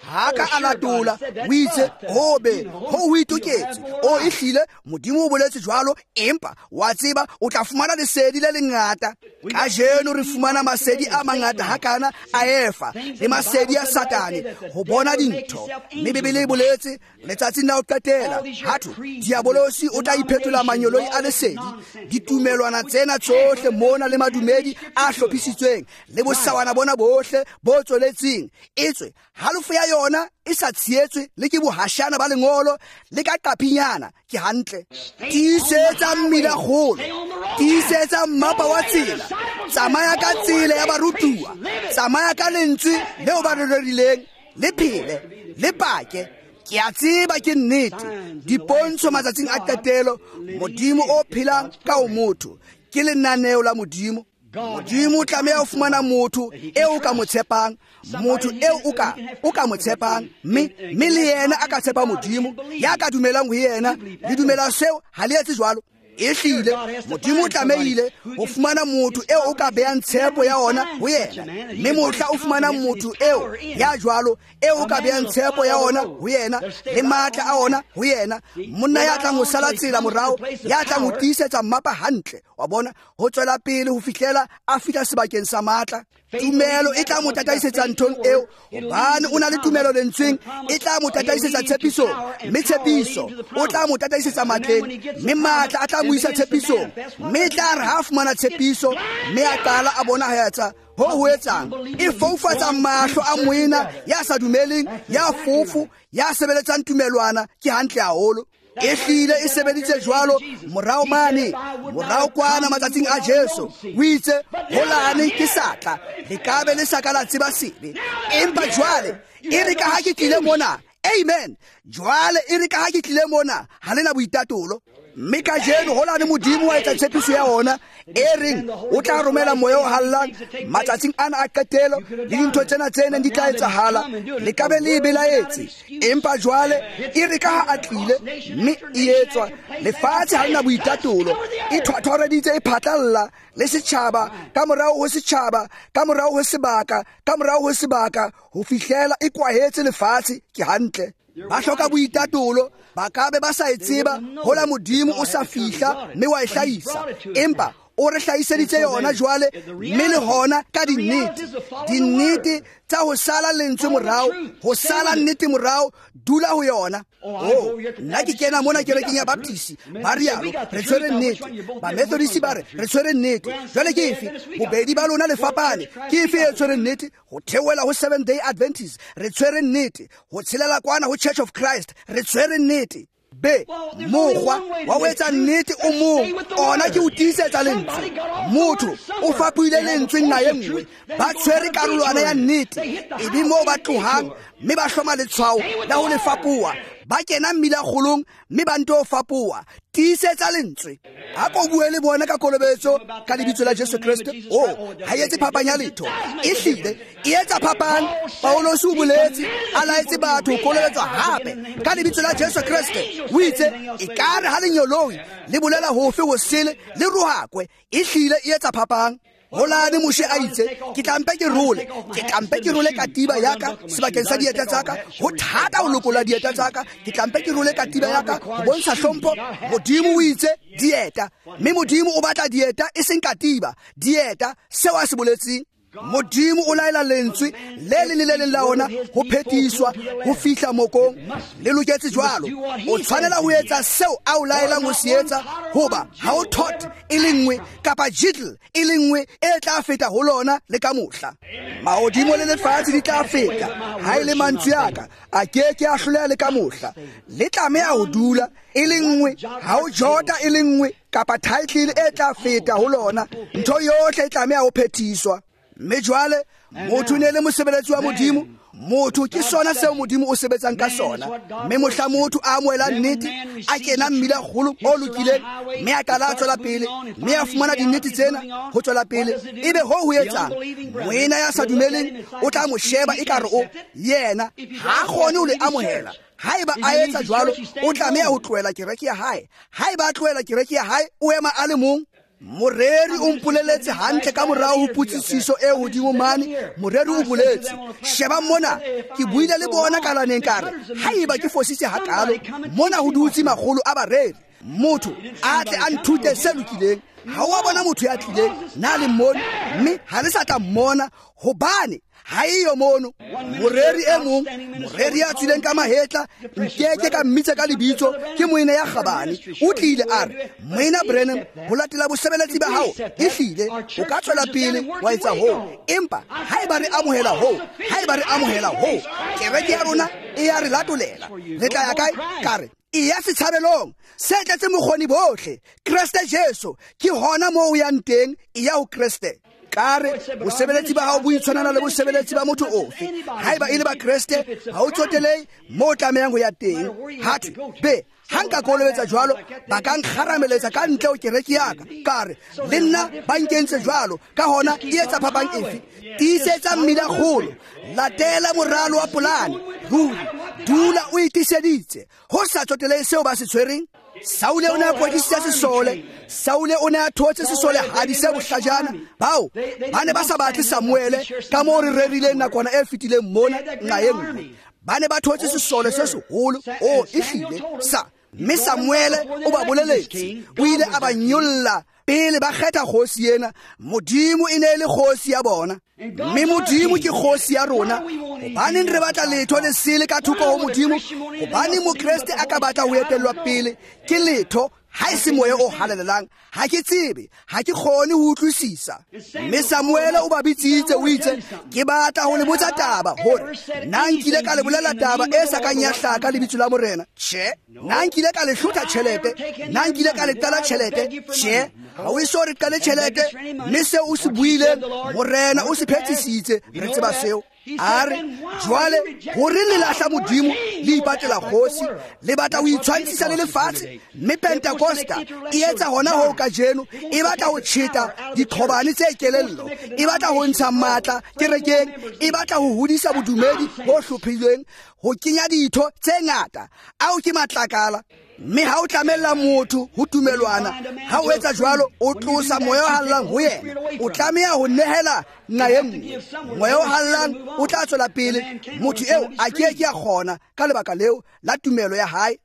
ha ka a latola, o itse hobe ho ho itoketse, o ehlile Modimo o boletse jwalo, empa wa tseba o tla fumana lesedi le lengata. Kajeno re fumana masedi a mangata hakana a Eva le masedi a Satane ho bona dintho. Mme Bibele e boletse letsatsing la ho qetela, hatho diabolosi o tla iphetola manyoloi a lesedi. Ditumelwana tsena tsohle mona le madumedi a hlophisitsweng le bosawana bona bohle bo tsweletseng, etswe halofo ya yona e sa tshehetswe le ke bohashana ba lengolo le ka qaphinyana. Ke hantle. Tiisetsa mmila kgolo, tiisetsa mmapa wa tsela, tsamaya ka tsela ya barutuwa, tsamaya ka lentswe leo ba re rerileng, le phele, le pake. Ke a tseba ke nnete. Dipontsho matsatsing a qetelo, Modimo o phelang ka ho motho, ke lenaneo la Modimo. Modimo o tlameha ho fumana motho eo o ka mo tshepang, motho eo o ka mo tshepang, mme le yena a ka tshepa Modimo, ya ka dumelang ho yena. Le dumela seo, ha le etse jwalo. Ehlile Modimo o tlamehile ho fumana motho eo o ka behang tshepo ya ona ho yena. Mme mohla o fumana motho eo ya jwalo, eo o ka behang tshepo ya ona ho yena le matla a ona ho yena, monna ya tlang ho sala tsela morao, ya tlang ho tiisetsa mmapa hantle, wa bona, ho tswela pele ho fihlela a fihla sebakeng sa matla. Tumelo e tla mo tataisetsa nthong eo, hobane o na le tumelo lentsweng, e tla mo tataisetsa tshepisong, mme tshepiso o tla mo tataisetsa matleng, mme matla a tla mo isa tshepisong, mme e tla re ha fumana tshepiso, mme a qala a bona ha ho ho etsang, e foufatsa mahlo a moena ya sa dumeleng, ya fofo, ya sebeletsang tumelwana. Ke hantle haholo. Ehlile e sebeditse jwalo morao mane, morao kwana matsatsing a Jesu. O itse holane ke sa tla, le ka be le sa ka la tseba sebe, empa jwale e re ka ha ke tlile mona, amen, jwale e re ka ha ke tlile mona, ha le na boitatolo. Mme kajeno holane Modimo wa etsa tshepiso ya ona e reng o tla romela moya o hallang matsatsing ana a qetelo, le dintho tsena tse neng di tla etsahala, le ka be le e belaetse. Empa jwale e re ka ha a tlile, mme e etswa, lefatshe ha le na boitatolo, e thwathwareditse, e phatlalla le setjhaba, ka morao ho setjhaba, ka morao ho sebaka, ka morao ho sebaka, ho fihlela e kwahetse lefatshe. Ke hantle. Ba hloka boitatolo, ba ka be ba sa e tseba hola Modimo o sa fihla mme wa e hlahisa, empa o re hlahiseditse yona jwale, mme le hona ka dinnete. Dinnete tsa ho sala lentswe morao, ho sala nnete morao, dula ho yona. Oh, nna ke kena mona kerekeng ya Baptist, ba rialo, re tshwere nnete. Ba Methodist ba re, re tshwere nnete. Jwale ke efe? Bobedi ba lona le fapane. Ke efe e tshwere nnete? Ho theohela ho Seventh Day Adventist, re tshwere nnete. Ho tshelela kwana ho Church of Christ, re tshwere nnete. Be mokgwa wa ho etsa nnete o mong, ona ke ho tiisetsa lentswe. Motho o fapohile lentswe nna e nngwe, ba tshwere karolwana ya nnete, e be moo ba tlohang mme ba hloma letshwao la ho le fapoha, ba kena mmila kgolong mme ba nto fapoha. Tiisetsa lentswe. Ha ko bue le bona ka kolobetso ka lebitso la Jesu Kreste, oh, ha etse phapang ya letho. Ehlile e etsa phapang. Paulosi o boletse a laetse batho ho kolobetswa hape ka lebitso la Jesu Kreste. O itse ekare ha lenyoloi le bolela hofe ho sele le rohakwe. Ehlile e etsa phapang. Holane Moshe a itse, ke tlampe ke role, ke tlampe ke role katiba ya ka sebakeng sa dieta tsa ka. Ho thata ho lokola dieta tsa ka, ke tlampe ke role katiba ya ka ho bontsha hlompho. Modimo o itse dieta, mme Modimo o batla dieta e seng katiba, dieta seo a se boletseng. Modimo o laela lentswe le leng le le leng la ona ho phethiswa ho fihla mokong. Le loketse jwalo. O tshwanela ho etsa seo a o laelang ho se etsa, hoba ha o thot e le nngwe kapa jittle e le nngwe e tla feta ho lona le ka mohla. Mahodimo le lefatshe di tla feta, ha e le mantswe a ka a ke ke a hloleha le ka mohla. Le tlameha ho dula e le nngwe, ha o jota e le nngwe kapa title e tla feta ho lona. Ntho yohle e tlameha ho phethiswa. Mme jwale motho ne le mosebeletsi wa Modimo. Motho ke sona seo Modimo o sebetsang ka sona. Mme mohla motho a amohela nnete, a kena mmila kgolo o lokileng, mme a qala a tswela pele, mme a fumana dinnete tsena ho tswela pele, ebe ho ho etsang? Moena ya sa dumeleng o tla mo sheba ekare o yena ha a kgone ho le amohela. Haeba a etsa jwalo, o tlameha ho tlohela kereke ya hae. Haeba a tlohela kereke ya hae, o ema a le mong. Moreri o mpoleletse hantle ka morao ho potsisiso e hodimo mane. Moreri o boletse, sheba mona, ke buile le bona kalaneng ka re, haeba ke fositse hakalo, mona ho dutse makgolo a bareri. Motho a tle a nthute se lokileng. Ha o a bona motho ya tlileng, na le mmone, mme ha le sa tla mmona, hobane ha eyo mono. Moreri e mong, moreri ya tswileng ka mahetla, nkeke ka mmitsa ka lebitso, ke moena ya kgabane. O tlile a re, Moena Branham, ho latela bosebeletsi ba hao, ehlile o ka tswela pele wa etsa hoo. Empa haeba re amohela hoo, haeba re amohela hoo, kereke ya rona e ya re latolela. Re tla ya kae? Ka re, e ya setshabelong se tletse mokgoni bohle, Kreste Jesu. Ke hona moo o yang teng, e ya ho Kreste. Ka re, bosebeletsi ba hao bo itshwanana le bosebeletsi ba motho ofe. Haeba e le ba Kreste, ha o tsotelehe moo o tlamehang ho ya teng. Ha thwe, be, ha nka kolobetsa jwalo, ba ka nkgarameletsa ka ntle ho kereke ya ka. Ka re, le nna ba nkentse jwalo, ka hona e etsa phapang efe? Tiisetsa mmila kgolo, latela moralo wa polane. Ruri, dula o itiseditse, ho sa tsotelehe seo ba se tshwereng. Saule o ne a kwetlisitse sesole. Saule o ne a thotse sesole hadi se bohlajana. Bao ba ne ba sa batle Samuele ka moo re rerileng nakwana e fetileng mona nqa e nngwe. Ba ne ba thotse sesole se seholo, o ehlile sa. Mme Samuele o ba boleletse, o ile a ba nyolla pele ba kgetha kgosi ena. Modimo e ne e le kgosi ya bona, mme Modimo ke kgosi ya rona. Hobaneng re batla letho le sele ka thoko ho Modimo? Hobaneng Mokreste a ka batla ho etellwa pele ke letho ha e se moya o halalelang? Ha ke tsebe, ha ke kgone ho utlwisisa. Mme Samuele o ba bitsitse, o itse, ke batla ho le botsa taba hore na nkile ka le bolela taba e sa kang ya hlaka lebitso la Morena? Tjhe. Na nkile ka le hlotha tjhelete? Na nkile ka le qala tjhelete? Tjhe. Ha o eso re qale tjhelete, mme seo o se buileng, Morena o se phethisitse. Re tseba seo. A re, jwale hore le lahla Modimo, le ipatlela kgosi, le batla ho itshwantshisa le lefatshe. Mme Pentecosta e etsa hona hoo kajeno, e batla ho tjheta diqhobane tse kelello, e batla ho ntsha matla kerekeng, e batla ho hodisa bodumedi bo hlophilweng, ho kenya ditho tse ngata. Ao ke matlakala. Mme ha o tlamella motho ho tumelwana, ha o etsa jwalo, o tlosa moya o hallang ho yena. O tlameha ho nehela nqa e nngwe. Moya o hallang o tla tswela pele, motho eo a ke ke a kgona ka lebaka leo la tumelo ya hae.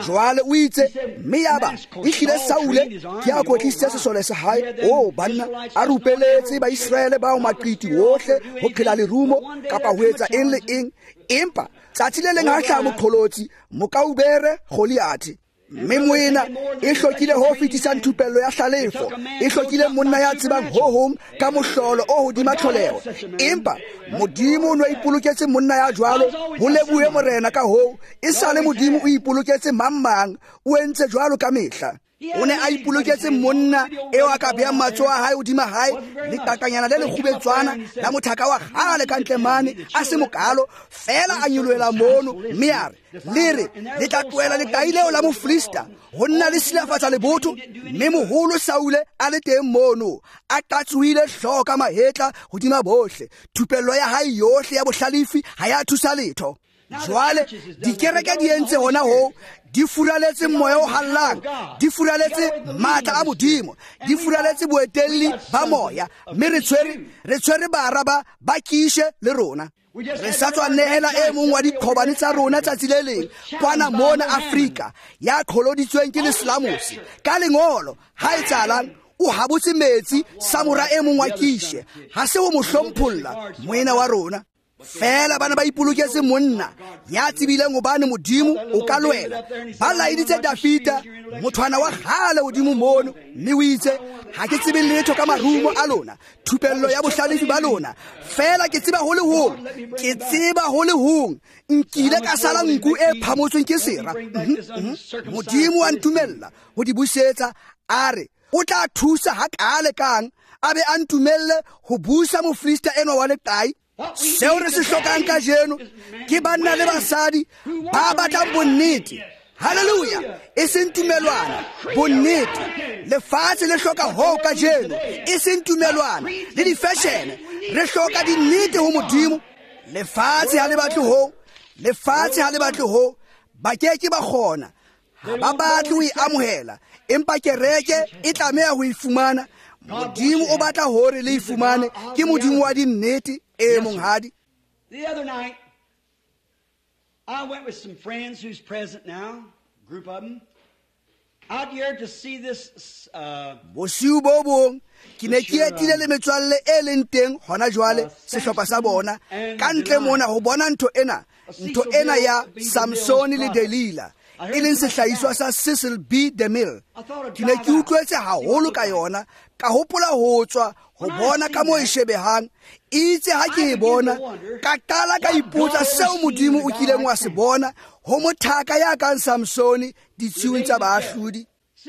Jwale o itse, mme yaba ehlile Saule ke a kwetlisitse sesole sa hae. O banna, a rupeletse Baiseraele bao maqiti wohle ho phela lerumo kapa ho etsa eng le eng. Empa tsatsi le leng ha hlaha moqholotsi, mokaubere Goliath. Mme moena e hlokile ho fetisang thupello ya hlalefo, e hlokile monna ya tsebang ho hong ka mohlolo o hodima tlholeho. Empa Modimo o ne a ipoloketse monna ya jwalo, ho lebohe Morena ka hoo. E sale Modimo o ipoloketse mang mang, o entse jwalo ka mehla. O ne a ipoloketse monna eo a ka beang matsoho a hae hodima hae, leqaqanyana le lekgubetswana la mothaka wa kgale ka ntle mane, a se mokalo, feela a nyolohela mono, mme a re, le re, le tla tlohela leqai leo la Mofilista ho nna le silafatsa lebotho. Mme moholo Saule a le teng mono, a qatsohile hlooho ka mahetla hodima bohle. Thupello ya hae yohle ya bohlalefi ha ya thusa letho. Jwale dikereke di entse hona ho, di furaletse moya o hallang, di furaletse matla a Modimo, di furaletse boetelli ba moya, mme re tshwere bara ba kishe le rona. Re sa tswa nehela e mong wa diqhobane tsa rona tsatsi le leng kwana mona Afrika ya qholoditsweng ke leslamosi ka lengolo. Ha e tsalang o habotse metsi samora e mong wa kishe, ha se o mo hlompholla moena wa rona. Fela bana ba ipoloketse monna ya tsebileng hobane Modimo o ka lwela. Ba laeditse Dafita mothwana wa kgale hodimo mono, mme o itse, ha ke tsebe letho ka marumo a lona, thupello ya bohlalefi ba lona, fela ke tseba ho le hong, ke tseba ho le hong, nkile ka sala nku e phamotsweng ke sera. Modimo wa ntumella ho di busetsa, a re o tla thusa ha kale kang a be a ntumelle ho busa mofrista enwa wa leqai. Seo re se hlokang kajeno ke banna le basadi ba batlang bonnete. Hallelujah. E seng tumelwana, bonnete. Lefatshe le hloka ho kajeno, e seng tumelwana le di-fashion. Re hloka dinnete ho Modimo. Lefatshe ha le batle ho, lefatshe ha le batle ho, ba ke ke ba kgona. Ha ba batle ho e amohela, empa kereke e tlameha ho e fumana. Modimo o batla hore le e fumane, ke Modimo wa dinnete. E monghadi. The other night, I went with some friends who's present now, group of them, out here to see this. Bosiu bo bong ke ne ke etile le metswalle e leng teng hona jwale, sehlopha sa bona ka ntle mona ho bona ntho ena ya Samson le Delila, e leng sehlahiswa sa Cecil B. DeMille. Ke ne ke utlwetse haholo ka yona, ka hopola ho tswa ho bona ka moo e shebehang. Itse ha ke e bona, ka qala ka ipotsa seo Modimo o kileng wa se bona ho mothaka ya kang Samsone ditshiung tsa baahlodi.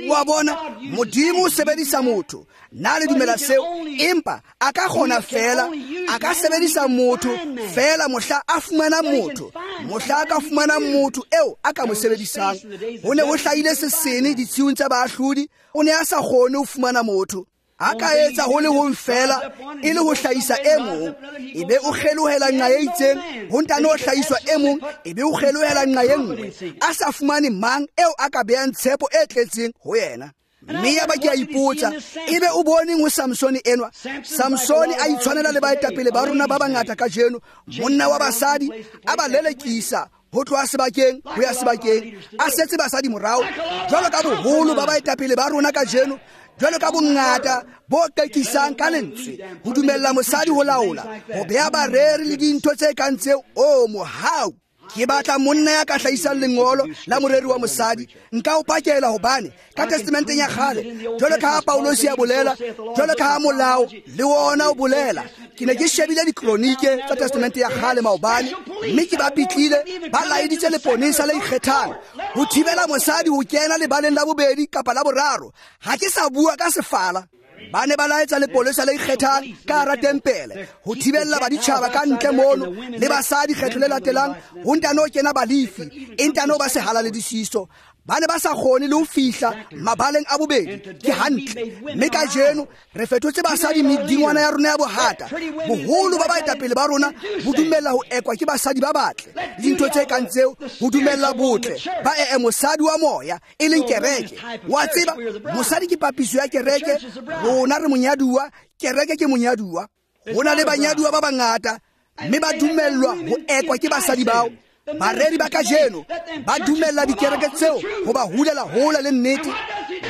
Wa bona, Modimo o sebedisa motho. Nna le dumela seo, empa a ka kgona fela, a ka sebedisa motho fela mohla a fumana motho, mohla a ka fumana motho eo a ka mo sebedisang. Ho ne ho hlahile sesene ditshiung tsa baahlodi, o ne a sa kgone ho fumana motho. A ka etsa ho le hong fela e le ho hlahisa e mong, ebe o kgelohela nqa e itseng, ho ntane ho hlahiswa e mong, ebe o kgelohela nqa e nngwe, a sa fumane mang eo a ka behang tshepo e tletseng ho yena. Mme ya ba ke a ipotsa, ebe o boneng ho Samsone enwa? Samsone a itshwanela le baetapele ba rona ba bangata kajeno, monna wa basadi a ba lelekisa ho tloha sebakeng ho ya sebakeng, a setse basadi morao, jwalo ka boholo ba baetapele ba rona kajeno, jwalo ka bongata bo qekisang ka lentswe, ho dumella mosadi ho laola, ho beha bareri le dintho tse kang tseo. O mohau! Ke batla monna ya ka hlahisang lengolo la moreri wa mosadi. Nka o pakela hobane ka testamenteng ya kgale, jwalo ka ha Paulosi a bolela, jwalo ka ha molao le wona o bolela. Ke ne ke shebile dikronike tsa testamente ya kgale maobane, mme ke ba pitlile ba laeditse leponesa le ikgethang ho thibela mosadi ho kena lebaleng la bobedi kapa la boraro. Ha ke sa bua ka sefala. Ba ne ba laetsa lepolesa le ikgethang ka hara tempele ho thibella baditjhaba ka ntle mono le basadi kgetho le latelang, ho ntano ho kena balefi, e ntano ba sehalaledisiso. Ba ne ba sa kgone le ho fihla mabaleng a bobedi. Ke hantle. Mme kajeno re fetotse basadi medingwana ya rona ya bohata. Boholo ba baetapele ba rona bo dumella ho ekwa ke basadi ba batle le dintho tse kang tseo, ho dumella botle ba ee mosadi wa moya e leng kereke. Wa tseba, mosadi ke papiso ya kereke, rona re monyaduwa, kereke ke monyaduwa. Ho na le banyaduwa ba bangata, mme ba dumellwa ho ekwa ke basadi bao. Bareri ba kajeno ba dumella dikereke tseo ho ba hulela hola le nnete,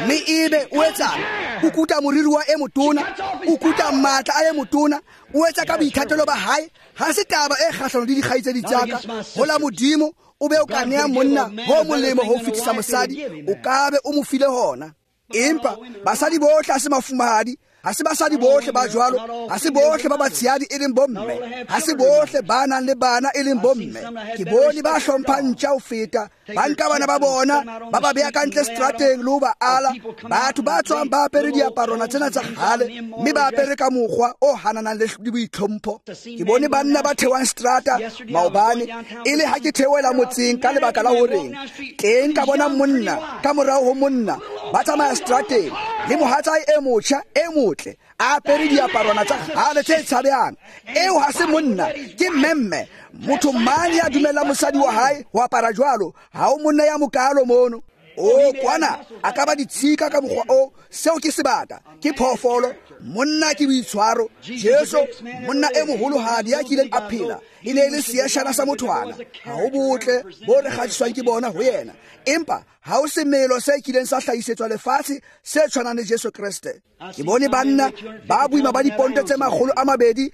mme ebe o etsang? O kuta moriri wa e motona, o kuta matla a e motona, o etsa ka boithatelo ba hae. Ha se taba e kgahlano le dikgaitsedi tsa ka. Ho la Modimo o be o ka nea monna ho molemo ho fetisa mosadi, o ka be o mo file hona. Empa basadi bohle ha se mafumahadi, ha se basadi bohle ba jwalo, ha se bohle ba batshehadi e leng bomme, ha se bohle ba nang le bana e leng bomme. Ke bone ba hlomphang ntja ho feta, ba nka bana ba bona ba ba beha ka ntle strateng le ho ba ala. Batho ba tswang ba apere diaparwana tsena tsa kgale, mme ba apere ka mokgwa o hananang le boitlhompho. Ke bone banna ba theohang strata maobane, e le ha ke theohela motseng ka lebaka la horeng teng ka bona monna ka morao ho monna ba tsamaya strateng, Le mohatsae e motjha e motle, a apere diaparwana tsa kgale tse tshabehang. Eo ha se monna, ke mmemme. Motho mang ya dumelang mosadi wa hae ho apara jwalo? Ha o monna ya mokalo mono. O kwana a ka ba ditshika ka mokgwa o, seo ke sebata, ke phoofolo. Monna ke boitshwaro. Jesu, monna e moholohadi ya kileng a phela, e ne e le seashana sa mothwana. Ha ho botle bo re kgathiswang ke bona ho yena, empa ha ho semelo se kileng sa hlahisetswa lefatshe se tshwanang le Jesu Kreste. Ke bone banna ba boima ba diponto tse 250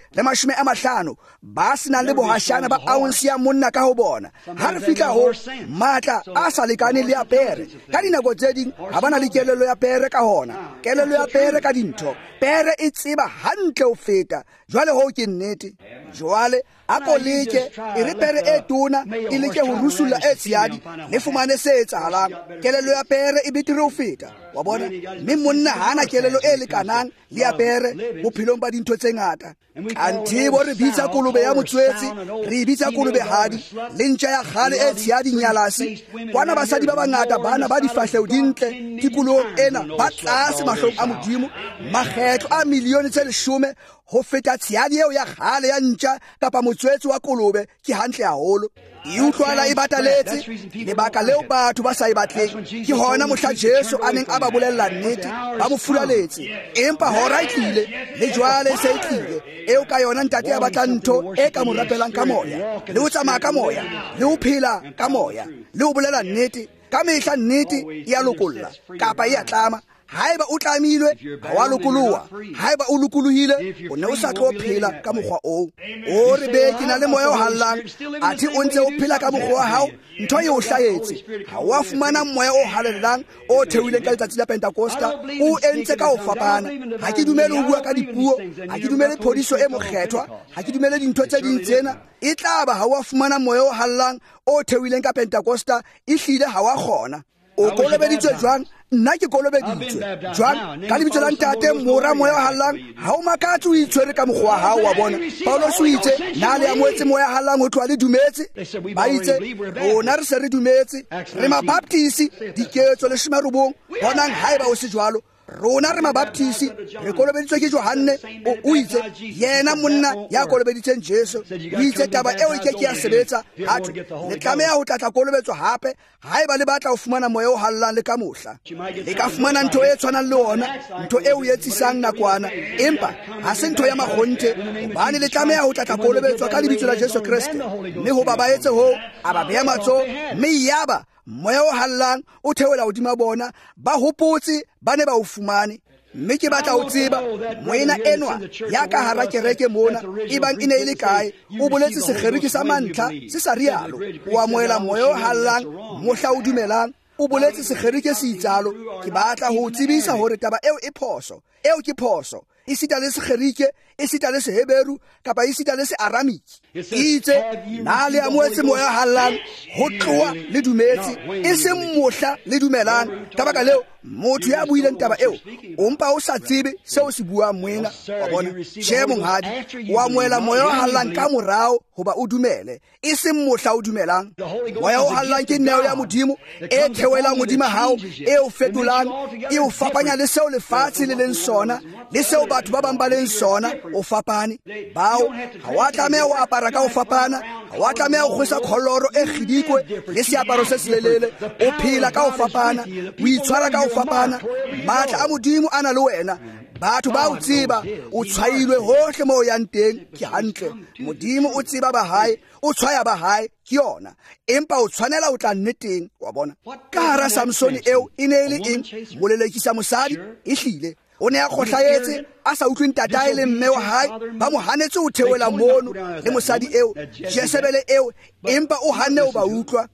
ba senang le bohashana ba ounce ya monna ka ho bona. Ha re fihla ho matla a sa lekaneng le ya pere, ka dinako tse ding ha ba na le kelello ya pere ka hona. Kelello ya pere ka dintho, pere e tseba hantle ho feta. Jwale ho ke nnete. Jwale a ko leke, e re pere e tona e leke ho rusulla e tshehadi, le fumane se etsahalang. Kelello ya pere e betere ho feta, wa bona. Mme monna ha ana kelello e lekanang le ya pere bophelong ba dintho tse ngata. Anthe bo re bitsa kolobe ya motswetse, re bitsa kolobehadi, le ntja ya kgale e tshehadi nyalasi. Kwana basadi ba bangata bana ba difahleho di ntle tikolohong ena ba tlase mahlong a Modimo, makgetlo a milione tse 10 ho feta tshehadi eo ya kgale ya ntja kapa motswetse wa kolobe. Ke hantle haholo. E utlwala e bataletse. Lebaka leo batho ba sa e batleng ke hona mohla Jesu a neng a ba bolella nnete, ba mo furaletse. Empa hora e tlile, le jwale se e tlile, eo ka yona ntate ya batlang ntho e ka mo rapelang ka moya, le ho tsamaya ka moya, le ho phela ka moya, le ho bolela nnete. Ka mehla nnete e a lokolla kapa e a tlama. Haeba o tlamilwe, ha wa lokoloha. Haeba o lokolohile, o ne o sa tlo phela ka mokgwa oo. O re be ke na le moya o hallang, athe o ntse o phela ka mokgwa wa hao, ntho e o hlahetse. Ha wa fumana moya o halellang o theohileng ka letsatsi la Pentekosta, o entse ka ho fapana. Ha ke dumele ho bua ka dipuo, ha ke dumele phodiso e mokgethwa, ha ke dumele dintho tse ding tsena. E tla ba ha wa fumana moya o hallang o theohileng ka Pentekosta, ehlile ha wa kgona. O kolobeditswe jwang? Nna ke kolobeditswe jwang? Ka lebitso la Ntate, Mora, Moya o Hallang. Ha o makatse o itshwere ka mokgwa wa hao, wa bona. Paulos o itse, na le amohetse moya hallang ho tloha le dumetse? Ba itse, rona re se re dumetse, re mabaptisi, diketso 19. Bonang haeba o se jwalo. Rona re mabaptisi, re kolobeditswe ke Johanne. O itse, yena monna ya kolobeditseng Jesu, o itse taba eo e ke ke ya sebetsa. Hathwe le tlameha ho tlatla kolobetswa hape haeba le batla ho fumana moya o hallang le ka mohla. Le ka fumana ntho e tshwanang le ona, ntho eo e etsisang nakwana, empa ha se ntho ya makgonthe, hobane le tlameha ho tlatla kolobetswa ka lebitso la Jesu Kreste. Mme hoba ba etse hoo, a ba beha matsoho, mme yaba moya o hallang o theohela hodima bona. Ba hopotse ba ne ba o fumane. Mme ke batla ho tseba moena enwa ya ka hara kereke mona, ebang e ne e le kae, o boletse Segerike sa mantlha se sa rialo. O amohela moya o hallang mohla o dumelang. O boletse Segerike se itsalo. Ke batla ho tsebisa hore taba eo e phoso. Eo ke phoso. Esita le Segerike, esita le Seheberu, kapa esita le Searamiki. Itse, na le amohetse moya o hallang ho tloha le dumetse, e seng mohla le dumelang. Ka baka leo, motho ya buileng taba eo, o mpa o sa tsebe seo se buang moena, wa bona. Tjhe, monghadi, o amohela moya o hallang ka morao hoba o dumele, e seng mohla o dumelang. Moya o hallang ke neo ya Modimo e theohelang hodima hao, e o fetolang, e o fapanya le seo lefatshe le leng sona, le seo batho ba bang ba leng sona. O fapane. Bao ha wa tlameha ho apara ka ho fapana, ha wa tlameha ho kgwesa kholoro e kgidikwe le seaparo se selelele. O phela ka ho fapana, o itshwara ka ho fapana. Matla a Modimo a na le wena. Batho ba o tseba, o tshwailwe hohle moo o yang teng. Ke hantle. Modimo o tseba ba hae, o tshwaya ba hae, ke yona. Empa o tshwanela ho tla nneteng, wa bona. Ka hara Samsone eo e ne e le eng? Molelekisa mosadi, ehlile. O ne a kgohlahetse, a sa utlwe ntatae le mme wa hae, ba mo hanetse ho theohela mono le mosadi eo, Jezebele eo, empa o hanne ho ba utlwa.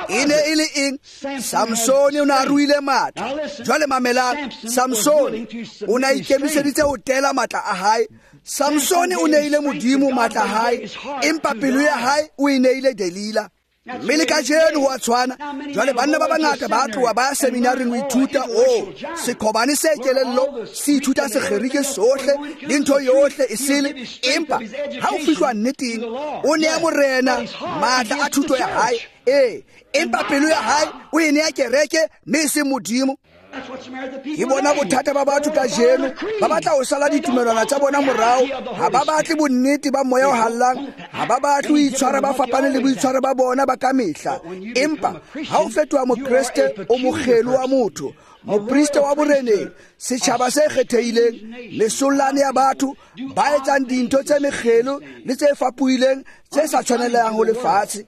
E ne e le eng? Samsone o ne a ruile matla. Jwale mamelang, Samsone o ne a ikemiseditse ho tela matla a hae. Samsone o neile Modimo matla a hae, empa pelo ya hae o e neile Delila. Mme le kajeno ho a tshwana. Jwale banna ba bangata ba tloha ba ya seminaring ho ithuta o sekhobane se kelello, se ithuta Segerike sohle le ntho yohle e sele, empa ha o fihlwa nneteng, o nea Morena matla a thuto ya hae. Ee, empa pelo ya hae o e nea kereke, mme e seng Modimo. Ke bona bothata ba batho kajeno, ba batla ho sala ditumelwana tsa bona morao, ha ba batle bonnete ba moya o hallang, ha ba batle ho itshwara ba fapane le boitshwaro ba bona ba kamehla. Empa ha o fetoha mokreste, o mokgelo wa motho, moprista wa boreneng, setjhaba se kgethehileng, mesollane ya batho ba etsang dintho tse mekgelo le tse fapohileng tse sa tshwanelehang ho lefatshe.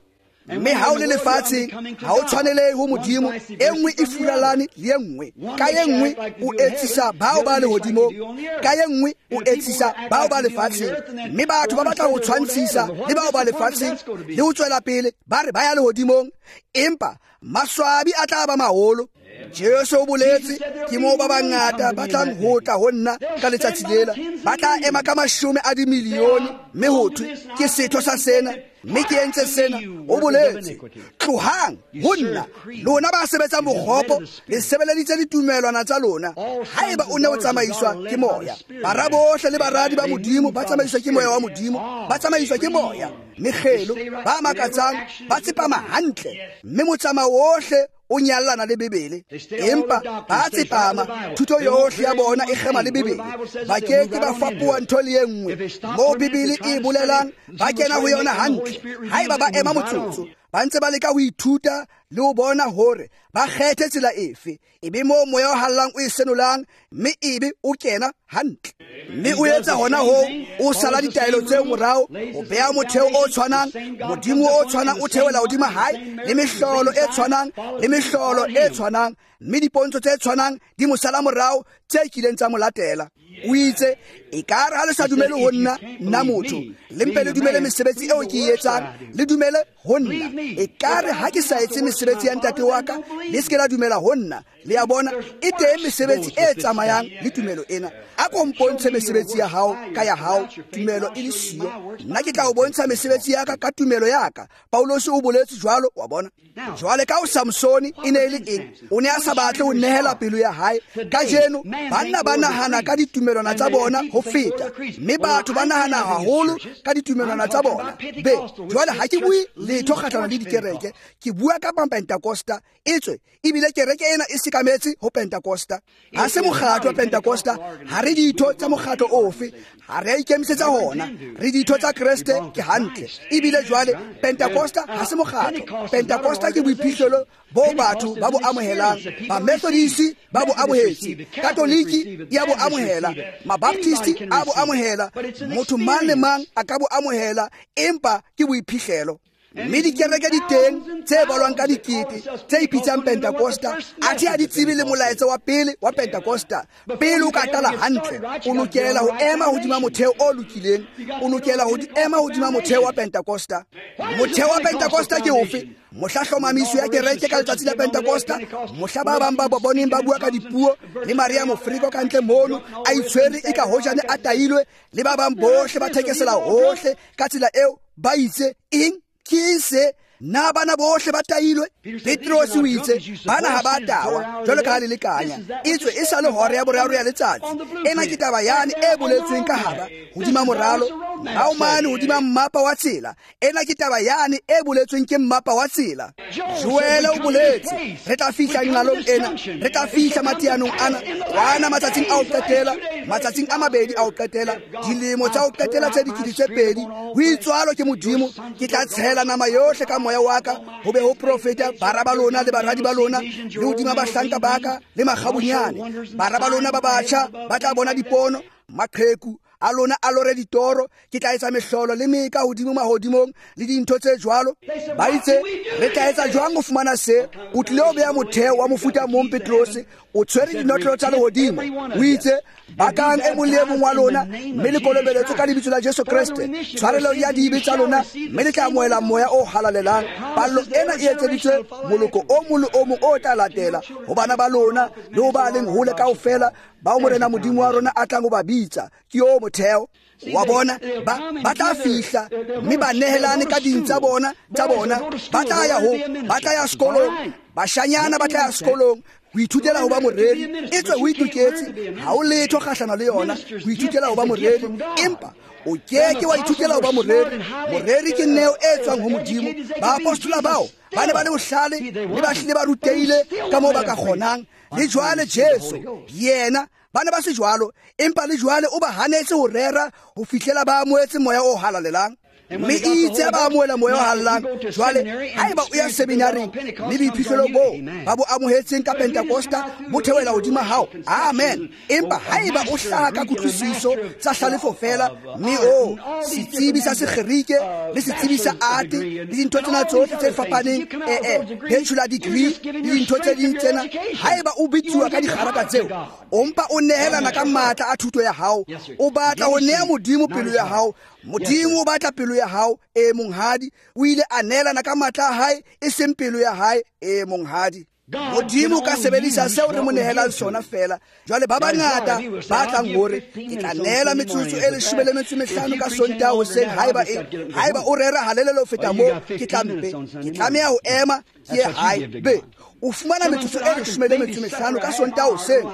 Mme ha o le lefatsheng, ha o tshwanelehe ho Modimo. E nngwe e furalane le e nngwe. Ka e nngwe o etsisa bao ba lehodimong, ka e nngwe o etsisa bao ba lefatsheng. Mme batho ba batla ho tshwantshisa le bao ba lefatsheng le ho tswela pele ba re ba ya lehodimong, empa maswabi a tla ba maholo. Jesu o boletse, ke moo ba bangata ba tlang ho tla ho nna ka letsatsi lela, ba tla ema ka 10 a dimilione, mme ho thwe ke setho sa sena, mme ke entse sena. O boletse, tlohang ho nna, lona ba sebetsang bokgopo, le sebeleditse ditumelwana tsa lona. Haeba o ne o tsamaiswa ke moya, bara bohle le baradi ba Modimo ba tsamaiswa ke moya wa Modimo, ba tsamaiswa ke moya. Mekgelo ba makatsang ba tsepama hantle, mme motsamao ohle o nyallana le Bibele. Empa ba tsepama, thuto yohle ya bona e kgema le Bibele. Ba ke ke ba fapoha ntho le e nngwe moo Bibele e bolelang, ba kena ho yona hantle. Haeba ba ema motsotso, ba ntse ba leka ho ithuta le ho bona hore ba kgethe tsela efe, ebe moo moya o hallang o e senolang, mme ebe o kena hantle. Mme o etsa hona hoo, o sala ditaelo tseo morao, o beha motheo o tshwanang, Modimo o tshwanang o theohela hodima hae, le mehlolo e tshwanang, le mehlolo e tshwanang, mme dipontsho tse tshwanang di mo sala morao tse kileng tsa mo latela. O itse, ekare ha le sa dumele ho nna, nna motho, le mpe le dumele mesebetsi eo ke e etsang, le dumele ho nna. Ekare ha ke sa etse mesebetsi ya ntate wa ka, le se ke la dumela ho nna. Le a bona, e teng mesebetsi e tsamayang le tumelo ena. A ko mpontshe mesebetsi ya hao ka ya hao, tumelo e le siyo. Nna ke tla o bontsha mesebetsi ya ka ka tumelo ya ka. Paulus o boletse jwalo, wa bona. Jwale ka o Samsoni e ne e le eng? O ne a sa batle ho nehela pelo ya hae. Kajeno banna ba nahana ka ditumelwana tsa bona ho feta, mme batho ba nahana haholo ka ditumelwana tsa bona. Be, jwale ha ke bue letho kgahlano le dikereke, ke bua ka Pentakosta. Etswe ebile kereke ena e sekametse ho Pentakosta. Ha se mokgatlo wa Pentakosta, ha re ditho tsa mokgatlo ofe, ha re a ikemisetsa hona, re ditho tsa Kreste, ke hantle. Ebile jwale Pentakosta ha se mokgatlo. Pentakosta ke boiphihlelo bo batho ba bo amohelang. Ba Methodist ba bo amohetse, Katoliki ya bo amohela, Mabaptist a bo amohela, motho mang le mang a ka bo amohela, empa ke boiphihlelo. Mme dikereke di teng tse balwang ka dikete tse ipitsang Pentakosta, athe ha di tsebe le molaetsa wa pele wa Pentakosta. Pele o ka qala hantle, o lokela ho ema hodima motheo o lokileng, o lokela ho ema hodima motheo wa Pentakosta. Motheo wa Pentakosta ke ofe? Mohla hlomamiso ya kereke ka letsatsi la Pentakosta, mohla ba bang ba boneng ba bua ka dipuo, le Maria Mofriko ka ntle mono a itshwere e ka hojane a tailwe, le ba bang bohle ba thekesela hohle ka tsela eo, ba itse eng? Ke se na bana bohle ba tailwe? Petrose o itse bana ha ba tawa jwalo ka ha le lekanya, etswe e sa le hora ya boraro ya letsatsi. Ena ke taba yane e boletsweng ka hara hodima moralo, morao mane hodima mmapa wa tsela. Ena ke taba yane e boletsweng ke mmapa wa tsela. Joele o boletse re tla fihla nqalong ena, re tla fihla mateanong ana kwana matsatsing a ho qetela, matsatsing a mabedi a ho qetela, dilemo tsa ho qetela tse 2000. Ho itswalo ke Modimo, ke tla tshela nama yohle ka moya wa ka, ho be ho profeta bara ba lona le baradi ba lona, le hodima bahlanka ba ka le makgabunyane. Bara ba lona ba batjha ba tla bona dipono, maqheku a lona a lore ditoro. Ke tla etsa mehlolo le meka hodimo mahodimong le dintho tse jwalo. Ba itse re tla etsa jwang ho fumana se? O tlile ho beha motheo wa mofuta mong, Petrose. O tshwere dinotlolo tsa lehodimo. O itse bakang e mong le e mong wa lona, mme le kolobeletswe ka lebitso la Jesu Kreste, tshwarelo ya dibe tsa lona, mme le tla amohela moya o halalelang. Pallo ena e etseditswe moloko o mong le o mong o tla latela, ho bana ba lona le ho ba leng hole kaofela, bao Morena Modimo wa rona a tlang ho ba bitsa. Ke o motheo wa bona. Ba tla fihla mme ba nehelane ka ding tsa bona, ba tla ya ho, ba tla ya sekolong, bashanyana ba tla ya sekolong ho ithutela ho ba moreri. Etswe ho itoketse, ha o letho kgahlano le yona ho ithutela ho ba moreri, empa o ke ke wa ithutela ho ba moreri. Moreri ke neo e tswang ho Modimo. Baapostola bao ba ne ba le bohlale mme ba hlile ba rutehile ka moo ba ka kgonang. Le jwale Jesu yena ba ne ba se jwalo, empa le jwale o ba hanetse ho rera ho fihlela ba amohetse moya o halalelang. Mme itse ba amohela moya o halalelang. Jwale haeba o ya seminaring mme boiphihlelo boo ba bo amohetseng ka Pentekosta bo theohela hodima hao, amen. Empa haeba o hlaha ka kutlwisiso tsa hlalefo feela, mme o setsebi sa Segerike le setsebi sa ate le dintho tsena tsohle tse fapaneng, bachelor degree le dintho tse ding tsena, haeba o bitsuwa ka dikgaraka tseo, o mpa o nehelana ka matla a thuto ya hao. O batla ho neha Modimo pelo ya hao. Modimo o batla pelo ya hao. E monghadi, o ile a neelana ka matla a hae, e seng pelo ya hae. E monghadi, Modimo ka sebedisa seo re mo nehelang sona feela. Jwale ba bangata ba tlang hore ke tla neela metsotso e 15 ka Sontaha hoseng, haeba o rera halelele ho feta moo, ke tla mpe ke tlameha ho ema ke ye hae. Be o fumana metsotso e 15 ka Sontaha hoseng,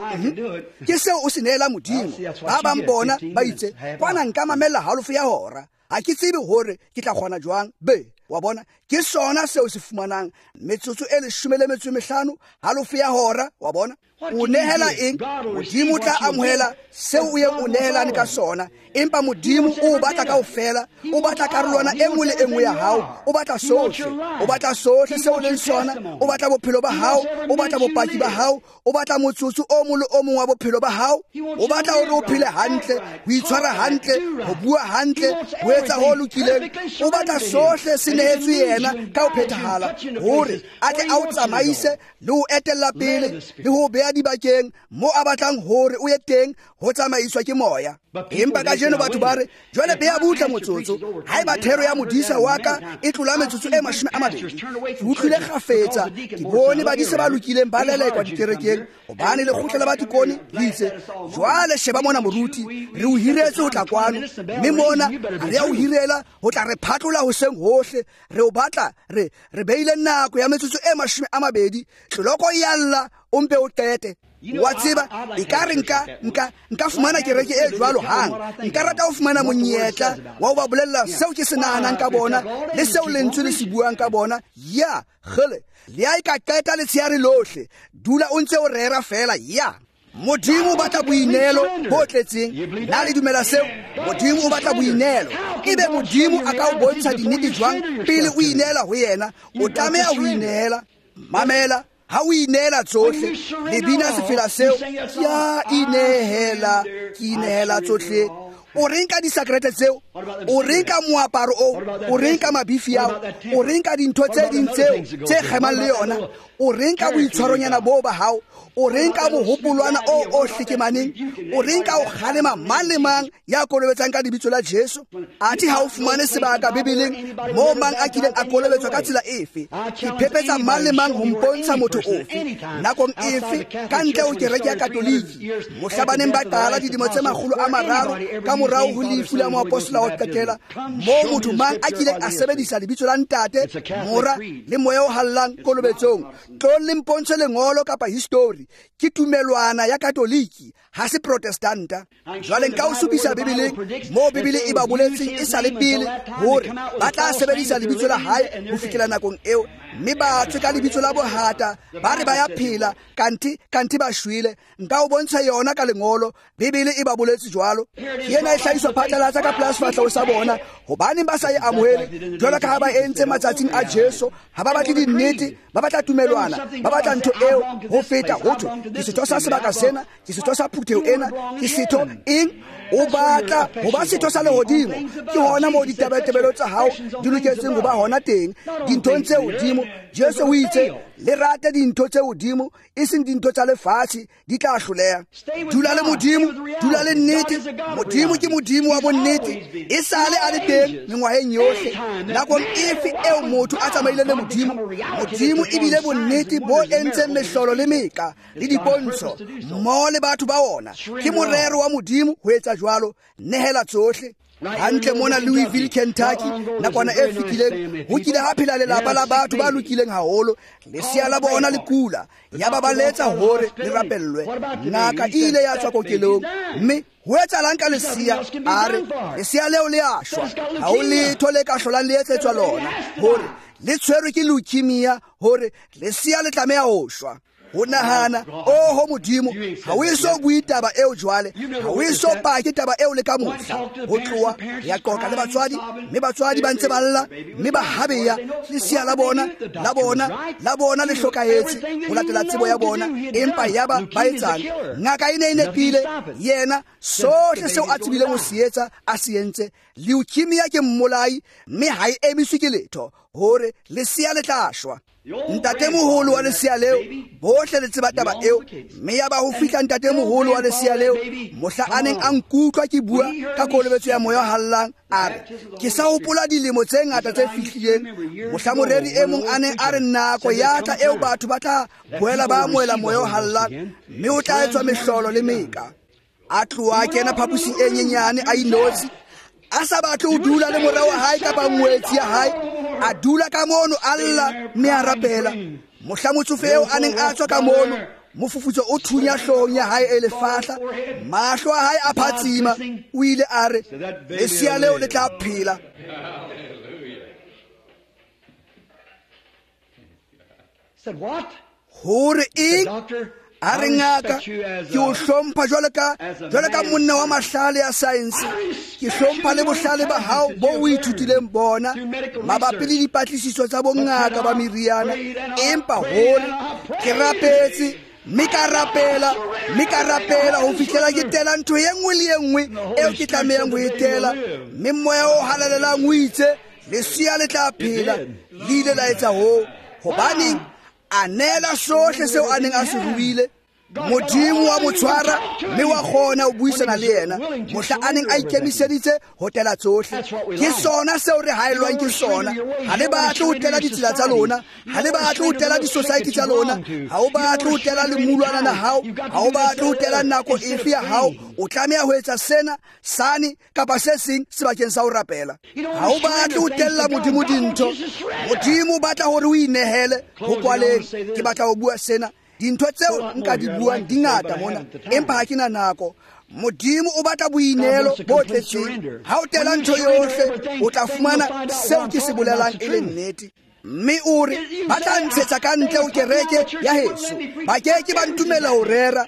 ke seo o se neela Modimo. Ba bang bona ba itse kwana nka mamella halofo ya hora, ha ke tsebe hore ke tla kgona jwang. Be wa bona, ke sona seo se fumanang metsotso e 15, halofo ya hora. Wa bona, o nehela eng? Modimo o tla amohela seo o yeng o nehelane ka sona. Empa Modimo o batla kaofela, o batla karolwana e nngwe le e nngwe ya hao, o batla sohle, o batla sohle seo o leng sona, o batla bophelo ba hao, o batla bopaki ba hao, o batla motsotso o mong le o mong wa bophelo ba hao. O batla hore o phele hantle, ho itshwara hantle, ho bua hantle, ho etsa ho lokileng. O batla sohle se nehetswe yena ka ho phethahala, hore a tle a o tsamaise le ho etella pele le ho beha dibakeng mo a batlang hore o ye teng, ho tsamaiswa ke moya. Empa kajeno batho ba re, jwale beha butle motsotso, haeba thero ya modisa wa ka e tlola metsotso e 20, ke utlwile kgafetsa ke bone badisa ba lokileng ba lelekwa dikerekeng, hobane lekgotla la batikone le itse, jwale sheba mona moruti, re o hiretse ho tla kwano, mme mona ha re a o hirela ho tla re phatlola hoseng hohle, re o batla re beile nako ya metsotso e 20, tloloko e ya lla, o mpe o qete. Wa tseba, ekare nka fumana kereke e jwalo hang. Nka rata ho fumana monyetla wa ho ba bolella seo ke se nahanang ka bona le seo lentswe le se buang ka bona. Ya kgele, le ha e ka qeta letsheare lohle, dula o ntse o rera feela. Ya Modimo o batla boineelo bo tletseng. Na le dumela seo? Modimo o batla boineelo. Ebe Modimo a ka o bontsha dinnete jwang pele o ineela ho yena? O tlameha ho ineela. Mamela, ha o ineela tsohle, le bina sefela seo, ya inehela, ke inehela tsohle. O reng ka disakrete tseo? O reng ka moaparo oo? O reng ka mabifi ao? O reng ka dintho tse ding tseo tse kgemang le yona? O reng ka boitshwaronyana boo ba hao? O reng ka mohopolwana o o hlekemaneng? O reng ka o kgalema mang le mang ya kolobetsang ka lebitso la Jesu? Athe ha o fumane sebaka Bibeleng moo mang a kileng a kolobetswa ka tsela efe. Ke phepetsa mang le mang ho mpontsha motho ofe, nakong efe, ka ntle ho kereke ya Katoliki, mohla ba neng ba qala dilemo tse 300 ka morao ho lefu la moapostola wa qetela, moo motho mang a kileng a sebedisa lebitso la Ntate, Mora le Moya o Halalelang kolobetsong. Tlong le mpontshe lengolo kapa histori. Ke tumelwana ya Katoliki, ha se Protestanta. Jwale nka o supisa Bibeleng moo Bibele e ba boletseng e sa le pele hore ba tla sebedisa lebitso la hae ho fihlela nakong eo, mme ba tswe ka lebitso la bohata, ba re ba ya phela, kanthe ba shwele. Nka o bontsha yona ka lengolo, Bibele e ba boletse jwalo. Ke ena e hlahiswa phatlalatsa ka pela sefahleho sa bona. Hobaneng ba sa e amohele? Jwalo ka ha ba entse matsatsing a Jesu, ha ba batle dinnete, ba batla tumelwana, ba batla ntho eo ho feta ho thwe ke setho sa sebaka sena, ke setho sa phutheho ena, ke setho eng? O batla ho ba setho sa lehodimo. Ke hona moo ditabatabelo tsa hao di loketseng ho ba hona teng, dinthong tse hodimo. Jesu o itse, le rate dintho tse hodimo, e seng dintho tsa lefatshe, di tla hloleha. Dula le Modimo, dula le nnete. Modimo ke Modimo wa bonnete, e sale a le teng mengwaheng yohle. Nakong efe eo motho a tsamaile le Modimo, Modimo ebile bonnete bo entseng mehlolo le meka le dipontsho mmoho le batho ba ona. Ke morero wa Modimo ho etsa jwalo. Nehela tsohle. Hantle mona Louisville, Kentucky, nakwana e fetileng, ho kile ha phela lelapa la batho ba lokileng haholo. Lesea la bona le kula, ya ba ba letsa hore le rapellwe. Ngaka e ile ya tswa kokelong, mme ho etsahalang ka lesea? A re lesea leo le a shwa, ha ho letho le ka hlolang le etsetswa lona, hore le tshwerwe ke leukemia, hore lesea le tlameha ho shwa. Ho nahana, oho Modimo, ha o eso bue taba eo jwale, ha o eso pake taba eo le ka mohla. Ho tloha ya qoqa le batswadi, mme batswadi ba ntse ba lla, mme ba habeya lesea la bona, la bona, la bona le hlokahetse ho latela tsebo ya bona, empa yaba ba etsang? Ngaka e ne e nepile, yena sohle seo a tsebileng ho se etsa a se entse. Leukemia ke mmolai, mme ha e emiswe ke letho, hore lesea le tla shwa. Ntatemoholo wa lesea leo, bohle le tseba taba eo, mme yaba ho fihla ntatemoholo wa lesea leo, mohla a neng a nkutlwa ke bua ka kolobetso ya moya o hallang, a re, ke sa hopola dilemo tse ngata tse fihlileng, mohla moreri e mong a neng a re nako ya tla eo batho ba tla boela ba amohela moya o hallang, mme o tla etswa mehlolo le meka. A tloha a kena phaposing e nyenyane a inotshi, a sa batle ho dula le mora wa hae kapa ngwetsi ya hae, a dula ka mono a lla mme a rapela. Mohla motsofe eo a neng a tswa ka mono, mofufutso o thunya hloohong ya hae e lefahla, mahlo a hae a phatsima, o ile a re, lesea leo le tla phela. Hore eng? A re ngaka, ke o hlompha jwalo ka monna wa mahlale a saense, ke hlompha le bohlale ba hao bo o ithutileng bona mabapi le dipatlisiso tsa bongaka ba meriana, empa hore ke rapetse mme ka rapela, mme ka rapela ho fihlela ke tela ntho e nngwe le e nngwe eo ke tlamehang ho e tela, mme moya o halalelang o itse lesea le tla phela. Le ile la etsa hoo. Hobaneng? A neela sohle seo a neng a se ruile. Modimo wa mo tshwara mme wa kgona ho buisana le yena mohla a neng a ikemiseditse ho tela tsohle. Ke sona seo re haellwang ke sona. Ha le batle ho tela ditsela tsa lona, ha le batle ho tela di-society tsa lona, ha o batle ho tela lemulwana la hao, ha o batle ho tela nako efe ya hao, o tlameha ho etsa sena, sane kapa se seng sebakeng sa ho rapela. Ha o batle ho tella Modimo dintho, Modimo o batla hore o inehele. Ho kwaleng, ke batla ho bua sena. Dintho tseo nka di buang di ngata mona, empa ha ke na nako. Modimo o batla boineelo bo tletseng. Ha o tela ntho yohle, o tla fumana seo ke se bolelang e le nnete. Mme o re, ba tla ntshetsa ka ntle ho kereke ya heso, ba ke ke ba ntumella ho rera.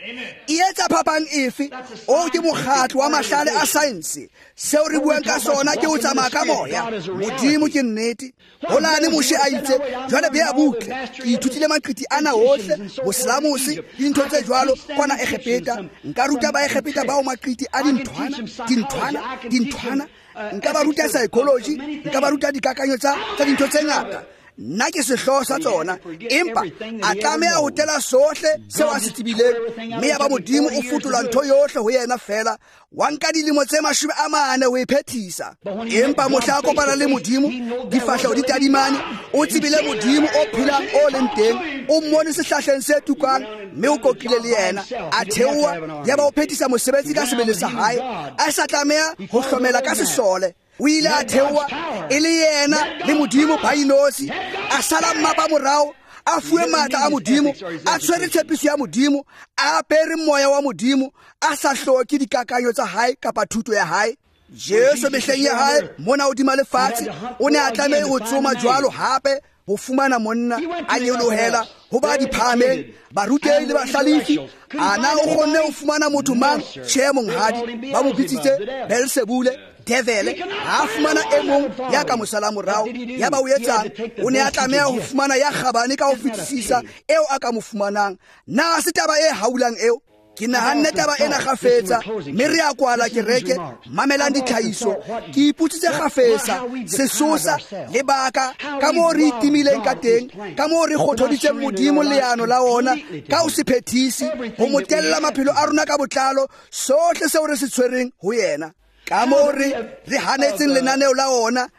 E etsa phapang efe? O ke mokgatlo wa mahlale a saense. Seo re buang ka sona ke ho tsamaya ka moya. Modimo ke nnete. Holane Moshe a itse, jwale bea butle, ke ithutile maqiti ana ohle, boselamose, dintho tse jwalo kwana Egepeta. Nka ruta Baegepeta bao maqiti a dinthwana, dinthwana, dinthwana. Nka ba ruta psychology, nka ba ruta dikakanyo tsa dintho tse ngata. Nna ke sehlooho sa tsona, empa a tlameha ho tela sohle seo a se tsebileng, mme ya ba Modimo o fotola ntho yohle ho yena fela. Wa nka dilemo tse 40 ho e phethisa. Empa mohla a kopana le Modimo, difahleho di tadimane, o tsebile Modimo o phelang o leng teng, o mmone sehlahleng se tukang, mme o kokile le yena. A theoha, ya ba o phethisa mosebetsi ka sebele sa hae, a sa tlameha ho hlomela ka sesole. O ile a theoha e le yena le Modimo ba inotshi, a sala mmapa morao, a fuwe matla a Modimo, a tshwere tshepiso ya Modimo, a apere moya wa Modimo, a sa hloke dikakanyo tsa hae kapa thuto ya hae. Jesu mehleng ya hae mona hodima lefatshe o ne a tlameha ho tsoma jwalo hape ho fumana monna, a nyolohela ho ba diphahameng, barutehi le bahlalefi. Ana o kgonne ho fumana motho mang? Tjhe, monghadi, ba mo bitsitse Beelsebule, devele. Ha fumana e mong ya ka mo sala morao, ya ba o etsang? O ne a tlameha ho fumana ya kgabane ka ho fetisisa eo a ka mo fumanang. Na se taba e haulang eo? Ke nahanne taba ena kgafetsa, mme re a kwala kereke. Mamelang ditlhahiso. Ke ipotsitse kgafetsa sesosa lebaka ka moo re itimileng ka teng, ka moo re kgothoditseng Modimo leano la ona ka ho se phethisi, ho mo tella maphelo a rona ka botlalo, sohle seo re se tshwereng ho yena. Ka moo re hanetseng lenaneo la ona,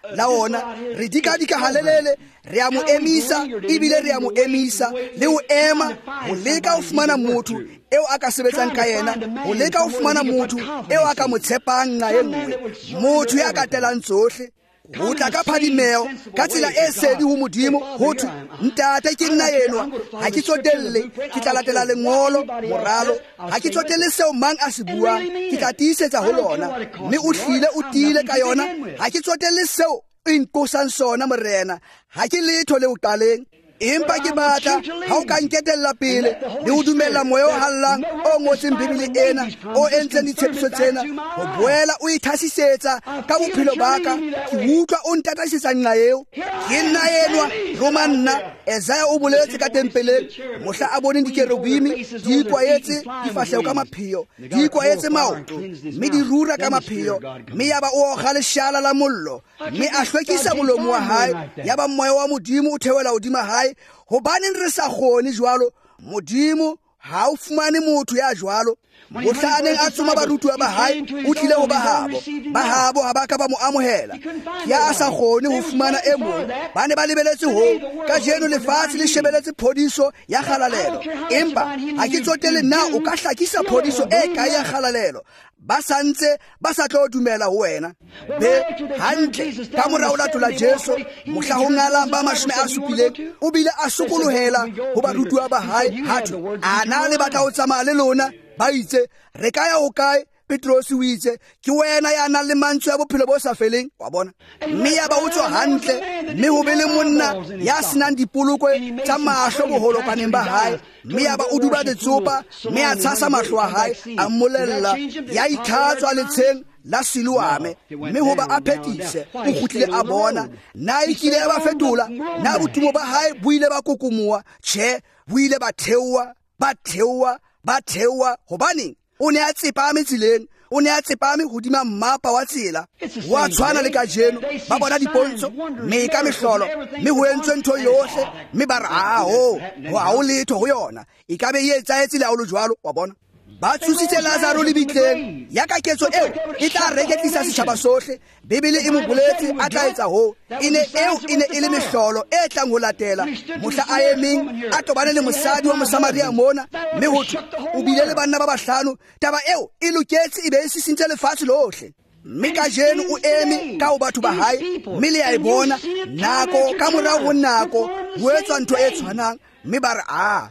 re dikadika halelele, re a mo emisa, ebile re a mo emisa le ho ema ho leka ho fumana motho eo a ka sebetsang ka yena, ho leka ho fumana motho eo a ka mo tshepang nqa e nngwe, motho ya ka telang tsohle. Ho tla ka phadimeo ka tsela e sedi ho Modimo, ho thwe, Ntate ke nna enwa, ha ke tsotelle, ke tla latela lengolo moralo, ha ke tsotelle seo mang a se buang, ke tla tiisetsa ho lona. Mme o hlile o tiile ka yona, ha ke tsotelle seo o inqosang sona, Morena, ha ke letho le o qaleng. Empa ke batla ha o ka nketella pele le ho dumella moya o hallang o ngotseng Bibele ena, o entseng ditshepiso tsena, ho boela o ithasisetsa ka bophelo ba ka. Ke utlwa o ntataisetsa nqa eo. Ke nna enwa, roma nna. Isaiah o boletse ka tempeleng mohla a boneng dikerubime di ikwaetse difahleho ka mapheo, di ikwaetse maoto, mme di rura ka mapheo, mme yaba o okga leshala la mollo, mme a hlwekisa molomo wa hae, yaba moya wa Modimo o theohela hodima hae. Hobaneng re sa kgone jwalo? Modimo ha o fumane motho ya jwalo. Mohla a neng a tsoma barutuwa ba hae, o tlile ho bahabo. Bahabo ha ba ka ba mo amohela. Ya a sa kgone ho fumana e mong. Ba ne ba lebeletse hoo. Kajeno lefatshe le shebeletse phodiso ya kgalalelo. Empa ha ke tsotelle na o ka hlakisa phodiso e kae ya kgalalelo. Ba sa ntse ba sa tlo dumela ho wena. Be hantle ka mora o latola Jesu, mohla ho ngalang ba 70, o bile a sokolohela ho barutuwa ba hae. Ha thwe, a na le batla ho tsamaya le lona? Ba itse, re ka ya ho kae? Petrose o itse, ke wena ya nang le mantswe a bophelo bo sa feleng. Wa bona? Mme ya ba o tswa hantle, mme ho be le monna ya senang dipolokwe tsa mahlo boholokaneng ba hae, mme ya ba o duba letsopa, mme a tshasa mahlo a hae, a mmolella, ya itlhatswa letsheng la Siloame, mme hoba a phethise, o kgutlile a bona. Na e kile ya ba fetola? Na botumo ba hae bo ile ba kokomoha? Tjhe, bo ile ba theoha, ba theoha, ba theoha. Hobaneng? O ne a tsepame tseleng, o ne a tsepame hodima mmapa wa tsela. Wa tshwana le kajeno, ba bona dipontsho, mme ka mehlolo, mme ho entswe ntho yohle, mme ba re, a ho, ha ho letho ho yona. E ka be e etsahetse le ha ho le jwalo, wa bona. Ba tsositse Lazaro lebitleng, ya ka ketso eo e tla reketlisa setjhaba sohle. Bibele e mo boletse a tla etsa hoo. E ne eo e ne e le mehlolo e tlang ho latela. Mohla a emeng a tobane le mosadi wa Mosamaria mona, mme ho thwe o bile le banna ba bahlano. Taba eo e loketse e be e sisintse lefatshe lohle. Mme kajeno o eme ka ho batho ba hae, mme le a e bona nako ka morao ho nako ho etswa ntho e tshwanang. Mme ba re, a,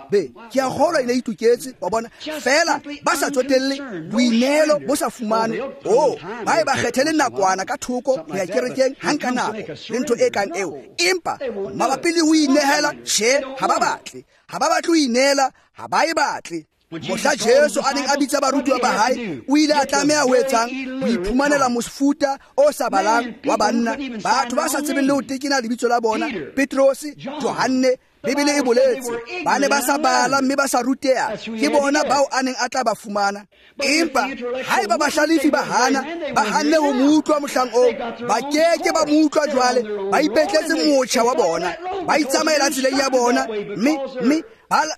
be, ke a kgolwa e ne e itoketse, wa bona. Feela ba sa tsotelle boineelo bo sa fumanwe. Oh, ba e ba kgethele nakwana ka thoko ho ya kerekeng hang ka nako le ntho e kang eo. Empa mabapi le ho inehela, tjhe, ha ba batle. Ha ba batle ho ineela, ha ba e batle. Mohla Jesu a neng a bitsa barutuwa ba hae, o ile a tlameha ho etsang? Ho iphumanela mofuta o sa balang wa banna, batho ba sa tsebeng le ho tekena lebitso la bona, Petrose, Johanne. Bibele e boletse, ba ne ba sa bala mme ba sa ruteha, ke bona bao a neng a tla ba fumana. Empa haeba bahlalefi ba hana, ba hanne ho mo utlwa mohlang oo, ba keke ba mo utlwa jwale, ba ipetletse motjha wa bona, ba itsamaela tseleng ya bona, mme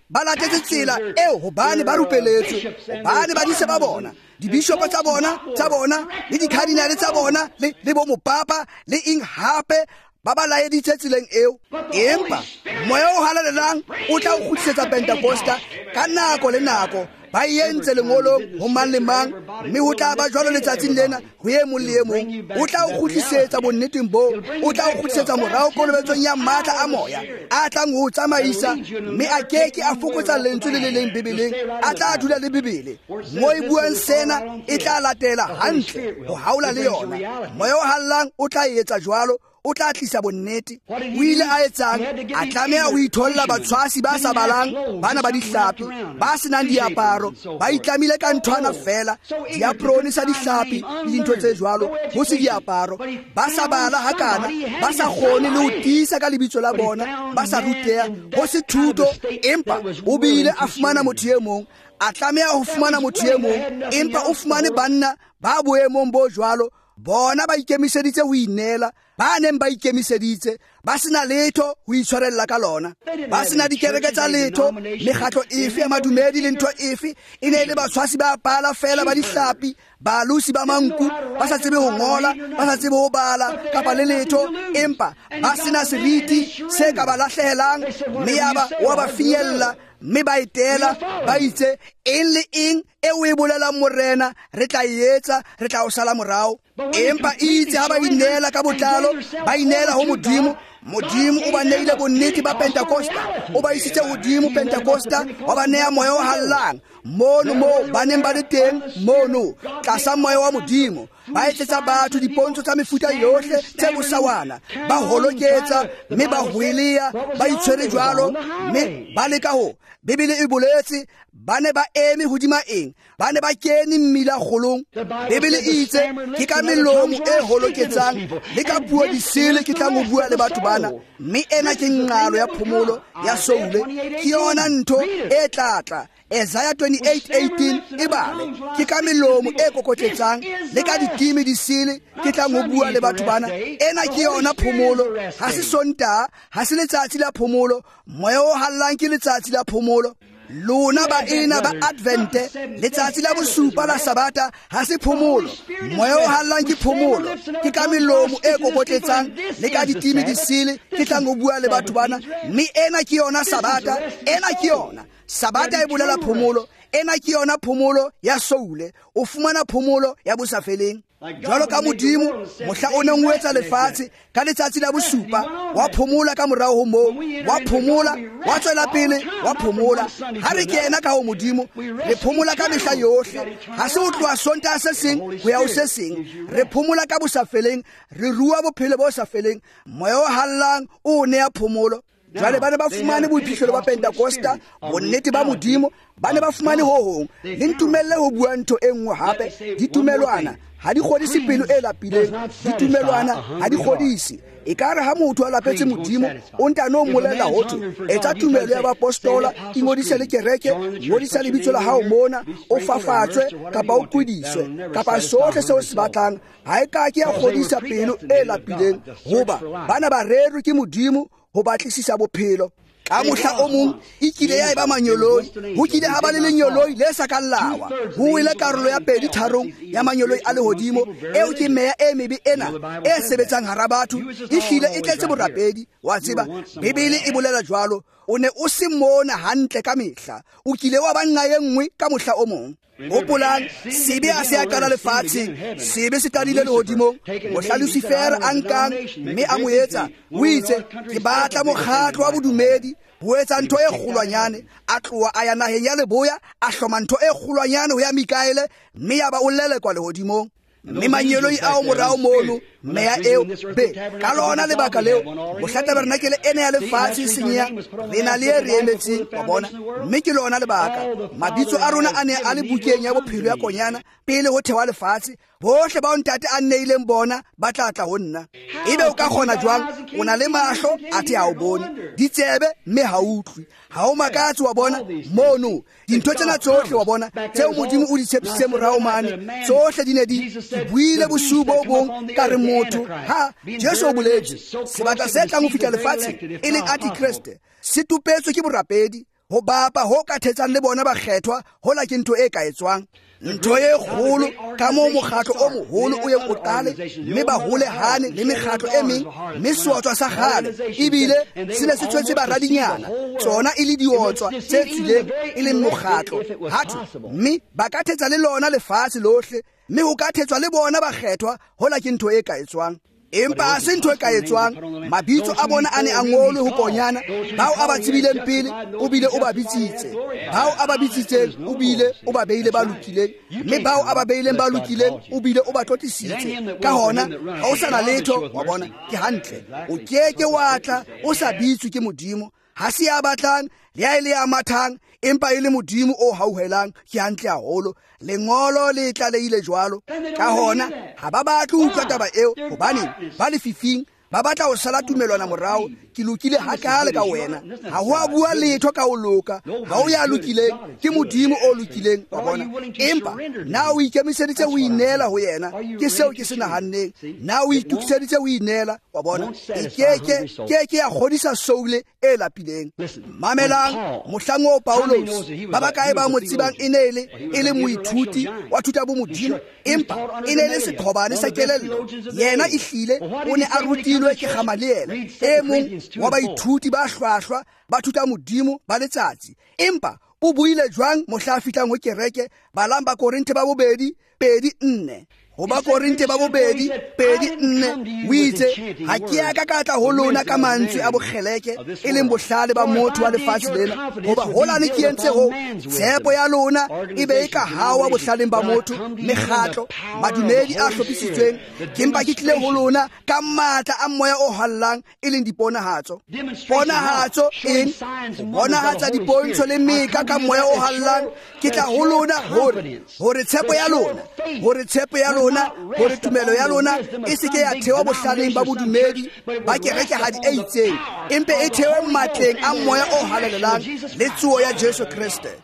ba latetse tsela eo hobane ba rupeletswe, hobane badisa ba bona, dibishopo tsa bona, le dikardinale tsa bona, le bo mopapa, le eng hape, ba ba laeditse tseleng eo. Empa moya o halalelang o tla o kgutlisetsa Pentekosta ka nako le nako. Ba e entse lengolong ho mang le mang, mme ho tla ba jwalo letsatsing lena ho e mong le e mong. O tla o kgutlisetsa bonneteng boo, o tla o kgutlisetsa morao kolobetsong ya matla a moya a tlang ho o tsamaisa, mme a keke a fokotsa lentswe le le leng Bibeleng, a tla dula le Bibele. Mo e buang sena e tla latela hantle ho haola le yona. Moya o hallang o tla e etsa jwalo, o tla tlisa bonnete. O ile a etsang? A tlameha ho itholla batshwasi ba sa balang, bana ba dihlapi, ba senang diaparo, ba itlamile ka nthwana feela, diaprone sa dihlapi le dintho tse jwalo, ho se diaparo, ba sa bala hakana, ba sa kgone le ho tiisa ka lebitso la bona, ba sa ruteha, ho se thuto. Empa o bile a fumana motho e mong, a tlameha ho fumana motho e mong, empa o fumane banna ba boemong bo jwalo, bona ba ikemiseditse ho ineela, ba neng ba ikemiseditse, ba sena letho ho itshwarella ka lona, ba sena dikereke tsa letho, mekgatlo efe ya madumedi le ntho efe, e ne e le batshwasi ba pala feela ba dihlapi, balosi ba manku, ba sa tsebe ho ngola, ba sa tsebe ho bala kapa le letho, empa ba sena seriti se ka ba lahlehelang, mme yaba wa ba finyella, mme ba etela, ba itse, eng le eng eo e bolelang Morena, re tla e etsa, re tla o sala morao. Empa itse ha ba ineela ka botlalo, ba ineela ho Modimo, Modimo o ba neile bonnete ba Pentecosta, o ba isitse hodimo Pentecosta, wa ba nea moya o hallang mono mo ba neng ba le teng mono tlasa moya wa Modimo. Ba etsetsa batho dipontsho tsa mefuta yohle tse bosawana, ba holoketsa mme ba hwelea, ba itshwere jwalo mme ba leka ho. Bibele e boletse ba ne ba eme hodima eng? Ba ne ba kene mmila kgolong. Bibele e itse ke ka melomo e holoketsang le ka puo disele ke tlang ho bua le batho bana, mme ena ke nqalo ya phomolo ya soule. Ke yona ntho e tlatla Isaiah 28:18 e bale, ke ka melomo e kokotletsang le ka ditime disele ke tlang ho bua le batho bana. Ena ke yona phomolo, ha se Sontaha, ha se letsatsi la phomolo. Moya o hallang ke letsatsi la phomolo. Lona baena ba Advente, letsatsi la bosupa la Sabata ha se phomolo. Moya o hallang ke phomolo, ke ka melomo e kokotletsang le ka ditime disele ke tlang ho bua le batho bana, mme ena ke yona Sabata, ena ke yona Sabata e bolela phomolo. Ena ke yona phomolo ya soule. O fumana phomolo ya bosafeleng. Jwalo ka Modimo mohla o neng o etsa lefatshe ka letsatsi la bosupa, wa phomola ka morao ho moo, wa phomola, wa tswela pele, wa phomola. Ha re kena ka ho Modimo, re phomola ka mehla yohle. Ha se ho tloha Sontaha se seng ho ya ho se seng, re phomola ka bosafeleng, re rua bophelo bo sa feleng. Moya o hallang o nea phomolo. Jwale ba ne ba fumane boiphihlelo ba Pentecosta, bonnete ba Modimo, ba ne ba fumane ho hong. Le ntumelle ho bua ntho e nngwe hape, ditumelwana ha di kgodise pelo e lapileng, ditumelwana ha di kgodise. Ekare ha motho a lapetse Modimo, o ntano mmolela hothwe etsa tumelo ya bapostola, ingodise le kereke, ngodisa lebitso la hao mona, o fafatswe kapa o kwediswe kapa sohle seo se batlang. Ha e ka ke ya kgodisa pelo e lapileng, hoba bana ba rerwe ke Modimo ho batlisisa bophelo. Ka mohla o mong e kile ya eba manyoloi, ho kile ha ba le lenyoloi le sa kang lawa. Ho wele karolo ya 2/3 ya manyoloi a lehodimo. Eo ke meya e mebe ena e sebetsang hara batho, e hlile e tletse borapedi. Wa tseba, Bibele e bolela jwalo. O ne o se mona hantle ka mehla, o kile wa ba nqa e nngwe ka mohla o mong. Hopolang, sebe ha se a qala lefatsheng, sebe se qadile lehodimong. Mohla Lucifer a nkang mme a mo etsa, o itse ke batla mokgatlo wa bodumedi ho etsa ntho e kgolwanyane. A tloha a ya naheng ya leboya, a hloma ntho e kgolwanyane ho ya Mikaele, mme ya ba o lelekwa lehodimong. Mme manyeloi ao morao mono, meya eo be ka lona lebaka leo mohla tabernakele ena ya lefatshe senyeha, re na le e re emetseng, wa bona. Mme ke lona lebaka mabitso a rona a ne a le bukeng ya bophelo ya Konyana pele ho thewa lefatshe. Bohle bao ntate a nneileng bona ba tla tla ho nna. Ebe o ka kgona jwang? O na le mahlo athe ha o bone, ditsebe mme ha utlwe. Ha o makatse, wa bona mono dintho tsena tsohle, wa bona tseo Modimo o di tshepisitse morao mane, tsohle di ne di buile bosiu bo bong ka re motho ha Jesu o boletse sebata se tlang ho fihla lefatsheng e leng Antikreste se tupetswe ke borapedi, ho bapa ho ka thetsang le bona bakgethwa, hola ke ntho e ka etswang. Ntho e kgolo ka moo mokgatlo o moholo o yeng o qale, mme ba holehane le mekgatlo e meng, mme seotswa sa kgale ebile se ne se tswetse baradinyana, tsona e le diotswa tse tswileng e leng mokgatlo. Hathwe mme ba ka thetsa le lona lefatshe lohle, mme ho ka thetswa le bona bakgethwa, hola ke ntho e ka etswang. Empa ha se ntho e ka etswang. Mabitso a bona a ne a ngolwe ho Konyana. Bao a ba tsebileng pele o bile o ba bitsitse, bao a ba bitsitseng o bile o ba beile ba lokileng, mme bao a ba beileng ba lokileng o bile o ba tlotlisitse. Ka hona ha o sa na letho, wa bona, ke hantle. O keke wa tla o sa bitswe ke Modimo. Ha se ya batlang le ya e le ya mathang, empa e le Modimo o hauhelang. Ke hantle haholo. Lengolo le tlalehile jwalo. Ka hona ha ba batle ho utlwa taba eo, hobane ba lefifing, ba batla ho sala tumelwana morao. Ke lokile hakale ka wena, ha ho a bua letho ka ho loka, ha o ya lokileng, ke Modimo o lokileng, wa bona. Empa na o ikemiseditse ho ineela ho yena? Ke seo ke se nahanneng. Na o itokiseditse ho ineela, wa bona? E keke ya kgodisa soule e lapileng. Mamelang mohlang oo Paulos, ba bakae ba mo tsebang e ne e le moithuti wa thuta bo Modimo, empa e ne le seqhobane sa kelello. Yena ehlile o ne a rutilwe ke Gamaliele, e mong wa baithuti ba hlwahlwa ba thuta Modimo ba letsatsi. Empa o buile jwang mohla a fihlang ho kereke? Balang ba Korinthe ba bobedi 2:4. Ho ba Korinthe ba bobedi 2:4 o itse, ha ke a ka ka tla ho lona ka mantswe a bokgeleke, e leng bohlale ba motho wa lefatshe lena, hoba holane ke entse ho tshepo ya lona e be e ka hawa bohlaleng ba motho, mekgatlo, madumedi a hlophisitsweng. Ke mpa ke tlile ho lona ka matla a moya o hallang, e leng diponahatso. Ponahatso eng? Bonahatsa dipontsho le meka ka moya o hallang. Ke tla ho lona hore tshepo ya lona, hore tshepo ya lona, hore tumelo ya lona e se ke ya thewa bohlaleng ba bodumedi ba kerekehadi e itseng, empe e thewe matleng a moya o halalelang le tsoho ya Jesu Kreste.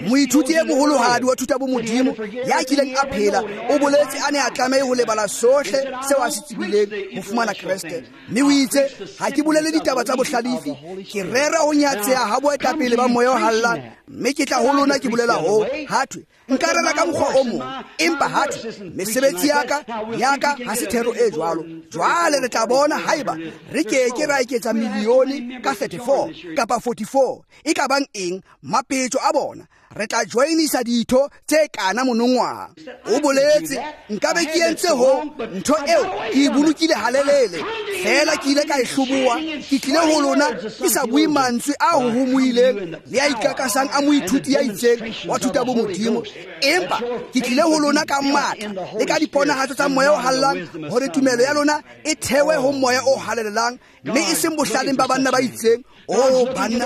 Moithuti e moholohadi wa thuta bomodimo ya kileng a phela o boletse a ne a tlamehe ho lebala sohle seo a se tsebileng ho fumana Kreste. Mme o itse, ha ke bolele ditaba tsa bohlalefi, ke rera ho nyatseha ha boetapele ba moya o hallang, mme ke tla ho lona ke bolela hoo. Hathwe nka rera ka mokgwa o mong, empa hathwe mesebetsi ya ka ha se thero e jwalo. Jwale re tla bona haeba re ke ke ra eketsa milione ka 34 kapa 44, e ka bang eng mapetjo a bona. Re tla joinisa ditho tse kana monongwaha. O boletse, nkabe ke entse ho ntho eo ke e bolokile halelele, fela ke ile ka e hloboha. Ke tlile ho lona ke sa bue mantswe a hohomohileng le a ikakasang a moithuti ya itseng wa thuta bomodimo, empa ke tlile ho lona ka matla le ka diponahatso tsa moya o hallang, hore tumelo ya lona e thewe ho moya o halalelang, mme e seng bohlaleng ba banna ba itseng. Oh banna,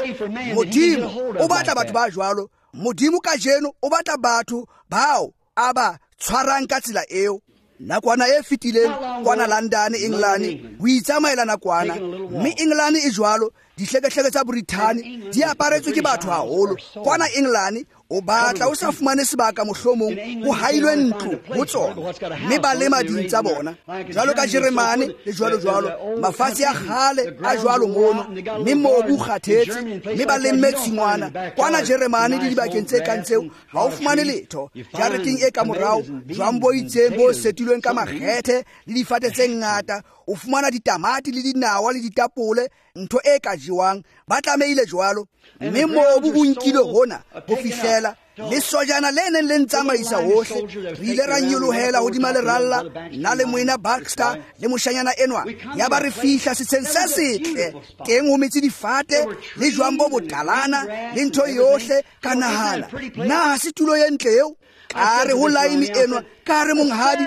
Modimo o batla batho ba jwalo. Modimo kajeno o batla batho bao a ba tshwarang ka tsela eo. Nakwana e fetileng kwana London, England, ho itsamaela nakwana, mme England e jwalo, dihlekehleke tsa Brithani di aparetswe ke batho haholo. Kwana England o batla o sa fumane sebaka, mohlomong ho hailwe ntlo ho tsona, mme ba lema ding tsa bona jwalo ka Jeremane le jwalo jwalo, mafatshe a kgale a jwalo mono, mme mobu o kgathetse, mme ba lemme tshingwana. Kwana Jeremane le dibakeng tse kang tseo ha o fumane letho. Jareteng e ka morao, jwang bo itseng bo setilweng ka makgethe le difate tse ngata, o fumana ditamati le dinawa le ditapole, ntho e ka jewang. Ba tlamehile jwalo, mme mobu o nkilwe hona ho fihlela le sojana le neng le ntsamaisa hohle. Re ile ra nyolohela hodima leralla, nna le moena Baxter le moshanyana enwa, ya ba re fihla setsheng se setle teng ho metse difate le jwang bo botalana le ntho yohle. Ka nahana, na ha se tulo e ntle eo? Ka re ho laimi enwa, ka re monghadi,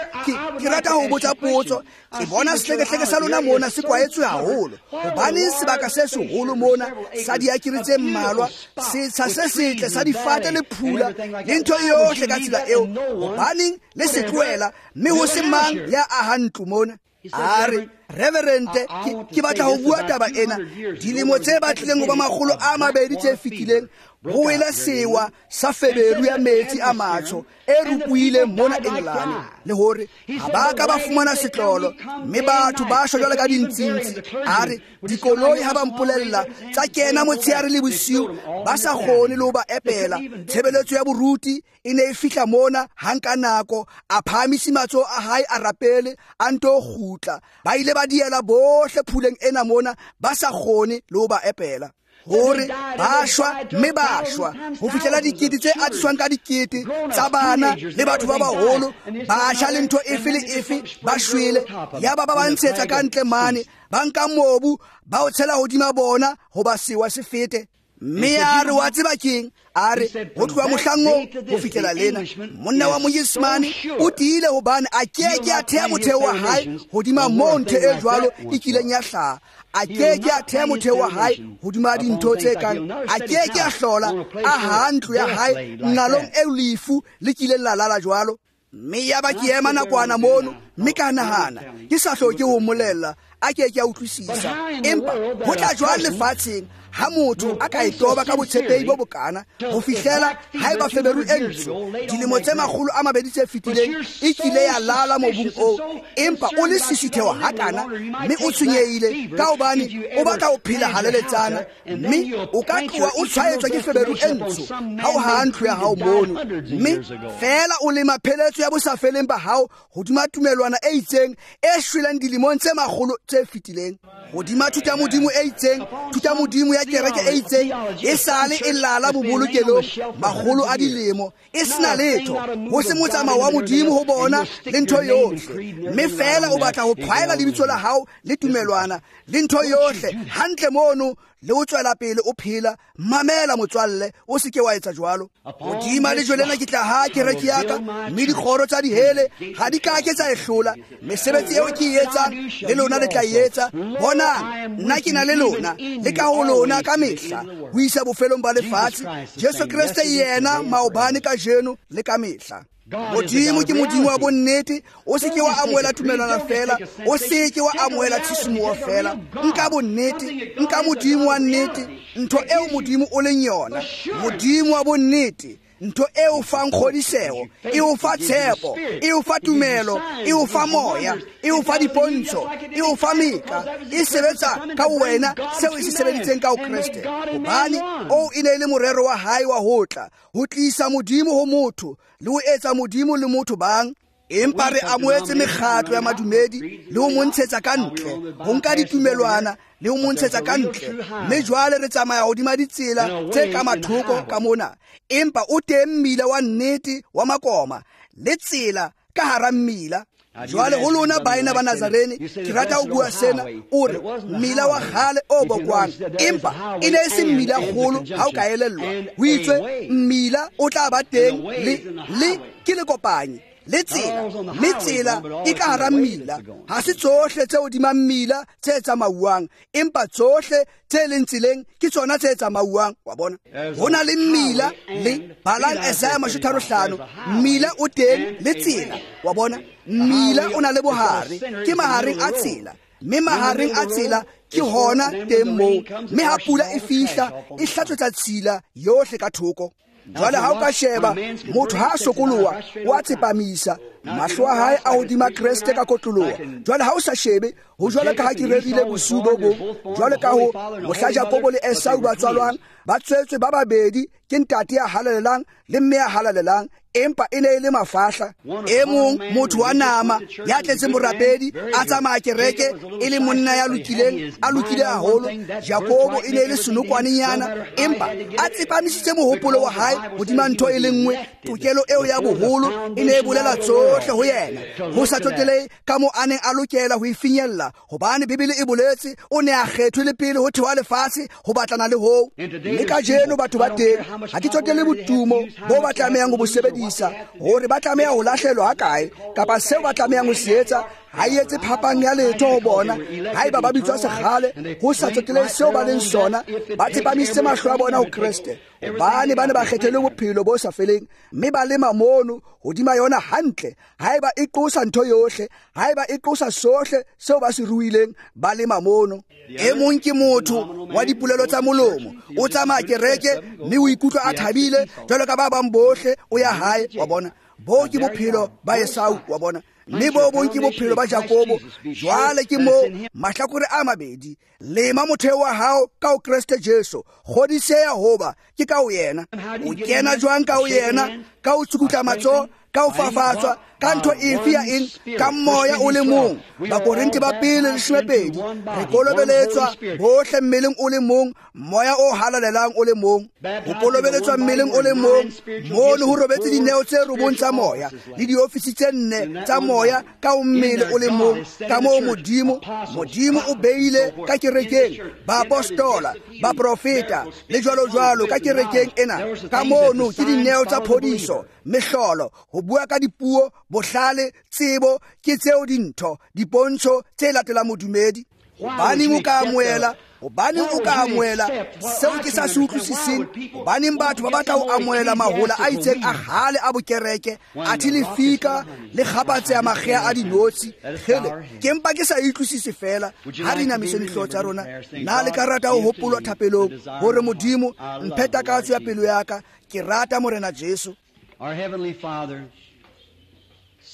ke rata ho botsa potso. Ke bona sehlekehleke sa lona mona se kwaetswe haholo. Hobaneng sebaka se seholo mona sa diakere tse mmalwa, setsha se setle sa difate le phula le ntho yohle ka tsela eo, hobaneng le se tlohela mme ho se mang ya ahang ntlo mona? A re, Reverente, ke batla ho bua taba ena. Dilemo tse batlileng ho ba 200 tse fetileng, ho wele sewa sa feberu ya metsi a matsho e rupohileng mona England, le hore ha ba ka ba fumana setlolo, mme batho ba shwa jwalo ka dintsintsi. A re, dikoloi ha ba mpolella tsa kena motshehare le bosiu, ba sa kgone le ho ba epela. Tshebeletso ya boruti e ne e fihla mona hang ka nako, a phahamisa matsoho a hae a rapele, a nto kgutla. Ba ile ba diela bohle phuleng ena mona, ba sa kgone le ho ba epela. Hore ba shwa, mme ba shwa ho fihlela dikete tse atiswang ka dikete tsa bana le batho ba baholo, batjha le ntho efe le efe ba shwele. Yaba ba ba ntshetsa ka ntle mane, ba nka mobu ba o tshela hodima bona hoba sewa se fete. Mme a re, wa tseba keng? A re, ho tloha mohlang oo ho fihlela lena, monna wa Moyesemane o tiile hobane a ke ke a thea motheo wa hae hodima moo ntho e jwalo e kileng ya hlaha. A ke ke a thea motheo wa hae hodima dintho tse kang, a ke ke a hlola a ha ntlo ya hae nqalong eo lefu le kileng la lala jwalo. Mme yaba ke ema nakwana mono, mme ka nahana, ke sa hloke ho mmolella, a ke ke a utlwisisa. Empa ho tla jwang lefatsheng ha motho a ka e toba ka botshepehi bo bokana ho fihlela haeba feberu e ntsho dilemo tse 200 tse fetileng e kile ya lala mobung oo, empa o le sisitheho hakana mme o tshwenyehile ka hobane o batla ho phela haleletsana, mme o ka tloha o tshwaetswa ke feberu e ntsho ha o haha ntlo ya hao mono, mme feela o lema pheletso ya bosafeleng ba hao hodima tumelwana e itseng e shweleng dilemong tse makgolo tse fetileng. Hodima thutamodimo e itseng, thutamodimo ya kereke e itseng, e sale e lala bobolokelong makgolo a dilemo, e sena letho, ho se motsamao wa Modimo ho bona le ntho yohle. Mme feela o batla ho phaela lebitso la hao le tumelwana le ntho yohle hantle mono, le o tswela pele o phela. Mamela motswalle, o se ke wa etsa jwalo. Hodima lejwe lena ke tla ha kereke ya ka, mme dikgoro tsa dihele ha di ka ke tsa e hlola. Mesebetsi eo ke e etsang le lona le tla e etsa. Bonang, nna ke na le lona le ka ho lona ka mehla ho isa bofelong ba lefatshe. Jesu Kreste yena maobane, kajeno le ka mehla. Modimo ke Modimo wa bonnete. O se ke wa amohela tumelwana fela, o se ke wa amohela tshisimoho fela. Nka bonnete, nka Modimo wa nnete, ntho eo Modimo o leng yona, Modimo wa bonnete, ntho e o fang kgodiseho, e o fa tshepo, e o fa tumelo, e o fa moya, e o fa dipontsho, e o fa meka, e sebetsa ka wena seo e se sebeditseng ka ho Kreste. Hobane oo e ne e le morero wa hae wa ho tla, ho tlisa Modimo ho motho, le ho etsa Modimo le motho bang. Empa re amohetse mekgatlo ya madumedi le ho mo ntshetsa ka ntle, ho nka ditumelwana le ho mo ntshetsa ka ntle. Mme jwale re tsamaya hodima ditsela tse ka mathoko ka mona, empa o teng mmila wa nnete wa makoma le tsela ka hara mmila. Jwale ho lona baena ba Nazarene, ke rata ho bua sena. O re mmila wa kgale o bokwang, empa e ne e se mmila kgolo ha o ka elellwa. Ho itswe mmila o tla ba teng le ke le kopanye le tsela, mme tsela e ka hara mmila. Ha se tsohle tse hodima mmila tse tsamauwang, empa tsohle tse leng tseleng ke tsona tse tsamauwang. Wa bona, ho na le mmila le balang Isaiah 35, mmila o teng le tsela. Wa bona, mmila o na le bohare, ke mahareng a tsela, mme mahareng a tsela ke hona teng moo. Mme ha pula e fihla, e hlatswetsa tshila yohle ka thoko. Jwale ha o ka sheba, motho ha a sokoloha, o a tsepamisa mahlo a hae a hodima Kreste ka kotloloha. Jwale ha o sa shebe, ho jwalo ka ha ke rerile bosiu bo bong, jwalo ka ho mohla Jakobo le Esau ba tswalwang, ba tswetswe ba babedi ke ntate ya halalelang le mme ya halalelang, empa e ne e le mafahla. E mong motho wa nama ya tletseng borapedi, a tsamaya kereke, e le monna ya lokileng, a lokile haholo. Jakobo e ne e le senokwanenyana, empa a tsepamisitse mohopolo wa hae hodima ntho e le nngwe. Tokelo eo ya boholo e ne e bolela tsohle ho yena, ho sa tsotelehe ka moo a neng a lokela ho e finyella, hobane Bibele e boletse o ne a kgethwe le pele ho thewa lefatshe ho batlana le hoo. Mme kajeno batho ba teng, ha ke tsotele botumo bo ba tlamehang ho bo sebedisa, hore ba tlameha ho lahlelwa ha kae, kapa seo ba tlamehang ho se etsa, ha e etse phapang ya letho ho bona. Haeba ba bitswa sekgale, ho sa tsotelehe seo ba leng sona, ba tsepamisitse mahlo a bona ho Kreste, hobane ba ne ba kgethelwe bophelo bo sa feleng, mme ba lema mono hodima yona hantle. Haeba e qosa ntho yohle, haeba e qosa sohle seo ba se ruileng, ba lema mono. E mong ke motho wa dipolelo tsa molomo, o tsamaya kereke mme o ikutlwa a thabile jwalo ka ba bang bohle, o ya hae. Wa bona, boo ke bophelo ba Esau. Wa bona, mme bo bong ke bophelo ba Jakobo. Jwale ke moo mahlakore a mabedi. Lema motheo wa hao ka ho Kreste Jesu, kgodiseha hoba ke ka ho yena. O kena jwang ka ho yena? Ka ho tsukutla matsoho, ka ho fafatswa, ka ntho efe ya eng, ka moya o le mong. Bakorinthe ba pele 12, re kolobeletswa bohle mmeleng o le mong, moya o halalelang o le mong. Ho kolobeletswa mmeleng o le mong, mono ho robetse dineo tse robong tsa moya le diofisi tse nne tsa moya ka ho mmele o le mong. Ka moo Modimo o beile ka kerekeng baapostola, baprofeta le jwalo jwalo ka kerekeng ena. Ka mono ke dineo tsa phodiso, mehlolo, ho bua ka dipuo, bohlale, tsebo, ke tseo dintho, dipontsho tse latelang modumedi. Hobaneng o ka amohela? Hobaneng o ka amohela seo ke sa se utlwisiseng? Hobaneng batho ba batla ho amohela mahola a itseng a kgale a bokereke, athe lefika le kgapatseha makgea a dinotshi? Kgele, ke mpa ke sa utlwisise fela. Ha re inamiseng dihlooho tsa rona, na le ka rata ho hopolwa thapelong hore Modimo mphe takatso ya pelo ya ka? Ke rata Morena Jesu. Our Heavenly Father,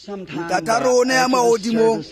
Ntata rona ya mahodimong,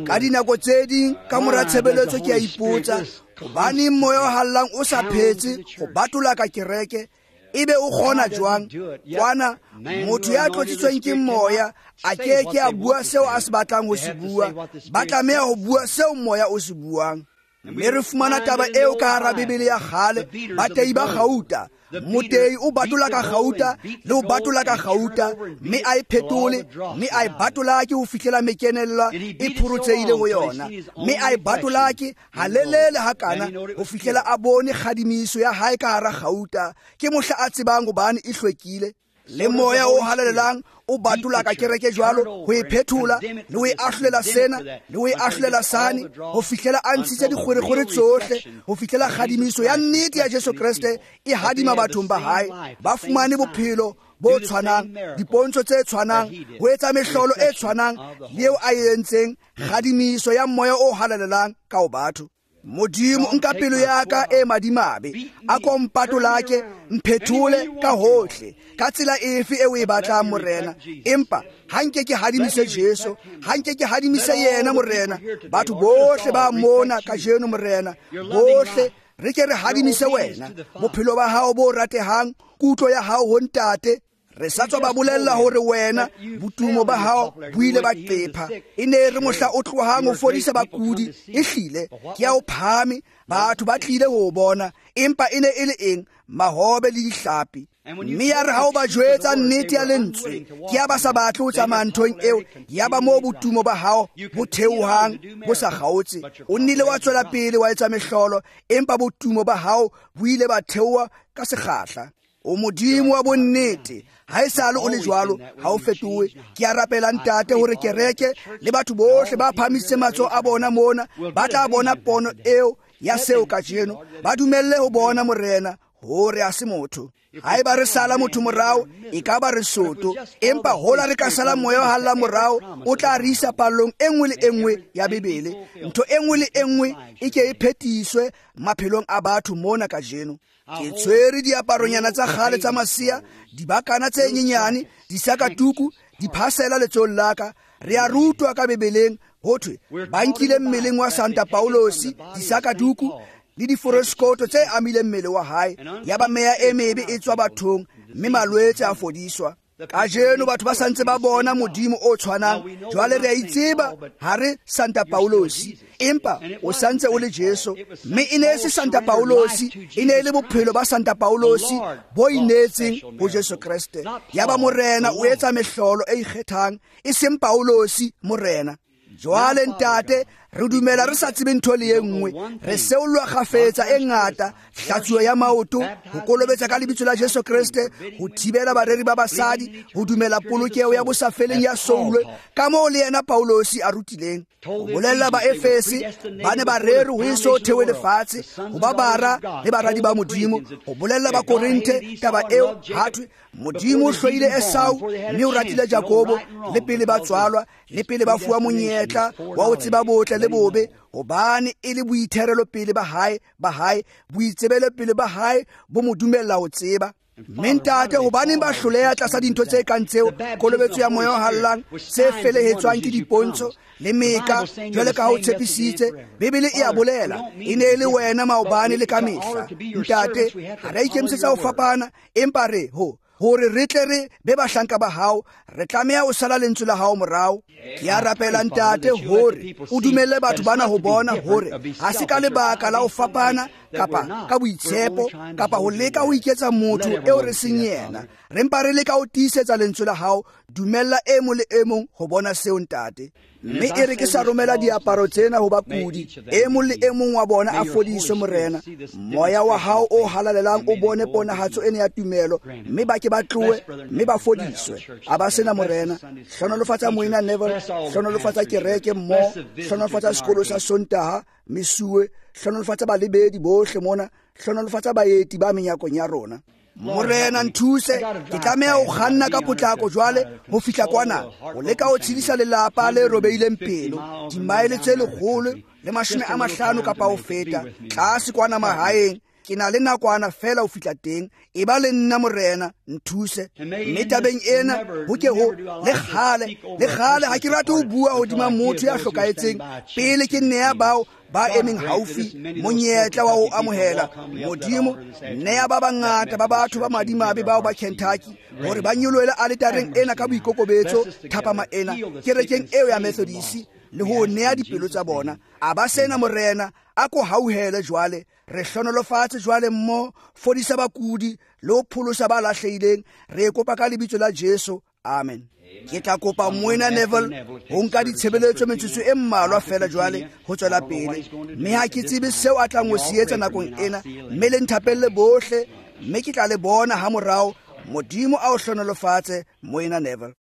ka dinako tse ding ka mora tshebeletso ke a ipotsa, hobaneng moya o hallang o sa phetse ho batola ka kereke, ebe o kgona jwang? Kwana motho ya tlotsitsweng ke moya a ke ke a bua seo a se batlang ho se bua, ba tlameha ho bua seo moya o se buang. Mme re fumana taba eo ka hara Bibele ya kgale, batei ba kgauta. Motei o batola ka kgauta le o batola ka kgauta, mme a e phetole, mme a e batolake ho fihlela mekenella e phorotseile ho yona, mme a e batolake halelele hakana ho fihlela a bone kgadimiso ya hae ka hara kgauta. Ke mohla a tsebang hobane e hlwekile. Le moya o halalelang o batola ka kereke jwalo ho e phethola le ho e ahlolela sena le ho e ahlolela sane ho fihlela a ntshitse dikgwerekgwere tsohle, ho fihlela kgadimiso ya nnete ya Jesu Kreste e hadima bathong ba hae. Ba fumane bophelo bo tshwanang, dipontsho tse tshwanang, ho etsa mehlolo e tshwanang le eo a e entseng, kgadimiso ya moya o halalelang ka ho batho. Modimo nka pelo ya ka e madimabe, a ko mpatolake, mphethole ka hohle, ka tsela efe e o e batlang Morena. Empa ha nke ke hadimise Jesu, ha nke ke hadimise yena Morena. Batho bohle ba mona kajeno Morena, bohle re ke re hadimise wena, bophelo ba hao bo ratehang, kutlo ya hao ho Ntate. Re sa tswa ba bolella hore wena botumo ba hao bo ile ba qepha. E ne re mohla o tlohang ho fodisa bakudi, ehlile ke ya o phahame, batho ba tlile ho o bona, empa e ne e le eng? Mahobe le dihlapi. Mme ya re ha o ba jwetsa nnete ya lentswe, ke ya ba sa batle ho tsamaya nthong eo, ya ba moo botumo ba hao bo theohang bo sa kgaotse. O nnile wa tswela pele wa etsa mehlolo, empa botumo ba hao bo ile ba theoha ka sekgahla. O Modimo wa bonnete, ha esale o le jwalo, ha o fetohe. Ke a rapela Ntate hore kereke le batho bohle ba phahamisitse matsoho a bona mona ba tla bona pono eo ya seo kajeno. Ba dumelle ho bona Morena hore ha se motho. Haeba re sala motho morao, e ka ba re soto, empa hola re ka sala moya o halla morao, o tla re isa pallong e nngwe le e nngwe ya Bibele. Ntho e nngwe le e nngwe e ke e phetiswe maphelong a batho mona kajeno. Ke tshwere diaparonyana tsa kgale tsa masea, dibakana tse nyenyane, disakatuku, diphasela letsohong la ka. Re a rutwa ka Bibeleng ho thwe ba nkile mmeleng wa Santa Paulosi disakatuku le diforoskoto tse amileng mmele wa hae, ya ba meya e mebe e tswa bathong mme malwetse a fodiswa. Kajeno batho ba santse ba bona Modimo o tshwanang. Jwale re a itseba ha re Santa Paulosi, empa o santse o le Jesu. Mme e ne e se Santa Paulosi, e ne e le bophelo ba Santa Paulosi bo ineetseng ho Jesu Kreste. Ya ba Morena o etsa mehlolo e ikgethang, e seng Paulosi Morena. Jwale Ntate, re dumela re sa tsebe ntho le e nngwe, re seollwa kgafetsa e ngata, hlatsuo ya maoto, ho kolobetsa ka lebitso la Jesu Kreste, ho thibela bareri ba basadi, ho dumela polokeho ya bosafeleng ya soulwe, ka moo le yena Paulosi a rutileng. Ho bolella ba Efese, ba ne ba rere ho eso thewe lefatshe, ho ba bara le baradi ba Modimo. Ho bolella ba Korinthe taba eo, ha thwe Modimo o hloile Esau mme o ratile Jakobo, le pele ba tswalwa, le pele ba fuwa monyetla wa ho tseba botle le bobe, hobane e le boitherelo pele ba hae, boitsebelo pele ba hae bo mo dumella ho tseba. Mme Ntate, hobaneng ba hloleha tlasa dintho tse kang tseo, kolobetso ya moya o hallang, tse felehetswang ke dipontsho le meka, jwale ka ha o tshepisitse? Bibele e a bolela, e ne e le wena maobane le ka mehla. Ntate, ha re a ikemisetsa ho fapana, empa re ho hore re tle re be bahlanka ba hao, re tlameha ho sala lentswe la hao morao. Ke a rapela Ntate hore o dumelle batho bana ho bona hore ha se ka lebaka la ho fapana kapa ka boitshepo kapa ho leka ho iketsa motho eo re seng yena. Re mpa re leka ho tiisetsa lentswe la hao. Dumella e mong le e mong ho bona seo Ntate. Mme e re ke sa romela diaparo tsena ho bakudi, e mong le e mong wa bona a fodiswe Morena. Moya wa hao o halalelang o bone ponahatso ena ya tumelo, mme ba ke ba tlohe mme ba fodiswe. A ba sena Morena. Hlonolofatsa Moena Neville, hlonolofatsa kereke mmoho, hlonolofatsa sekolo sa Sontaha, mesuwe, hlonolofatsa balebedi bohle mona, hlonolofatsa baeti ba menyakong ya rona. Morena nthuse, ke tlameha ho kganna ka potlako jwale ho fihla kwana, ho leka ho tshedisa lelapa le robeileng pelo, dimaele tse 150 kapa ho feta, tlase kwana mahaeng. Ke na le nakwana fela ho fihla teng. E ba le nna Morena, nthuse. Mme tabeng ena ho ke ho le kgale ha ke rate ho bua hodima motho ya hlokahetseng pele ke nea bao ba emeng haufi monyetla wa ho amohela Modimo. Nea ba bangata ba batho ba madimabe bao ba Kentucky hore ba nyolohele aletareng ena ka boikokobetso thapama ena kerekeng eo ya Methodist, le ho nea dipelo tsa bona. A ba sena Morena, A ko hauhele jwale, re hlonolofatse jwale mmo, fodisa bakudi le ho pholosa ba lahlehileng. Re e kopa ka lebitso la Jesu. Amen. Ke tla kopa Moena Neville ho nka ditshebeletso metsotso e mmalwa fela jwale ho tswela pele, mme ha ke tsebe seo a tlang ho se etsa nakong ena, mme le nthapelle bohle, mme ke tla le bona ha morao. Modimo a o hlonolofatse, Moena Neville.